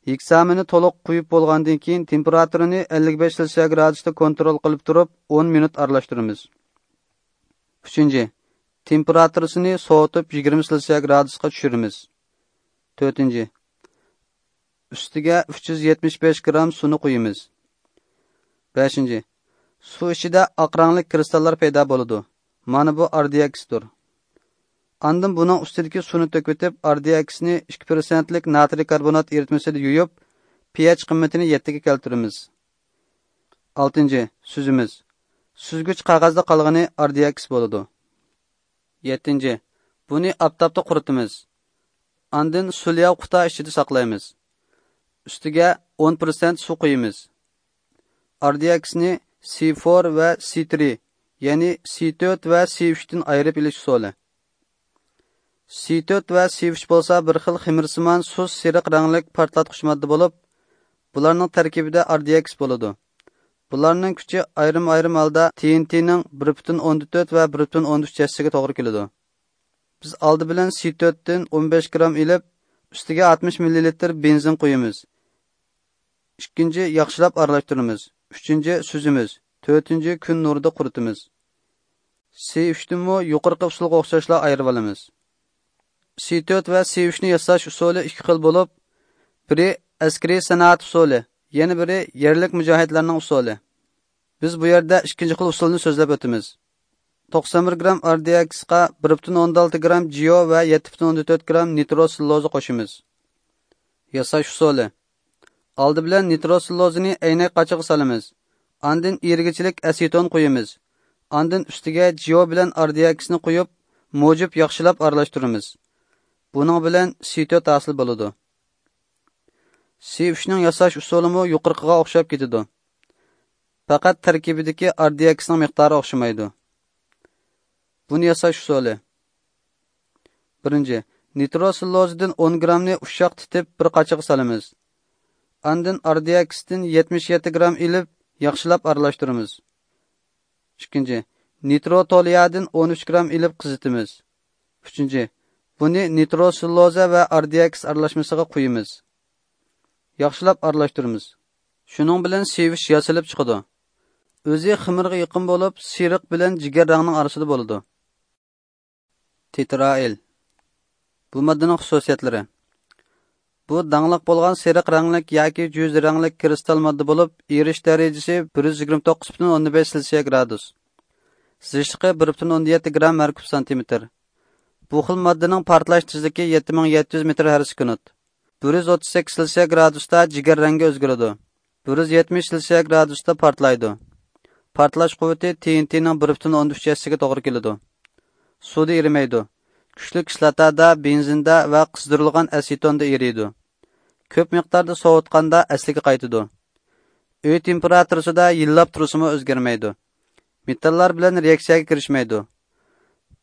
ھېكسامىننى تولۇق قۇيۇپ بولغاندىن كېيىن، تېمپېراتۇرىنى ئەللىك بەش سېلسىيە گرادۇستا كونترول قىلىپ تۇرۇپ، ئون مىنۇت ئارىلاشتۇرىمىز. ئۈچىنچى، تېمپېراتۇرىسىنى سوۋۇتۇپ، يىگىرمە سېلسىيە گرادۇسقا چۈشۈرىمىز. تۆتىنچى، ئۈستىگە ئۈچ يۈز يەتمىش بەش گرام سۇنى قۇيىمىز. بەشىنچى، سۇ ئىچىدە ئاق رەڭلىك كىرىستاللار پەيدا بولىدۇ. مانا بۇ ئاردىئاكسىدتۇر. ئاندىن بۇنىڭ ئۈستىدىكى سۇنى تۆكۈۋېتىپ، ئاردىئاكسىدنى ئىككى پىرسەنتلىك ناترىي كاربونات ئېرىتمىسىدە يۇيۇپ، پىئېچ قىممىتىنى يەتتىگە كەلتۈرىمىز. ئالتىنچى، سۈزىمىز. سۈزگۈچ قەغەزدە قالغىنى ئاردىئاكسىد بولىدۇ. يەتتىنچى، بۇنى ئاپتاپتا قۇرۇتىمىز. ئاندىن سۇلياۋ قۇتا ئىچىدە ساقلايمىز. ئۈستىگە ئون پىرسەنت سۇ قۇيىمىز. ئاردىئاكسىدنى سى فور ۋە سى ترى، يەنى سى تۆت ۋە سى ئۈچتىن ئايرىپ ئېلىش ئۇسۇلى. سى تۆت ۋە سى ئۈچ بولسا بىر خىل خېمىرسىمان سۇس سېرىق رەڭلىك پارتلاتقۇچ ماددا بولۇپ، بۇلارنىڭ تەركىبىدە ئاردىئاكسىد بولىدۇ. بۇلارنىڭ كۈچى ئايرىم-ئايرىم ھالدا تى ئېن تىنىڭ بىر پۈتۈن ئوندىن تۆت ۋە بىر پۈتۈن ئوندىن ئۈچ ھەسسىسىگە توغرا كېلىدۇ. بىز ئالدى بىلەن سى تۆتتىن ئون بەش گرام ئېلىپ، ئۈستىگە ئاتمىش مىللىلىتىر بېنزىن قۇيىمىز. ئىككىنچى، ياخشىلاپ ئارىلاشتۇرىمىز. ئۈچىنچى، سۈزىمىز. تۆتىنچى، كۈن نۇرىدا قۇرۇتىمىز. سى ئۈچتىنمۇ يۇقىرىقى ئۇسۇلغا ئوخشاشلا ئايرىۋالىمىز. سى تۆت ۋە سى ئۈچنى ياساش ئۇسۇلى ئىككى خىل بولۇپ، بىرى ئەسكىرىي سانائەت ئۇسۇلى، يەنە بىرى يەرلىك مۇجاھىدلارنىڭ ئۇسۇلى. بىز بۇ يەردە ئىككىنچى خىل ئۇسۇلنى سۆزلەپ ئۆتىمىز. توقسان بىر گرام ئاردىياكسقا بىر پۈتۈن ئوندىن ئالتە گرام جىيو ۋە يەتتە پۈتۈن ئوندىن تۆت گرام نىترو سېللۇلوزا قوشىمىز. ياساش ئۇسۇلى. ئالدى بىلەن نىترو سېللۇلوزىنى ئەينەك قاچىغا سالىمىز. ئاندىن ئېرىگۈچىلىك ئەسېتون قۇيىمىز. ئاندىن ئۈستىگە جىيو بىلەن ئاردىياكسنى قۇيۇپ، مۇجىپ ياخشىلاپ ئارىلاشتۇرىمىز. بۇنىڭ بىلەن سى تۆت ھاسىل بولىدۇ. سى ئۈچنىڭ ياساش ئۇسۇلىمۇ يۇقىرىقىغا ئوخشاپ كېتىدۇ. پەقەت تەركىبىدىكى ئاردىياكسنىڭ مىقدارى ئوخشىمايدۇ. بۇنى ياساش ئۇسۇلى. بىرىنچى، نىترو سېللۇلوزىدىن ئون گرامنى ئۇششاق تېتىپ بىر قاچىغا سالىمىز. ئاندىن ئاردىياكسدىن يەتمىش يەتتە گرام ئېلىپ ياخشىلاپ ئارىلاشتۇرىمىز. ئىككىنچى، نىترو تولىيادىن ئون ئۈچ گرام ئېلىپ قىزىتىمىز. ئۈچىنچى، بۇنى نىترو سېللۇلوزا ۋە ئاردىياكس ئارىلاشمىسىغا قۇيىمىز. ياخشىلاپ ئارىلاشتۇرىمىز. شۇنىڭ بىلەن سى ئۈچ ياسىلىپ چىقىدۇ. ئۆزى خېمىرغا يېقىن بولۇپ، سېرىق بىلەن جىگەر رەڭنىڭ ئارىسىدا بولىدۇ. تېترائىل. بۇ ماددىنىڭ خۇسۇسىيەتلىرى. بۇ داڭلىق بولغان سېرىق رەڭلىك ياكى جۈز رەڭلىك كىرىستال ماددا بولۇپ، ئېرىش دەرىجىسى بىر يۈز يىگىرمە توققۇز پۈتۈن ئوندىن بەش سېلسىيە گرادۇس. سىزىشلىقى بىر پۈتۈن ئوندىن يەتتە گرام ھەر كۇب سانتىمېتىر. بۇ خىل ماددىنىڭ پارتلاش تېزلىكى يەتتە مىڭ يەتتە يۈز مېتىر ھەر سېكۇنت. بىر يۈز ئوتتۇز سەككىز سېلسىيە گرادۇستا جىگەر رەڭگە ئۆزگىرىدۇ. بىر يۈز يەتمىش سېلسىيە گرادۇستا پارتلايدۇ. پارتلاش قۇۋۋىتى تى ئېن تىنىڭ بىر پۈتۈن ئوندىن ئۈچ ھەسسىسىگە توغرا كېلىدۇ. سۇدا ئېرىمەيدۇ. كۈچلۈك كىسلاتادا، بېنزىندا ۋە قىزدۇرۇلغان ئەسېتوندا ئېرىيدۇ. كۆپ مىقداردا سوۋۇتقاندا ئەسلىگە قايتىدۇ. ئۆي تېمپېراتۇرىسىدا يىللاپ تۇرسىمۇ ئۆزگەرمەيدۇ. مېتاللار بىلەن رېئاكسىيەگە كىرىشمەيدۇ.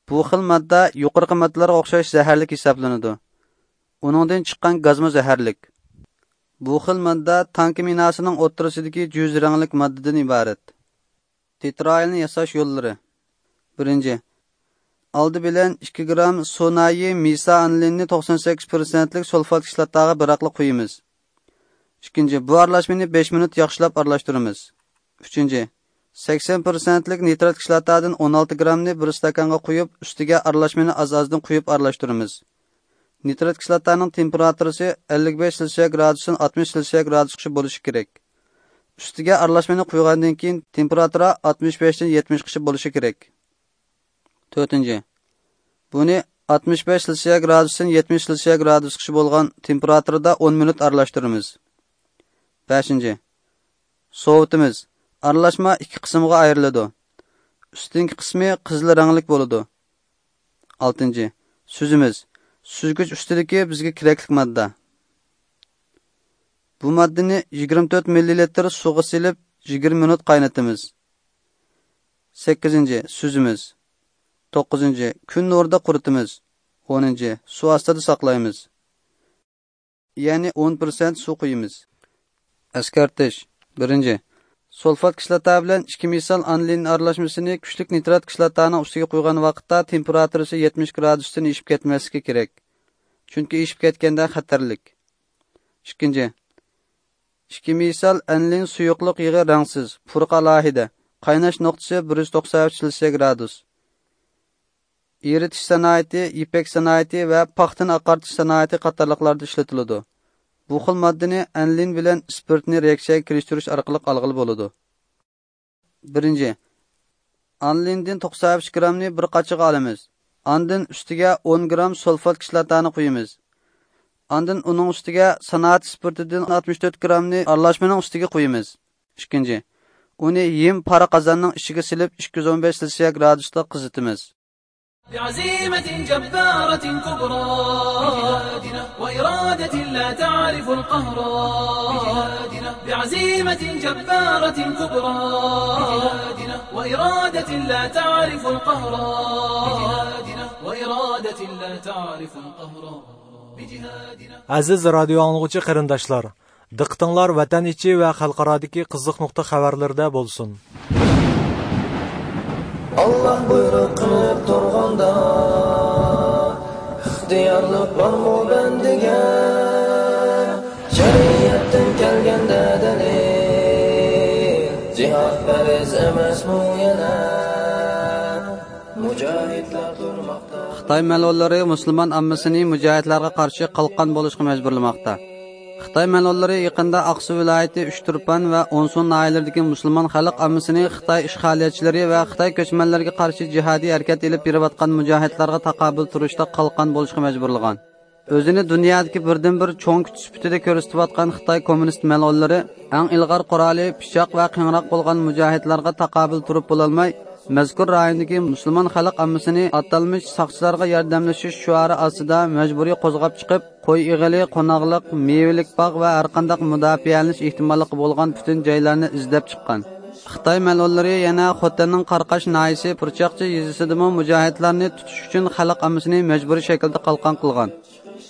بۇ خىل ماددا يۇقىرىقى ماددىلارغا ئوخشاش زەھەرلىك ھېسابلىنىدۇ. ئۇنىڭدىن چىققان گازمۇ زەھەرلىك. بۇ خىل ماددا تانكا مىناسىنىڭ ئوتتۇرىسىدىكى جۈز رەڭلىك ماددىدىن ئىبارەت. تېترائىلنى ياساش يوللىرى. بىرىنچى، ئالدى بىلەن ئىككى گرام سۇنايى مىسا ئانىلىننى توقسان سەككىز پىرسەنتلىك سۇلفات كىسلاتاغا بىراقلا قۇيىمىز. ئىككىنچى، بۇ ئارىلاشمىنى بەش مىنۇت ياخشىلاپ ئارىلاشتۇرىمىز. ئۈچىنچى، سەكسەن پىرسەنتلىك نىترات كىسلاتادىن ئون ئالتە گرامنى بىر ئىستاكانغا قۇيۇپ، ئۈستىگە ئارىلاشمىنى ئاز-ئازدىن قۇيۇپ ئارىلاشتۇرىمىز. نىترات كىسلاتانىڭ تېمپېراتۇرىسى ئەللىك بەش سېلسىيە گرادۇستىن ئاتمىش سېلسىيە گرادۇسقىچە بولۇشى كېرەك. ئۈستىگە ئارىلاشمىنى قۇيغاندىن كېيىن تېمپېراتۇرا ئاتمىش بەشتىن يەتمىشقىچە بولۇشى كېرەك. تۆتىنچى، بۇنى ئاتمىش بەش سېلسىيە گرادۇستىن يەتمىش سېلسىيە گرادۇسقىچە بولغان تېمپېراتۇرىدا ئون مىنۇت ئارىلاشتۇرىمىز. بەشىنچى، سوۋۇتىمىز. ئارىلاشما ئىككى قىسىمغا ئايرىلىدۇ. ئۈستۈنكى قىسمى قىزىل رەڭلىك بولىدۇ. ئالتىنچى، سۈزىمىز. سۈزگۈچ ئۈستىدىكى بىزگە كېرەكلىك ماددا. بۇ ماددىنى يىگىرمە تۆت مىللىلىتىر سۇغا سېلىپ، يىگىرمە مىنۇت قاينىتىمىز. سەككىزىنچى، سۈزىمىز. توققۇزىنچى، كۈن نۇرىدا قۇرۇتىمىز. ئونىنچى، سۇ ئاستىدا ساقلايمىز. يەنى ئون پىرسەنت سۇ قۇيىمىز. ئەسكەرتىش. بىرىنچى، سۇلفات كىسلاتا بىلەن ئىككى مىسال ئانىلىن ئارىلاشمىسىنى كۈچلۈك نىترات كىسلاتانىڭ ئۈستىگە قۇيغان ۋاقىتتا تېمپېراتۇرىسى يەتمىش گرادۇستىن ئېشىپ كەتمەسلىكى كېرەك. چۈنكى ئېشىپ كەتكەندە خەتەرلىك. ئىككىنچى، ئىككى مىسال ئانىلىن سۇيۇقلۇق يېغى رەڭسىز، پۇرىقى ئالاھىدە، قايناش نۇقتىسى بىر يۈز توقسان ئۈچ سېلسىيە گرادۇس. ئېرىتىش سانائىتى، يىپەك سانائىتى ۋە پاختىنى ئاقارتىش سانائىتى قاتارلىقلاردا ئىشلىتىلىدۇ. بۇ خىل ماددىنى ئانىلىن بىلەن ئىسپىرتنى رېئاكسىيەگە كىرىشتۈرۈش ئارقىلىق ئالغىلى بولىدۇ. بىرىنچى، ئانىلىندىن توقسان ئۈچ گرامنى بىر قاچىغا ئالىمىز. ئاندىن ئۈستىگە ئون گرام سۇلفات كىسلاتانى قۇيىمىز. ئاندىن ئۇنىڭ ئۈستىگە سانائەت ئىسپىرتىدىن ئاتمىش تۆت گرامنى ئارىلاشمىنىڭ ئۈستىگە قۇيىمىز. ئىككىنچى، ئۇنى ھىم پارا قازاننىڭ ئىچىگە سېلىپ، ئىككى يۈز ئون بەش سېلسىيە گرادۇستا قىزىتىمىز. بعزيمة جبارة كبرى، وإرادة لا تعرف القهر. بعزيمة جبارة كبرى، وإرادة لا تعرف القهر. وإرادة لا تعرف القهر. بجهادنا. ئەزىز رادىيو ئاڭلىغۇچى قېرىنداشلار، دىققىتىڭلار ۋەتەن ئىچى ۋە خەلقئارادىكى قىزىق نۇقتا خەۋەرلىرىدە بولسۇن. ئاللاھ بۇيرۇق قىلىپ تۇرغاندا، ئىختىيارلىق بارمۇ بەندىگە؟ شەرىئەتتىن كەلگەندە دەلىل، جىھاد پەرز ئەمەسمۇ يەنە؟ مۇجاھىدلار تۇرماقتا. خىتاي مەلئۇنلىرى مۇسۇلمان ئاممىسىنى مۇجاھىدلارغا قارشى قالقان بولۇشقا مەجبۇرلىماقتا. خىتاي مەلئۇنلىرى يېقىندا ئاقسۇ ۋىلايىتى ئۇچتۇرپان ۋە ئونسۇ ناھىيەلىرىدىكى مۇسۇلمان خەلق ئاممىسىنى خىتاي ئىشغالىيەتچىلىرى ۋە خىتاي كۆچمەنلىرىگە قارشى جىھادىي ھەرىكەت ئېلىپ بېرىۋاتقان مۇجاھىدلارغا تاقابىل تۇرۇشتا قالقان بولۇشقا مەجبۇرلىغان. ئۆزىنى دۇنيادىكى بىردىنبىر چوڭ كۈچ سۈپىتىدە كۆرسىتىۋاتقان خىتاي كوممۇنىست مەلئۇنلىرى ئەڭ ئىلغار قورالى پىچاق ۋە قىيىنراق بولغان مۇجاھىدلارغا تاقابىل تۇرۇپ بولالماي، مەزكۇر رايوندىكى مۇسۇلمان خەلق ئاممىسىنى ئاتالمىش ساقچىلارغا ياردەملىشىش شوئارى ئاستىدا مەجبۇرىي قوزغاپ چىقىپ، قوي ئېغىلى، قوناقلىق، مېۋىلىك باغ ۋە ھەرقانداق مۇداپىئەلىنىش ئېھتىماللىقى بولغان پۈتۈن جايلارنى ئىزدەپ چىققان. خىتاي مەلئۇنلىرى يەنە خوتەننىڭ قاراقاش ناھىيەسى پۇرچاقچى يېزىسىدىمۇ مۇجاھىدلارنى تۇتۇش ئۈچۈن خەلق ئاممىسىنى مەجبۇرىي شەكىلدە قالقان قىلغان.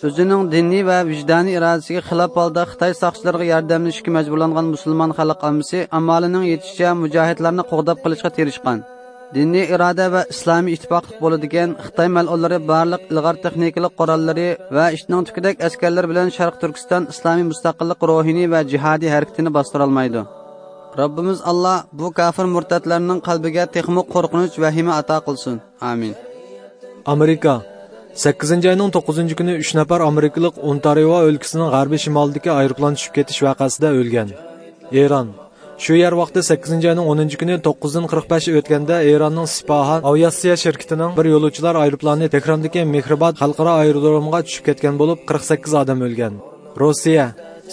ئۆزىنىڭ دىنىي ۋە ۋىجدانىي ئىرادىسىگە خىلاپ ھالدا خىتاي ساقچىلىرىغا ياردەملىشىشكە مەجبۇرلانغان مۇسۇلمان خەلق ئاممىسى ئامالىنىڭ يېتىشىچە مۇجاھىدلارنى قوغداپ قېلىشقا تىرىشقان. دىنىي ئىرادە ۋە ئىسلامىي ئىتتىپاقلىق بولىدىكەن، خىتاي مەلئۇنلىرى بارلىق ئىلغار تېخنىكىلىق قوراللىرى ۋە ئىتنىڭ تۈكىدەك ئەسكەرلىرى بىلەن شەرقىي تۈركىستان ئىسلامىي مۇستەقىللىق روھىنى ۋە جىھادىي ھەرىكىتىنى باستۇرالمايدۇ. رەببىمىز ئاللا بۇ كاپىر مۇرتەتلەرنىڭ قەلبىگە تېخىمۇ قورقۇنچ، ۋەھىمە ئاتا قىلسۇن. ئامىن. ئامېرىكا. سەككىزىنچى ئاينىڭ توققۇزىنچى كۈنى ئۈچ نەپەر ئامېرىكىلىق ئونتارىئو ئۆلكىسىنىڭ غەربىي شىمالىدىكى ئايروپىلان چۈشۈپ كېتىش ۋەقەسىدە ئۆلگەن. ئىران. شۇ يەر ۋاقتى سەككىزىنچى ئاينىڭ ئونىنچى كۈنى توققۇزدىن قىرىق بەش ئۆتكەندە ئىراننىڭ سىپاھان ئاۋىئاتسىيە شىركىتىنىڭ بىر يولۇچىلار ئايروپىلانى تېھراندىكى مېھرىباد خەلقئارا ئايرودرومىغا چۈشۈپ كەتكەن بولۇپ، قىرىق سەككىز ئادەم ئۆلگەن. روسىيە.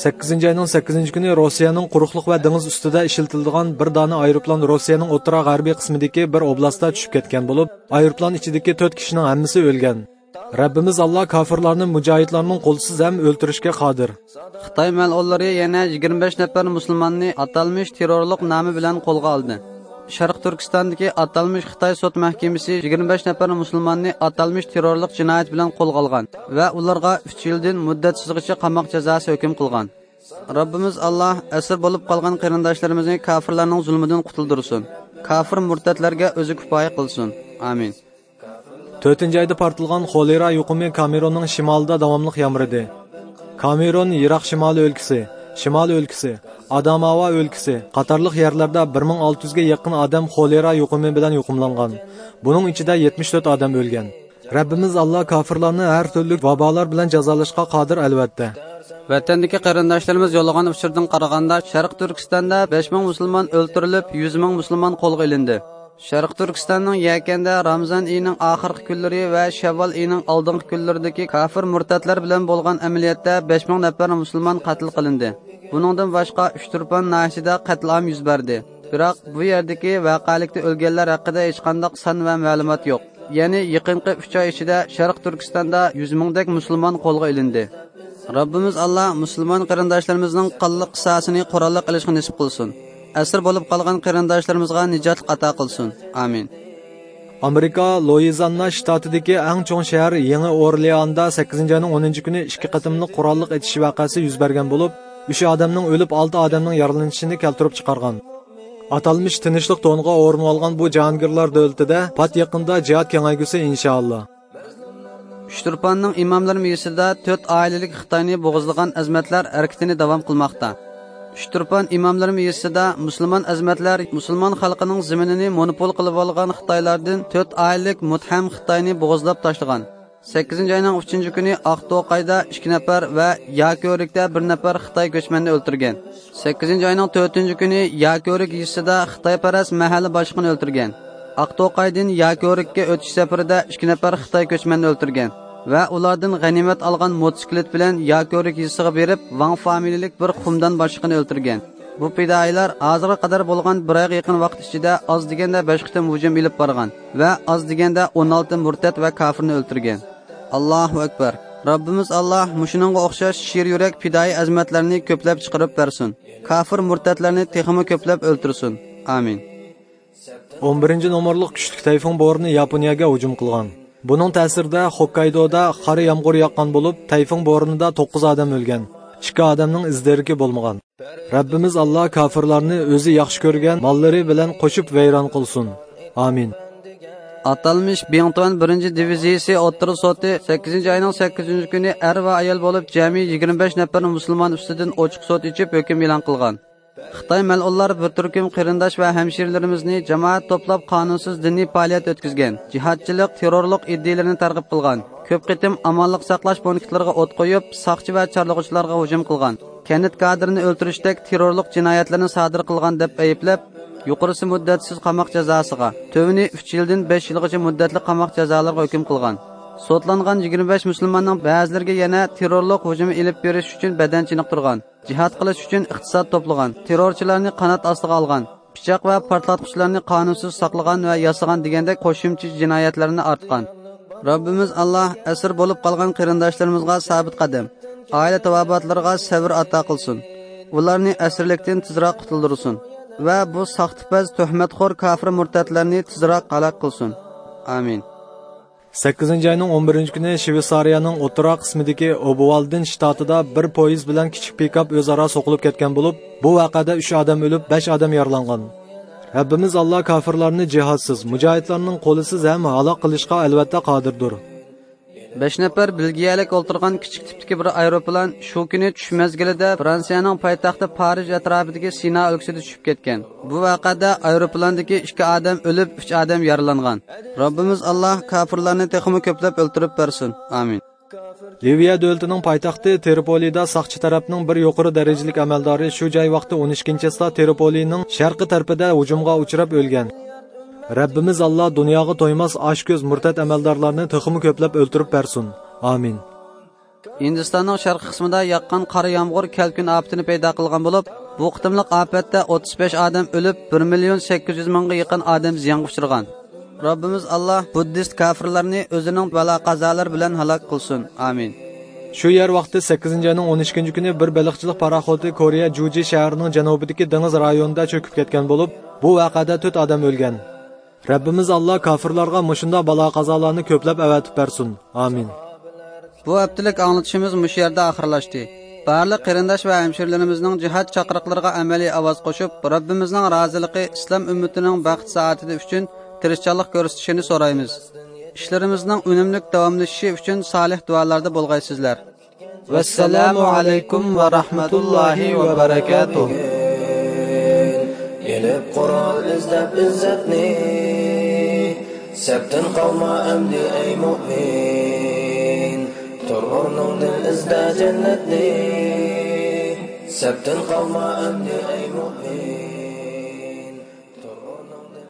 سەككىزىنچى ئاينىڭ سەككىزىنچى كۈنى روسىيەنىڭ قۇرۇقلۇق ۋە دېڭىز ئۈستىدە ئىشلىتىلىدىغان بىر دانە ئايروپىلان روسىيەنىڭ ئوتتۇرا غەربىي قىسمىدىكى بىر ئوبلاستتا چۈشۈپ كەتكەن بولۇپ، ئايروپىلان ئىچىدىكى تۆت كىشىنىڭ ھەممىسى ئۆلگەن. رەببىمىز ئاللا كاپىرلارنى مۇجاھىدلارنىڭ قولىسىز ھەم ئۆلتۈرۈشكە قادىر. خىتاي مەلئۇنلىرى يەنە يىگىرمە بەش نەپەر مۇسۇلماننى ئاتالمىش تېررورلۇق نامى بىلەن قولغا ئالدى. شەرقىي تۈركىستاندىكى ئاتالمىش خىتاي سوت مەھكىمىسى يىگىرمە بەش نەپەر مۇسۇلماننى ئاتالمىش تېررورلۇق جىنايەت بىلەن قولغا ئالغان ۋە ئۇلارغا ئۈچ يىلدىن مۇددەتسىزغىچە قاماق جازاسى ھۆكۈم قىلغان. رەببىمىز ئاللا ئەسىر بولۇپ قالغان قېرىنداشلىرىمىزنى كاپىرلارنىڭ زۇلمىدىن قۇتۇلدۇرسۇن. كاپىر مۇرتەتلەرگە ئۆزى كۇپايە قىلسۇن. ئامىن. تۆتىنچى ئايدا پارتلىغان خولېرا يۇقۇمى كامېروننىڭ شىمالىدا داۋاملىق يامرىدى. كامېرون يىراق شىمالى ئۆلكىسى، شىمالىي ئۆلكىسى، ئاداماۋا ئۆلكىسى قاتارلىق يەرلەردە بىر مىڭ ئالتە يۈزگە يېقىن ئادەم خولېرا يۇقۇمى بىلەن يۇقۇملانغان. بۇنىڭ ئىچىدە يەتمىش تۆت ئادەم ئۆلگەن. رەببىمىز ئاللا كاپىرلارنى ھەر تۈرلۈك ۋابالار بىلەن جازالاشقا قادىر، ئەلۋەتتە. ۋەتەندىكى قېرىنداشلىرىمىز يوللىغان ئۇچۇردىن قارىغاندا، شەرقىي تۈركىستاندا بەش مىڭ مۇسۇلمان ئۆلتۈرۈلۈپ، يۈز مىڭ مۇسۇلمان قولغا ئېلىندى. شەرقىي تۈركىستاننىڭ يەكەندە رامىزان ئېيىنىڭ ئاخىرقى كۈنلىرى ۋە شەۋۋال ئېيىنىڭ ئالدىنقى كۈنلىرىدىكى كاپىر مۇرتەتلەر بىلەن بولغان ئەمەلىيەتتە بەش مىڭ نەپەر مۇسۇلمان قەتل قىلىندى. بۇنىڭدىن باشقا، ئۇچتۇرپان ناھىيەسىدە قەتلىئام يۈز بەردى. بىراق، بۇ يەردىكى ۋەقەلىكتە ئۆلگەنلەر ھەققىدە ھېچقانداق سان ۋە مەلۇمات يوق. يەنى يېقىنقى ئۈچ ئاي ئىچىدە شەرقىي تۈركىستاندا يۈز مىڭدەك مۇسۇلمان قولغا ئېلىندى. رەببىمىز ئاللا مۇسۇلمان قېرىنداشلىرىمىزنىڭ قانلىق قىساسىنى قوراللىق ئېلىشقا نېسىپ قىلسۇن. ئەسىر بولۇپ قالغان قېرىنداشلىرىمىزغا نىجاتلىق ئاتا قىلسۇن. ئامىن. ئامېرىكا لويىزاننا شتاتىدىكى ئەڭ چوڭ شەھەر يېڭى ئورلېئاندا سەككىزىنچى ئاينىڭ ئونىنچى كۈنى ئىككى قېتىملىق قوراللىق ئېتىش ۋەقەسى يۈز بەرگەن بولۇپ، ئۈچ ئادەمنىڭ ئۆلۈپ، ئالتە ئادەمنىڭ يارىلىنىشىنى كەلتۈرۈپ چىقارغان. ئاتالمىش تىنچلىق تونغا ئورۇن ئالغان بۇ جاھانگىرلار دۆلىتىدە پات يېقىندا جىھاد كېڭەيگۈسى، ئىنشائاللا. ئۇچتۇرپاننىڭ ئىماملىرى مېيىسىدا تۆت ئائىلىلىك خىتاينى بوغۇزلىغان ئەزىمەتلەر ھەرىكىتىنى داۋام قىلماقتا. ئۇچتۇرپان ئىماملىرى مېيىسىدا مۇسۇلمان ئەزىمەتلەر مۇسۇلمان خەلقىنىڭ زېمىنىنى مونوپول قىلىۋالغان خىتايلاردىن تۆت ئائىلىلىك مۇتھەم خىتاينى بوغۇزلاپ تاشلىغان. سەككىزىنچى ئاينىڭ ئۈچىنچى كۈنى ئاقتوقايدا ئىككى نەپەر ۋە ياكۆرۈكتە بىر نەپەر خىتاي كۆچمەننى ئۆلتۈرگەن. سەككىزىنچى ئاينىڭ تۆتىنچى كۈنى ياكۆرۈك يېزىسىدا خىتايپەرەس مەھەللە باشلىقىنى ئۆلتۈرگەن. ئاقتوقايدىن ياكۆرۈككە ئۆتۈش سەپىرىدە ئىككى نەپەر خىتاي كۆچمەننى ئۆلتۈرگەن ۋە ئۇلاردىن غەنىيمەت ئالغان موتوسىكلىت بىلەن ياكۆرۈك يېزىسىغا بېرىپ، ۋاڭ فامىلىلىك بىر قۇمدان باشلىقىنى ئۆلتۈرگەن. بۇ پىدائىيلار ھازىرغا قەدەر بولغان بىر ئايغا يېقىن ۋاقىت ئىچىدە ئاز دېگەندە بەش قېتىم ھۇجۇم ئېلىپ بارغان ۋە ئاز دېگەندە ئون ئالتە مۇرتەت ۋە كاپىرنى ئۆلتۈرگەن. ئاللاھۇ ئەكبەر. رەببىمىز ئاللا مۇشۇنىڭغا ئوخشاش شىر يۈرەك پىدائىي ئەزىمەتلەرنى كۆپلەپ چىقىرىپ بەرسۇن. كاپىر مۇرتەتلەرنى تېخىمۇ كۆپلەپ ئۆلتۈرسۇن. ئامىن. ئون بىرىنچى نومۇرلۇق كۈچلۈك تەيفۇڭ بورىنى ياپونىيەگە ھۇجۇم قىلغان. بۇنىڭ تەسىرىدە خوككايدودا قارا يامغۇر ياغقان بولۇپ، تەيفۇڭ بورىنىدا توققۇز ئادەم ئۆلگەن. ئىككى ئادەمنىڭ ئىز دېرىكى بولمىغان. رەببىمىز ئاللا كاپىرلارنى ئۆزى ياخشى كۆرگەن ماللىرى بىلەن قوشۇپ ۋەيران قىلسۇن. ئامىن. ئاتالمىش بىڭتۇەن بىرىنچى دىۋىزىيىسى ئوتتۇرا سوتى سەككىزىنچى ئاينىڭ سەككىزىنچى كۈنى ئەر ۋە ئايال بولۇپ جەمئىي يىگىرمە بەش نەپەر مۇسۇلمان ئۈستىدىن ئوچۇق سوت ئېچىپ ھۆكۈم ئېلان قىلغان. خىتاي مەسئۇللار بىر تۈركۈم قېرىنداش ۋە ھەمشىرىلىرىمىزنى جامائەت توپلاپ قانۇنسىز دىنىي پائالىيەت ئۆتكۈزگەن، جىھادچىلىق، تېررورلۇق ئىدىيىلىرىنى تەرغىب قىلغان، كۆپ قېتىم ئامانلىق ساقلاش پونكىتلىرىغا ئوت قويۇپ، ساقچى ۋە چارلىغۇچىلارغا ھۇجۇم قىلغان، كەنت كادىرىنى ئۆلتۈرۈشتەك تېررورلۇق جىنايەتلىرىنى سادىر قىلغان دەپ ئەيىبلەپ، يۇقىرىسى مۇددەتسىز قاماق جازاسىغا، تۆۋىنى ئۈچ يىلدىن بەش يىلغىچە مۇددەتلىك قاماق جازالىرىغا ھۆكۈم قىلغان. سوتلانغان يىگىرمە بەش مۇسۇلماننىڭ بەزىلىرىگە يەنە تېررورلۇق ھۇجۇمى ئېلىپ بېرىش ئۈچۈن بەدەن چېنىقتۇرغان، جىھاد قىلىش ئۈچۈن ئىقتىساد توپلىغان، تېررورچىلارنى قانات ئاستىغا ئالغان، پىچاق ۋە پارتلاتقۇچىلارنى قانۇنسىز ساقلىغان ۋە ياسىغان دېگەندەك قوشۇمچە جىنايەتلەرنى ئارتقان. رەببىمىز ئاللا ئەسىر بولۇپ قالغان قېرىنداشلىرىمىزغا سابىت قەدەم، ئائىلە تاۋابىئاتلىرىغا سەۋر ئاتا قىلسۇن. ئۇلارنى ئەسىرلىكتىن تېزراق قۇتۇلدۇرسۇن ۋە بۇ ساختىپەز، تۆھمەتخور كاپىر مۇرتەتلەرنى تېزراق ھالاك قىلسۇن. ئامىن. سەككىزىنچى ئاينىڭ ئون بىرىنچى كۈنى شۋېتسارىيەنىڭ ئوتتۇرا قىسمىدىكى ئوبۋالدېن شتاتىدا بىر پويىز بىلەن كىچىك پىكاپ ئۆزئارا سوقۇلۇپ كەتكەن بولۇپ، بۇ ۋەقەدە ئۈچ ئادەم ئۆلۈپ، بەش ئادەم يارىلانغان. رەببىمىز ئاللا كاپىرلارنى جىھادسىز، مۇجاھىدلارنىڭ قولىسىز ھەم ھالاك قىلىشقا ئەلۋەتتە قادىردۇر. بەش نەپەر بېلگىيەلىك ئولتۇرغان كىچىك تىپتىكى بىر ئايروپىلان شۇ كۈنى چۈش مەزگىلىدە فرانسىيەنىڭ پايتەختى پارىژ ئەتراپىدىكى سىنا ئۆلكىسىدە چۈشۈپ كەتكەن. بۇ ۋەقەدە ئايروپىلاندىكى ئىككى ئادەم ئۆلۈپ، ئۈچ ئادەم يارىلانغان. رەببىمىز ئاللا كاپىرلارنى تېخىمۇ كۆپلەپ ئۆلتۈرۈپ بەرسۇن. ئامىن. لىۋىيە دۆلىتىنىڭ پايتەختى ترىپولىدا ساقچى تەرەپنىڭ بىر يۇقىرى دەرىجىلىك ئەمەلدارى شۇ جاي ۋاقتى ئون ئىككىنچى چىسلا ترىپولىنىڭ شەرقىي تەرىپىدە ھۇجۇمغا ئۇچراپ ئۆلگەن. رەببىمىز ئاللا دۇنياغا تويماس ئاچكۆز مۇرتەت ئەمەلدارلارنى تېخىمۇ كۆپلەپ ئۆلتۈرۈپ بەرسۇن. ئامىن. ھىندىستاننىڭ شەرقىي قىسمىدا ياغقان قارا يامغۇر كەلكۈن ئاپىتىنى پەيدا قىلغان بولۇپ، بۇ قېتىملىق ئاپەتتە ئوتتۇز بەش ئادەم ئۆلۈپ، بىر مىليون سەككىز يۈز مىڭغا يېقىن ئادەم زىيانغا ئۇچرىغان. رەببىمىز ئاللا بۇددىست كاپىرلارنى ئۆزىنىڭ بالا-قازالىرى بىلەن ھالاك قىلسۇن. ئامىن. شۇ يەر ۋاقتى سەككىزىنچى ئاينىڭ ئون ئىككىنچى كۈنى بىر بېلىقچىلىق پاراخوتى كورېيە جۇجى شەھىرىنىڭ جەنۇبىدىكى دېڭىز رايونىدا چۆكۈپ كەتكەن بولۇپ، بۇ ۋەقەدە تۆت ئادەم ئۆلگەن. رەببىمىز ئاللا كاپىرلارغا مۇشۇنداق بالا-قازالارنى كۆپلەپ ئەۋەتىپ بەرسۇن. ئامىن. بۇ ھەپتىلىك ئاڭلىتىشىمىز مۇشۇ يەردە ئاخىرلاشتى. بارلىق قېرىنداش ۋە ھەمشىرىلىرىمىزنىڭ جىھاد چاقىرىقلىرىغا ئەمەلىي ئاۋاز قوشۇپ، رەببىمىزنىڭ رازىلىقى، ئىسلام ئۈممىتىنىڭ بەخت-سائادىتى ئۈچۈن تىرىشچانلىق كۆرسىتىشىنى سورايمىز. ئىشلىرىمىزنىڭ ئۈنۈملۈك داۋاملىشىشى ئۈچۈن سالىھ دۇئالاردا بولغايسىزلەر. ۋەسسالامۇ ئەلەيكۇم ۋە رەھمەتۇللاھى ۋە بەرەكاتۇھ. ئېلىپ قورال ئىزدەپ ئىززەتنى، سەپتىن قالما ئەمدى ئەي مۇئمىن. تۇر ئورنۇڭدىن ئىزدە جەننەتنى، سەپتىن قالما ئەمدى ئەي مۇئمىن.